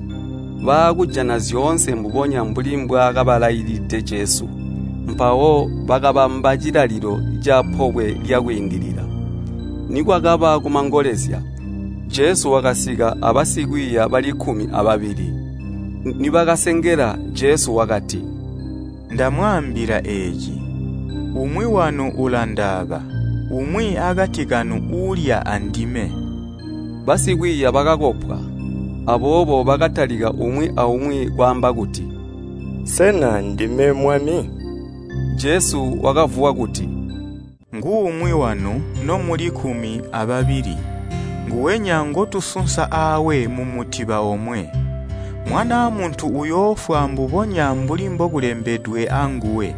baakujana zyoonse mbubonya mbuli mbwaakabalaililide Jesu. Mpawo bakabamba cilalilo ca Pobwe lya Kwiindilila. Nikwakaba kumangolezya, Jesu wakasika abasikwiiya bali kkumi ababili. Nibakasengela, Jesu wakati, “Ndamwaambila eeci, umwi wanu ulandaaba, umwi akati kanu uulya andime.” Basikwiiya bakakopwa, aboobo bakatalika umwi aumwi kwaamba kuti, “Sena ndime Mwami?” Jesu wakavuwa kuti, “Nguumwi wanu nomuli kkumi ababili, nguwenya ngotusunsa aawe mumutiba omwe. Mwanaa Muntu uyoofwa mbubonya mbuli mbokulembedwe anguwe,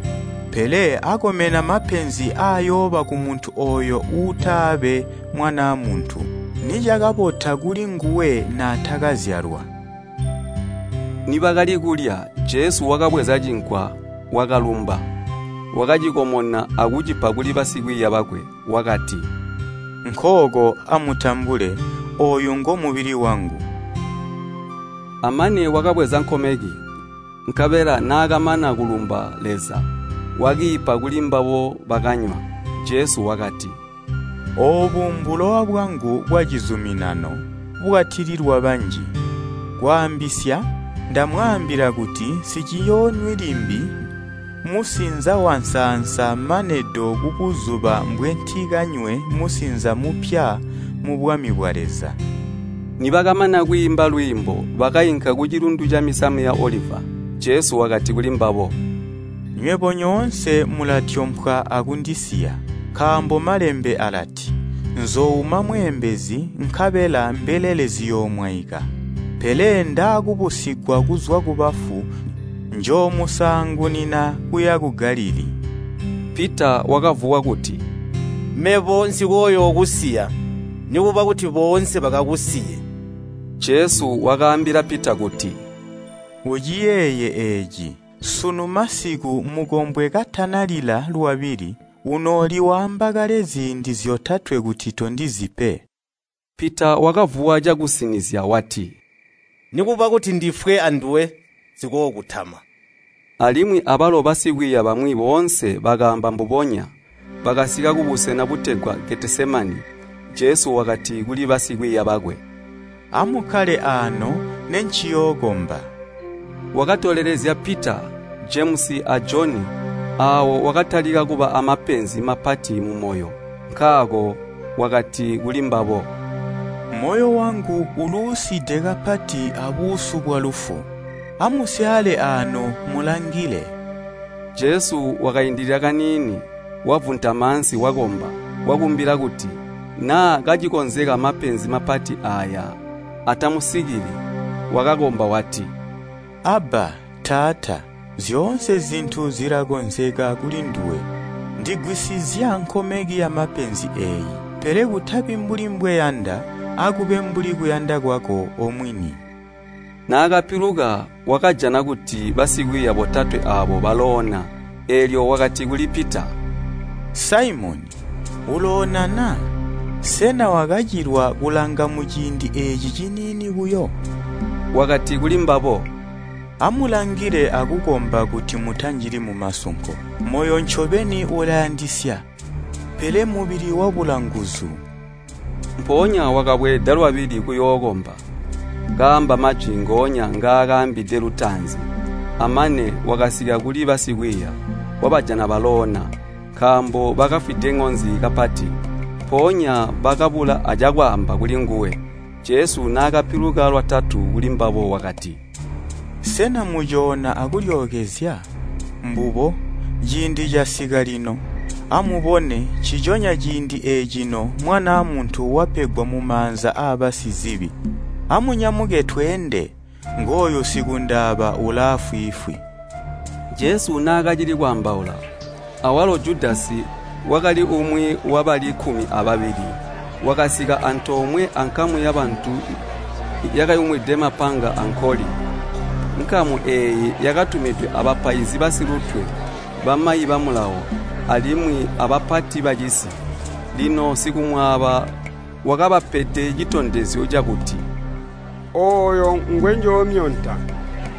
pele akomena mapenzi aayooba kumuntu ooyo uutaabe Mwanaa Muntu. Nicakabota kulinguwe naatakazyalwa.” Nibakali kulya, Jesu wakabweza cinkwa, wakalumba, wakacikomona akucipa kuli basikwiiya bakwe, wakati, “Nkooko amutambule, ooyu ngomubili wangu.” Amane wakabweza nkomeki, nkabela naakamana kulumba Leza, wakiipa kulimbabo bakanywa. Jesu wakati, “Oobu mbulowa bwangu bwacizuminano bwatililwa banji. Kwaambisya, ndamwaambila kuti nsiciyoonywi limbi musinza wansaansa mane do kubuzuba mbwentikanywe musinza mupya mubwami bwa Leza.” Nibakamana kwiimba lwiimbo, bakainka kucilundu camisamu ya Oliva. Jesu wakati kulimbabo, “Nywebo nyoonse mulatyompwa akundisiya, nkaambo Malembe alati, ‘Nzoouma mweembezi, nkabela mbelele ziyoomwaika.’ Pele ndaakubusigwa kuzwa kubafu, njoomusaangunina kuya ku Galilii.” Pita wakavuwa kuti, “Mebo nsikooyookusiya, nikuba kuti boonse bakakusiye.” Jesu wakaambila Pita kuti, “Uciyeeye eeci, sunu masiku mukombwe katanalila lwabili, unooli waamba kale ziindi zyotatwe kuti tondizi pe.” Pita wakavuwa cakusinizya wati, “Nikuba kuti ndifwe anduwe, nsikookutama.” Alimwi abalo basikwiiya bamwi boonse bakaamba mbubonya. Bakasika kubusena butegwa Getesemani. Jesu wakati kuli basikwiiya bakwe, “Amukkale aano nenciyookomba.” Wakatolelezya Pita, Jemusi a Joni, aawo wakatalika kuba amapenzi mapati mumoyo. Nkaako wakati kulimbabo, “Moyo wangu uluuside kapati abuusu bwalufu. Amusyaale aano mulangile.” Jesu wakaindilila kaniini, wavuntama ansi wakomba, wakumbila kuti naa kacikonzeka mapenzi mapati aaya atamusikili. Wakakomba wati, “Abba, Taata, zyoonse zintu zilakonzeka kulinduwe. Ndigwisizya nkomeki yamapenzi eeyi, pele kutabi mbuli mbweyanda, akube mbuli kuyanda kwako omwini.” Naakapiluka wakajana kuti basikwiiya botatwe aabo baloona, eelyo wakati kuli Pita, “Saimoni, uloona na? Sena wakacilwa kulanga muciindi eeci ciniini buyo?” Wakati kulimbabo, Amulangile akukomba kuti mutanjili mumasunko. Moyo ncobeni ulayandisya, pele mubili wabula nguzu. Mpoonya wakabweeda lwabili kuyookomba, kaamba majwi ngoonya ngaakaambide lutaanzi. Amane wakasika kuli basikwiiya, wabajana baloona, nkaambo bakafwide ŋonzi kapati. Mpoonya bakabula acakwaamba kulinguwe. Jesu naakapiluka lwatatu kulimbabo wakati, “Sena mucoona akulyookezya? Mbubo, ciindi casika lino. Amubone, nciconya ciindi eecino Mwanaa Muntu wapegwa mumaanza aabasizibi. Amunyamuke tweende, ngooyu sikundaaba ulaafwiifwi.” Jesu naakacili kwaambaula, awalo Judasi wakali umwi wabali kkumi ababili, wakasika antoomwe ankamu yabantu yakayumwide mapanga ankoli. Nkamu eeyi yakatumidwe abapaizi basilutwe, bamayi ba Mulawo, alimwi abapati bacisi. Lino sikumwaaba wakabapede citondezyo cakuti, “Ooyo ngwenjoomyonta,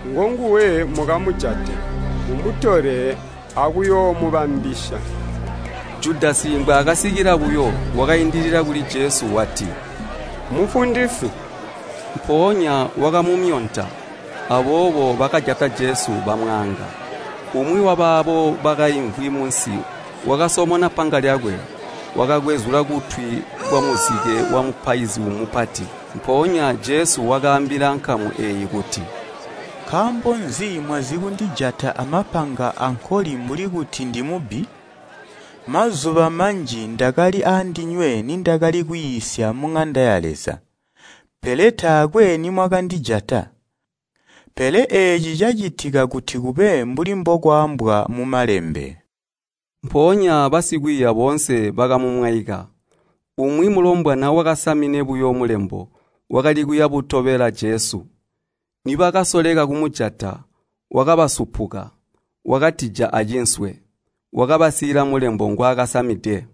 ngonguwe mukamujate, mumutole akuyoomubambisya.” Judasi mbwaakasikila buyo, wakaindilila kuli Jesu wati, “Mufundisi!” Mpoonya wakamumyonta. Aboobo bakajata Jesu bamwaanga. Umwi wabaabo bakaimvwi munsi wakasomona panga lyakwe, wakakwezula kutwi kwamuzike wamupaizi mupati. Mpoonya Jesu wakaambila nkamu eeyi kuti, “Nkaambo nzi mwazikundijata amapanga ankoli mbuli kuti ndimubbi? Mazuba manji ndakali aandinywe nindakali kwiisya muŋanda ya Leza, pele taakwe nimwakandijata. Pele eeci cacitika kuti kube mbuli mbokwaambwa mu Malembe.” Mpoonya basikwiiya boonse bakamumwaika. Umwi mulombwana wakasamine buyo mulembo wakali kuya butobela Jesu. Nibakasoleka kumujata, wakabasupuka, wakatija acinswe, wakabasiila mulembo ngwaakasamide.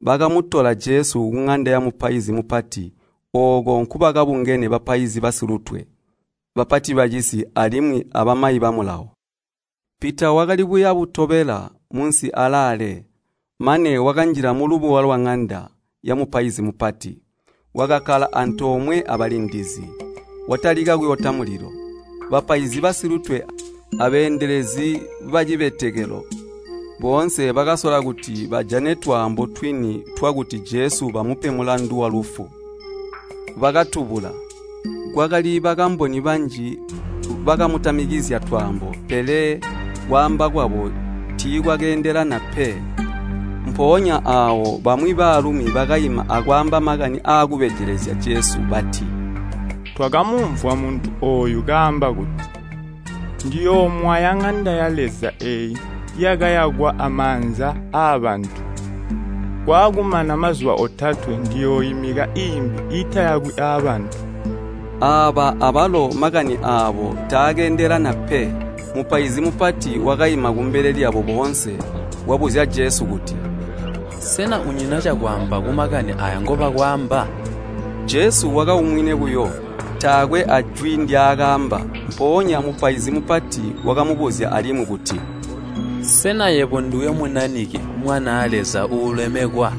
Bakamutola Jesu kuŋanda yamupaizi mupati, ooko nkubakabungene bapaizi basilutwe, bapati bacisi alimwi abamayi ba Mulawo. Pita wakali kuya butobela munsi alaale, mane wakanjila mulubuwa lwaŋanda yamupaizi mupati. Wakakkala antoomwe abalindizi, watalika kuyota mulilo. Bapaizi basilutwe abeendelezi bacibetekelo boonse bakasola kuti bajane twaambo twini twakuti Jesu bamupe mulandu walufu. Bakatubula. Kwakali bakamboni banji bakamutamikizya twaambo, pele kwaamba kwabo tiikwakeendelana pe. Mpoonya aawo bamwi baalumi bakaima akwaamba makani aakubejelezya Jesu bati, “Twakamumvwa muntu ooyu kaamba kuti, ‘Ndiyoomwaya ŋanda ya Leza eeyi yakayakwa amaanza aabantu. Kwaakumana mazuba otatwe ndiyooimika iimbi iitayakwi aabantu.’” Aaba abalo makani aabo taakeendelana pe. Mupaizi mupati wakaima kumbele lyabo boonse, wabuzya Jesu kuti, “Sena unyina cakwaamba kumakani aaya ngobakwaamba?” Jesu wakaumwine buyo, taakwe ajwi ndyaakaamba. Mpoonya mupaizi mupati wakamubuzya alimwi kuti, “Sena yebo nduwe Munanike, Mwanaa Leza uulemekwa?”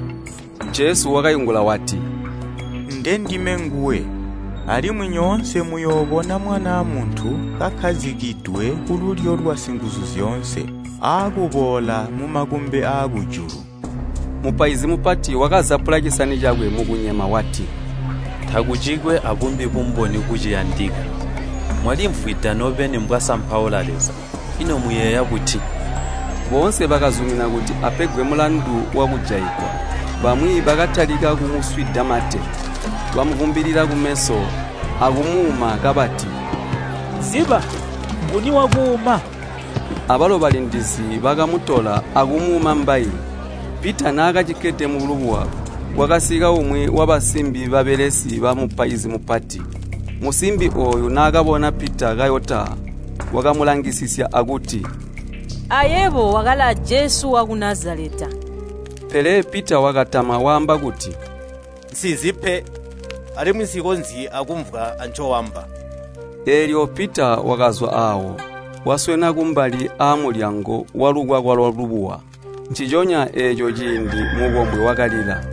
Jesu wakaingula wati, “Ndendime nguwe, alimwi nyoonse muyoobona Mwanaa Muntu kakkazikidwe kululyo lwa Singuzuzyoonse, aakuboola mumakumbi aakujulu.” Mupaizi mupati wakazapula cisani cakwe mukunyema wati, “Takucikwe abumbi bumboni buciyandika. Mwalimvwida nobeni mbwasampaula Leza. Ino muyeeya buti?” Boonse bakazumina kuti apegwe mulandu wakujaigwa. Bamwi bakatalika kumuswida mate, bamuvumbilila kumeso akumuuma kabati, “Ziba, nguni wakuuma?” Abalo balindizi bakamutola akumuuma mbayi. Pita naakacikkede mulubuwa, kwakasika umwi wabasimbi babelesi bamupaizi mupati. Musimbi ooyu naakabona Pita kayota, wakamulangisisya akuti, “Ayebo wakali a Jesu waku Nazaleta.” Pele Pita wakatama waamba kuti, “Nsizi pe, alimwi nsikonzyi akumvwa ancoamba.” Eelyo Pita wakazwa aawo, waswena kumbali aamulyango walukwakwa lwalubuwa. Nciconya eeco ciindi mukombwe wakalila.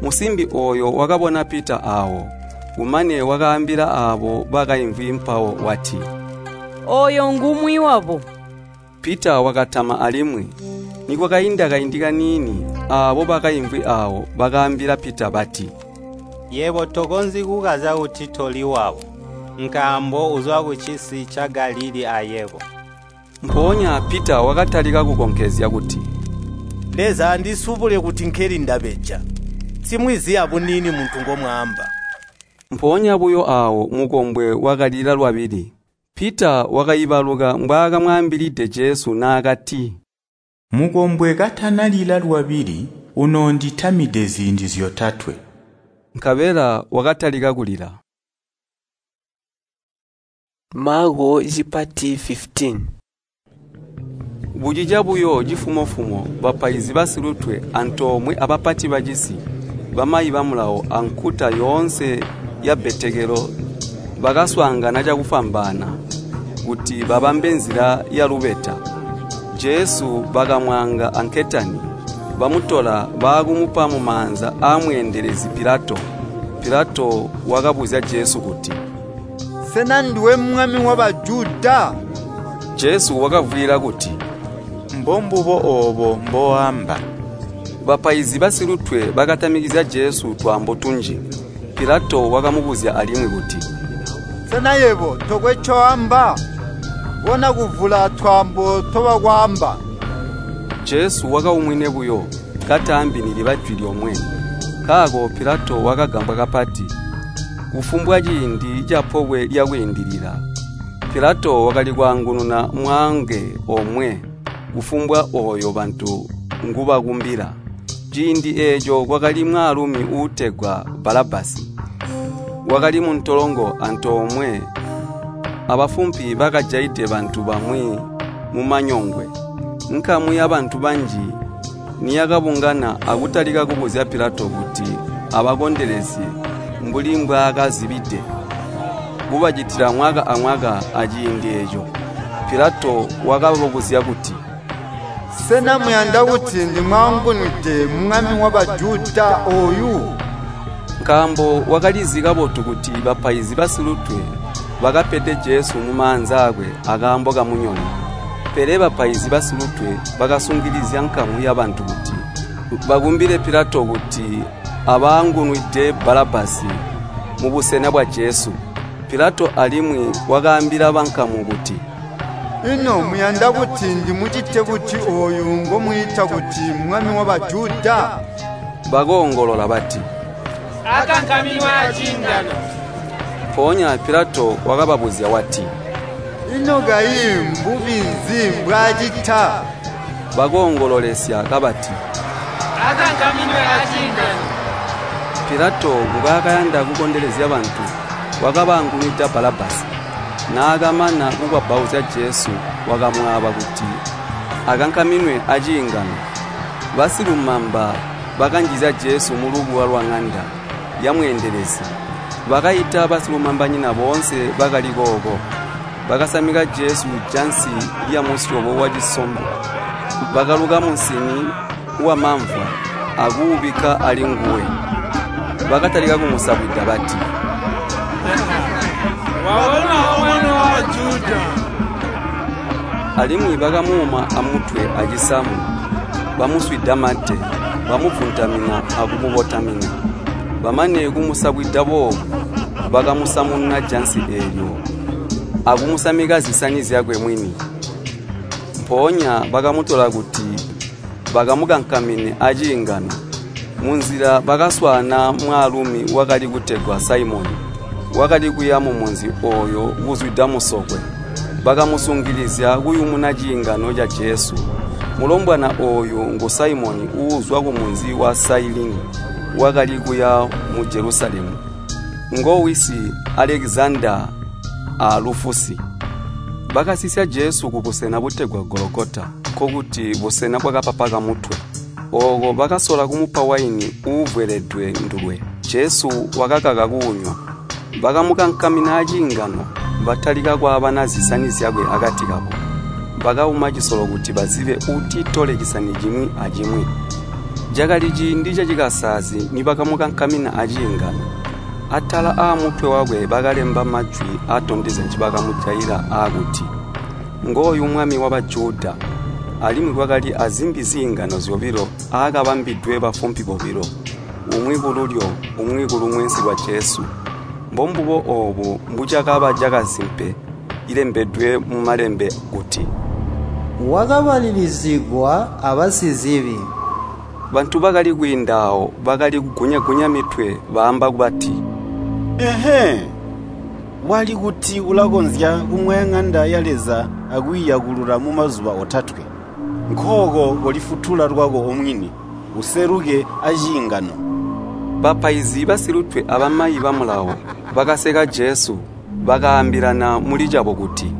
Musimbi ooyo wakabona Pita aawo, kumane wakaambila aabo bakaimvwi mpawo wati, “Ooyo ngumwi wabo.” Pita wakatama alimwi. Nikwakainda kaindi kaniini, aabo bakaimvwi aawo bakaambila Pita bati, “Yebo tokonzyi kukazya kuti toli wabo, nkaambo uzwa kucisi ca Galilii ayebo.” Mpoonya Pita wakatalika kukonkezya kuti, “Leza andisubule kuti nkeli ndabeja! Nsimwizi abuniini muntu ngomwaamba.” Mpoonya buyo aawo mukombwe wakalila lwabili. Pita wakaibaluka mbwaakamwaambilide Jesu naakati, “Mukombwe katanalila lwabili, unoonditamide ziindi zyotatwe.” Nkabela wakatalika kulila. Maako cipati fifitini. Bucica buyo cifumo-fumo bapaizi basilutwe antoomwe abapati bacisi, bamayi ba Mulawo ankuta yoonse yabbetekelo bakaswaangana cakufwambaana kuti babambe nzila yalubeta. Jesu bakamwaanga anketani, bamutola baakumupa mumaanza aamweendelezi Pilato. Pilato wakabuzya Jesu kuti, “Sena nduwe mwami wa Bajuda?” Jesu wakavwiila kuti, “Mbombubo oobo mboamba.” Bapaizi basilutwe bakatamikizya Jesu twaambo tunji. Pilato wakamubuzya alimwi kuti, “Sena yebo tokwe ncoamba? Bona kuvula twaambo ntobakwaamba.” Jesu wakaumwine buyo, kataambi niliba jwi lyomwe. Nkaako Pilato wakagambwa kapati. Kufumbwa ciindi ca Pobwe lya Kwiindilila, Pilato wakali kwaangununa mwaange omwe kufumbwa ooyo bantu ngubakumbila. Ciindi eeco kwakali mwaalumi uutegwa Balabbasi, wakali muntolongo antoomwe abafumpi bakajaide bantu bamwi mumanyongwe. Nkamu yabantu banji niyakabungana akutalika kubuzya Pilato kuti abakondelezye mbuli mbwaakazibide kubacitila mwaka amwaka aciindi eeco. Pilato wakababuzya kuti, “Sena muyanda kuti ndimwaangunwide mwami wa Bajuda ooyu?” Nkaambo wakalizi kabotu kuti bapaizi basilutwe bakapede Jesu mumaanza aakwe akaambo kamunyono. Pele bapaizi basilutwe bakasungilizya nkamu yabantu kuti bakumbile Pilato kuti abaangunwide Balabbasi mubusena bwa Jesu. Pilato alimwi wakaambila bankamu kuti, “Ino muyanda kuti ndimucite buti ooyu ngomwiita kuti mwami wa Bajuda?” Bakoongolola bati, “Akankaminwe aciingano!” Mpoonya Pilato wakababuzya wati, “Ino kayi mbubi nzi mbwaacita?” Bakoongololesya kabati, “Akankaminwe aciingano!” Pilato mbwaakayanda kukondelezya bantu, wakabaangunwida Balabbasi. Naakamana kukwabbauzya Jesu, wakamwaaba kuti akankaminwe aciingano. Basilumamba bakanjizya Jesu mulubuwa lwaŋanda yamweendelezi. Bakaita basilumambanyina boonse bakali kooko. Bakasamika Jesu jansi lyamusyobo wacisombo. Bakaluka musini wamamvwa akuubikka alinguwe. Bakatalika kumusabwida bati, “Wabona omwana wa Bajuda!” Alimwi bakamuuma amutwe acisamu, bamuswida mate, bamuvuntamina akumukotamina. Bamane kumusabwida boobu, bakamusamununa jansi eelyo akumusamika zisani zyakwe mwini. Mpoonya bakamutola kuti bakamukankamine aciingano. Munzila bakaswaana mwaalumi wakali kutegwa Saimoni, wakali kuya mumunzi ooyo kuzwida musokwe. Bakamusungilizya kuyumuna ciingano ca Jesu. Mulombwana ooyu ngu Saimoni uuzwa kumunzi wa Sailini, wakali kuya mu Jelusalemu. Ngowisi Alekizanda a Lufusi. Bakasisya Jesu kubusena butegwa Gologota, nkokuti busena bwakapapa kamutwe. Ooko bakasola kumupa waini uuvweledwe ndulwe. Jesu wakakaka kuunywa. Bakamukankamina aciingano, batalika kwaabana zisani zyakwe akati kabo. Bakauma cisolo kuti bazibe uutitole cisani cimwi acimwi. Cakali ciindi cacikasaazi nibakamukankamina aciingano. Atala aamutwe wakwe bakalemba majwi aatondezya ncibakamujaila aakuti, “Ngooyu Mwami wa Bajuda.” Alimwi kwakali azimbi ziingano zyobilo aakabambidwe bafumpi bobilo, umwi kululyo umwi kulumwensi lwa Jesu. Mbombubo oobu mbucakaba cakasimpe cilembedwe mumalembe kuti, “Wakabalilizigwa abasizibi.” Bantu bakali kwiinda aawo bakali kugunya-gunya mitwe baamba bati, “Ehe, wali kuti ulakonzya kumwaya ŋanda ya Leza akwiiyakulula mumazuba otatwe. Nkooko kolifutula lwako omwini, useluke aciingano.” Bapaizi basilutwe abamayi ba Mulawo bakaseka Jesu, bakaambilana mulicabo kuti,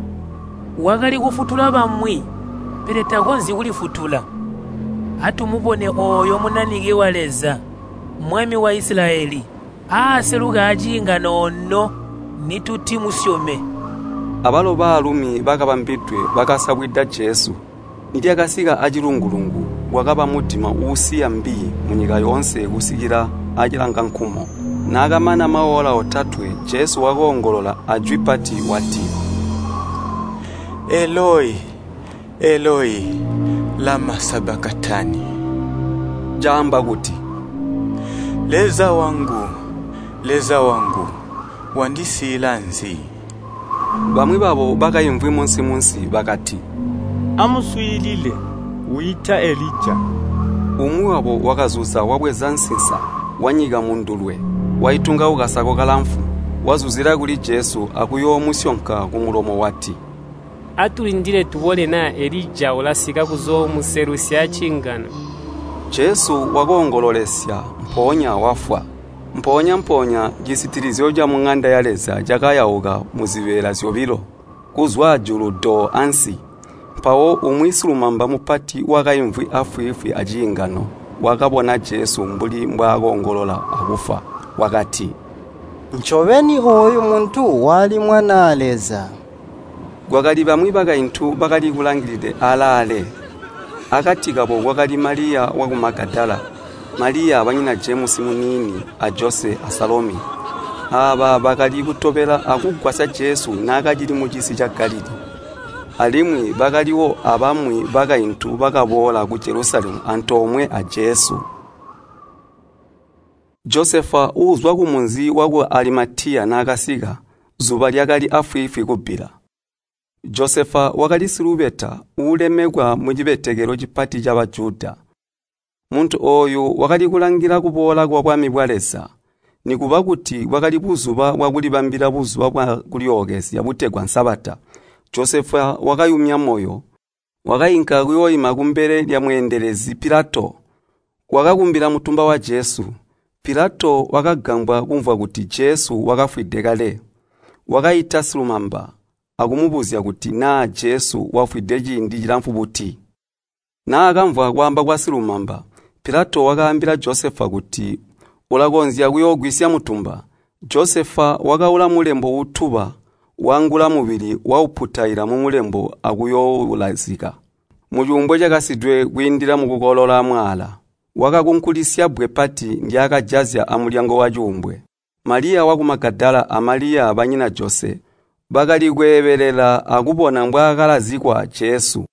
“Wakali kufutula bamwi, pele takonzyi kulifutula. Atumubone ooyo Munanike wa Leza, Mwami wa Isilayeli, aaseluke aciingano ono nitutimusyome.” Abalo baalumi bakabambidwe bakasabwida Jesu. Nilyakasika acilungu-lungu, kwakaba mudima uusiya mbi munyika yoonse kusikila acilangankumo. Naakamana maola otatwe, Jesu wakoongolola ajwi pati wati, “Eloi, Eloi, lama sabakatani?” Caamba kuti, “Leza wangu, Leza wangu, wandisiila nzi?” Bamwi babo bakaimvwi munsi-munsi bakati, “Amuswiilile, wiita Elija.” Umwi wabo wakazuza wabweza nsinsa, wanyika mundulwe, waitunga kukasako kalamfu, wazuzila kuli Jesu akuyoomusyonka kumulomo wati, “Atulindile tubone naa Elija ulasika kuzoomuselusya aciingano.” Jesu wakoongololesya, mpoonya wafwa. Mpoonya-mpoonya cisitilizyo camuŋanda ya Leza cakayauka muzibeela zyobilo, kuzwa ajulu do ansi. Mpawo umwi silumamba mupati wakaimvwi afwiifwi aciingano wakabona Jesu mbuli mbwaakoongolola akufwa, wakati, “Ncobeni ooyu muntu wali Mwanaa Leza.” Kwakali bamwi bakaintu bakali kulangilide alaale. Akati kabo kwakali Maliya waku Magadala, Maliya banyina Jemusi muniini a Jose a Salomi. Aaba bakali kutobela akugwasya Jesu naakacili mucisi ca Galilii. Alimwi bakaliwo abamwi bakaintu bakaboola ku Jelusalemu antoomwe a Jesu. Josefa uuzwa kumunzi waku Alimatiya naakasika, zuba lyakali afwiifwi kubbila. Josefa wakali silubeta uulemekwa mucibetekelo cipati ca Bajuda. Muntu ooyu wakali kulangila kuboola kwa bwami bwa Leza. Nikuba kuti bwakali buzuba bwakulibambila buzuba bwa kulyookezya butegwa Sabata, Josefa wakayumya moyo, wakainka kuyooima kumbele lyamweendelezi Pilato. Wakakumbila mutumba wa Jesu. Pilato wakagambwa kumvwa kuti Jesu wakafwide kale. Wakaita silumamba akumubuzya kuti naa Jesu wafwide ciindi cilamfu buti. Naakamvwa kwaamba kwa silumamba, Pilato wakaambila Josefa kuti ulakonzya kuyoogwisya mutumba. Josefa wakaula mulembo uutuba, waangula mubili wauputaila mumulembo akuyoowulazika mucuumbwe cakasidwe kwiindila mukukolola mwaala. Wakakunkulisya bbwe pati ndyaakajazya amulyango wacuumbwe. Maliya waku Magadala a Maliya banyina Jose bakali kweebelela akubona mbwaakalazikwa Jesu.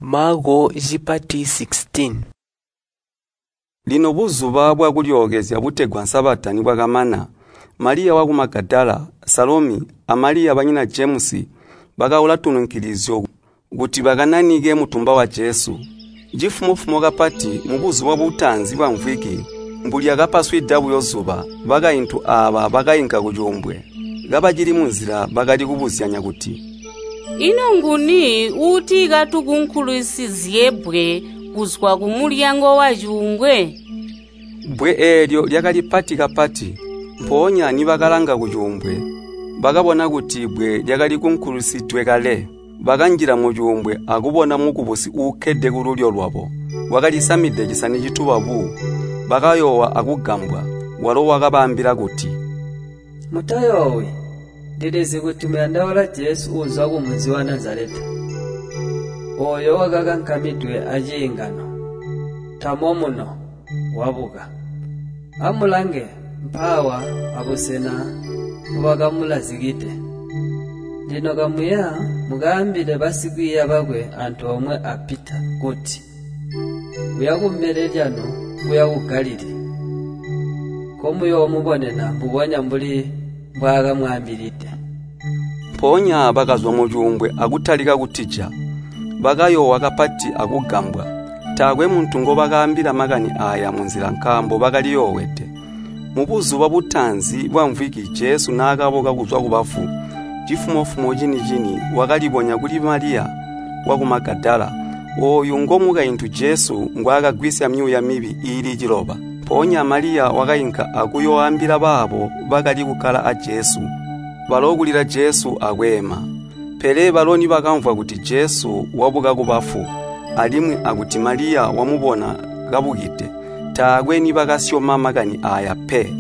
Maako cipati sixteen. Lino buzuba bwakulyookezya butegwa Sabata nibwakamana, Maliya waku Magadala, Salomi, a Maliya banyina Jemusi bakaula tununkilizyo kuti bakananike mutumba wa Jesu. Cifumo-fumo kapati mubuzuba butaanzi bwamvwiki, mbulyakapaswida buyo zuba, bakaintu aaba bakainka kucuumbwe. Kabacili munzila bakali kubuzyanya kuti, “Ino nguni uuti katukunkulisizye bbwe kuzwa kumulyango wacuumbwe?” Bbwe eelyo lyakali pati kapati. Mpoonya nibakalanga kucuumbwe, bakabona kuti bbwe lyakali kunkulisidwe kale. Bakanjila mucuumbwe akubona mukubusi uukkede kululyo lwabo, wakalisamide cisani cituba bu. Bakayoowa akugambwa. Walo wakabaambila kuti, Mutayoowi, ndilizi kuti muyandaula Jesu uuzwa kumunzi wa Nazaleta. Ooyo wakakankamidwe aciingano. Tamo muno, wabuka. Amulange mpaawa abusena mpobakamulazikide. Lino kamuya mukaambile basikwiiya bakwe antoomwe a Pita kuti, uya kumbele lyanu kuya ku Galilii. Nkomuyoomubonena mbubonya mbuli mbwaakamwaambilide.” Mpoonya bakazwa mucuumbwe akutalika kutija. Bakayoowa kapati akugambwa. Taakwe muntu ngobakaambila makani aaya munzila nkaambo bakaliyoowede. Mubuzuba butaanzi bwamvwiki Jesu naakabuka kuzwa kubafu, cifumo-fumo cini-cini wakalibonya kuli Maliya waku Magadala. Ooyu ngomukaintu Jesu ngwaakagwisya myuuya mibi iili ciloba. Mpoonya Maliya wakainka akuyooambila baabo bakali kukkala a Jesu, balo kulila Jesu akweema. Pele balo nibakamvwa kuti Jesu wabuka kubafu, alimwi akuti Maliya wamubona kabukide, taakwe nibakasyoma makani aaya pe.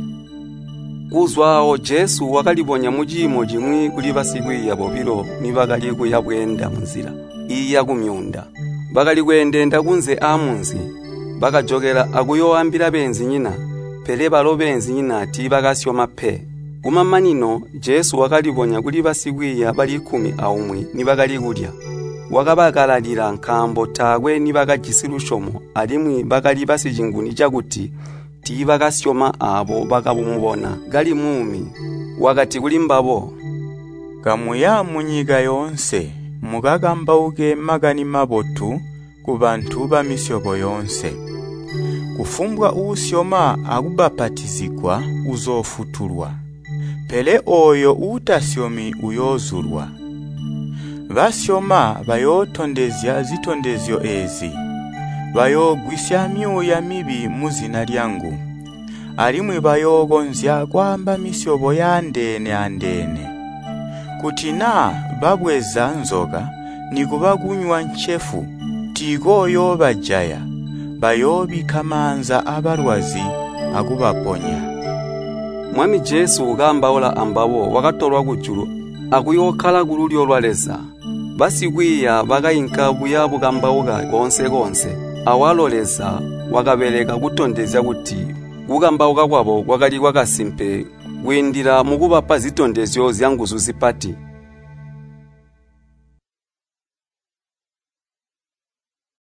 Kuzwa aawo Jesu wakalibonya muciimo cimwi kuli basikwiiya bobilo nibakali kuya bweenda munzila iiya kumyuunda. Bakali kweendeenda kunze aamunzi. Bakajokela akuyooambila beenzinyina, pele balo beenzinyina tiibakasyoma pe. Kumamanino Jesu wakalibonya kuli basikwiiya bali kkumi aumwi nibakali kulya. Wakabakalalila nkaambo taakwe nibakajisi lusyomo alimwi bakali basicinguni cakuti tiibakasyoma aabo bakamubona kali muumi. Wakati kulimbabo, “Kamuya munyika yoonse, mukakambauke Makani Mabotu kubantu bamisyobo yoonse. Kufumbwa uusyoma akubbapatizigwa uzoofutulwa, pele ooyo uutasyomi uyoozulwa. Basyoma bayootondezya zitondezyo eezi: bayoogwisya myuuya mibi muzina lyangu, alimwi bayookonzya kwaamba misyobo yaandeene-andeene. Kuti naa babweza nzoka nikuba kunywa ncefu tiikooyoobajaya, bayoobikka maanza abalwazi akubaponya.” Mwami Jesu kaambaula ambabo wakatolwa kujulu akuyookkala kululyo lwa Leza. Basikwiiya bakainka buya bukambauka koonse-koonse. Awalo Leza wakabeleka kutondezya kuti kukambauka kwabo kwakali kwakasimpe kwiindila mukubapa zitondezyo zyanguzu zipati.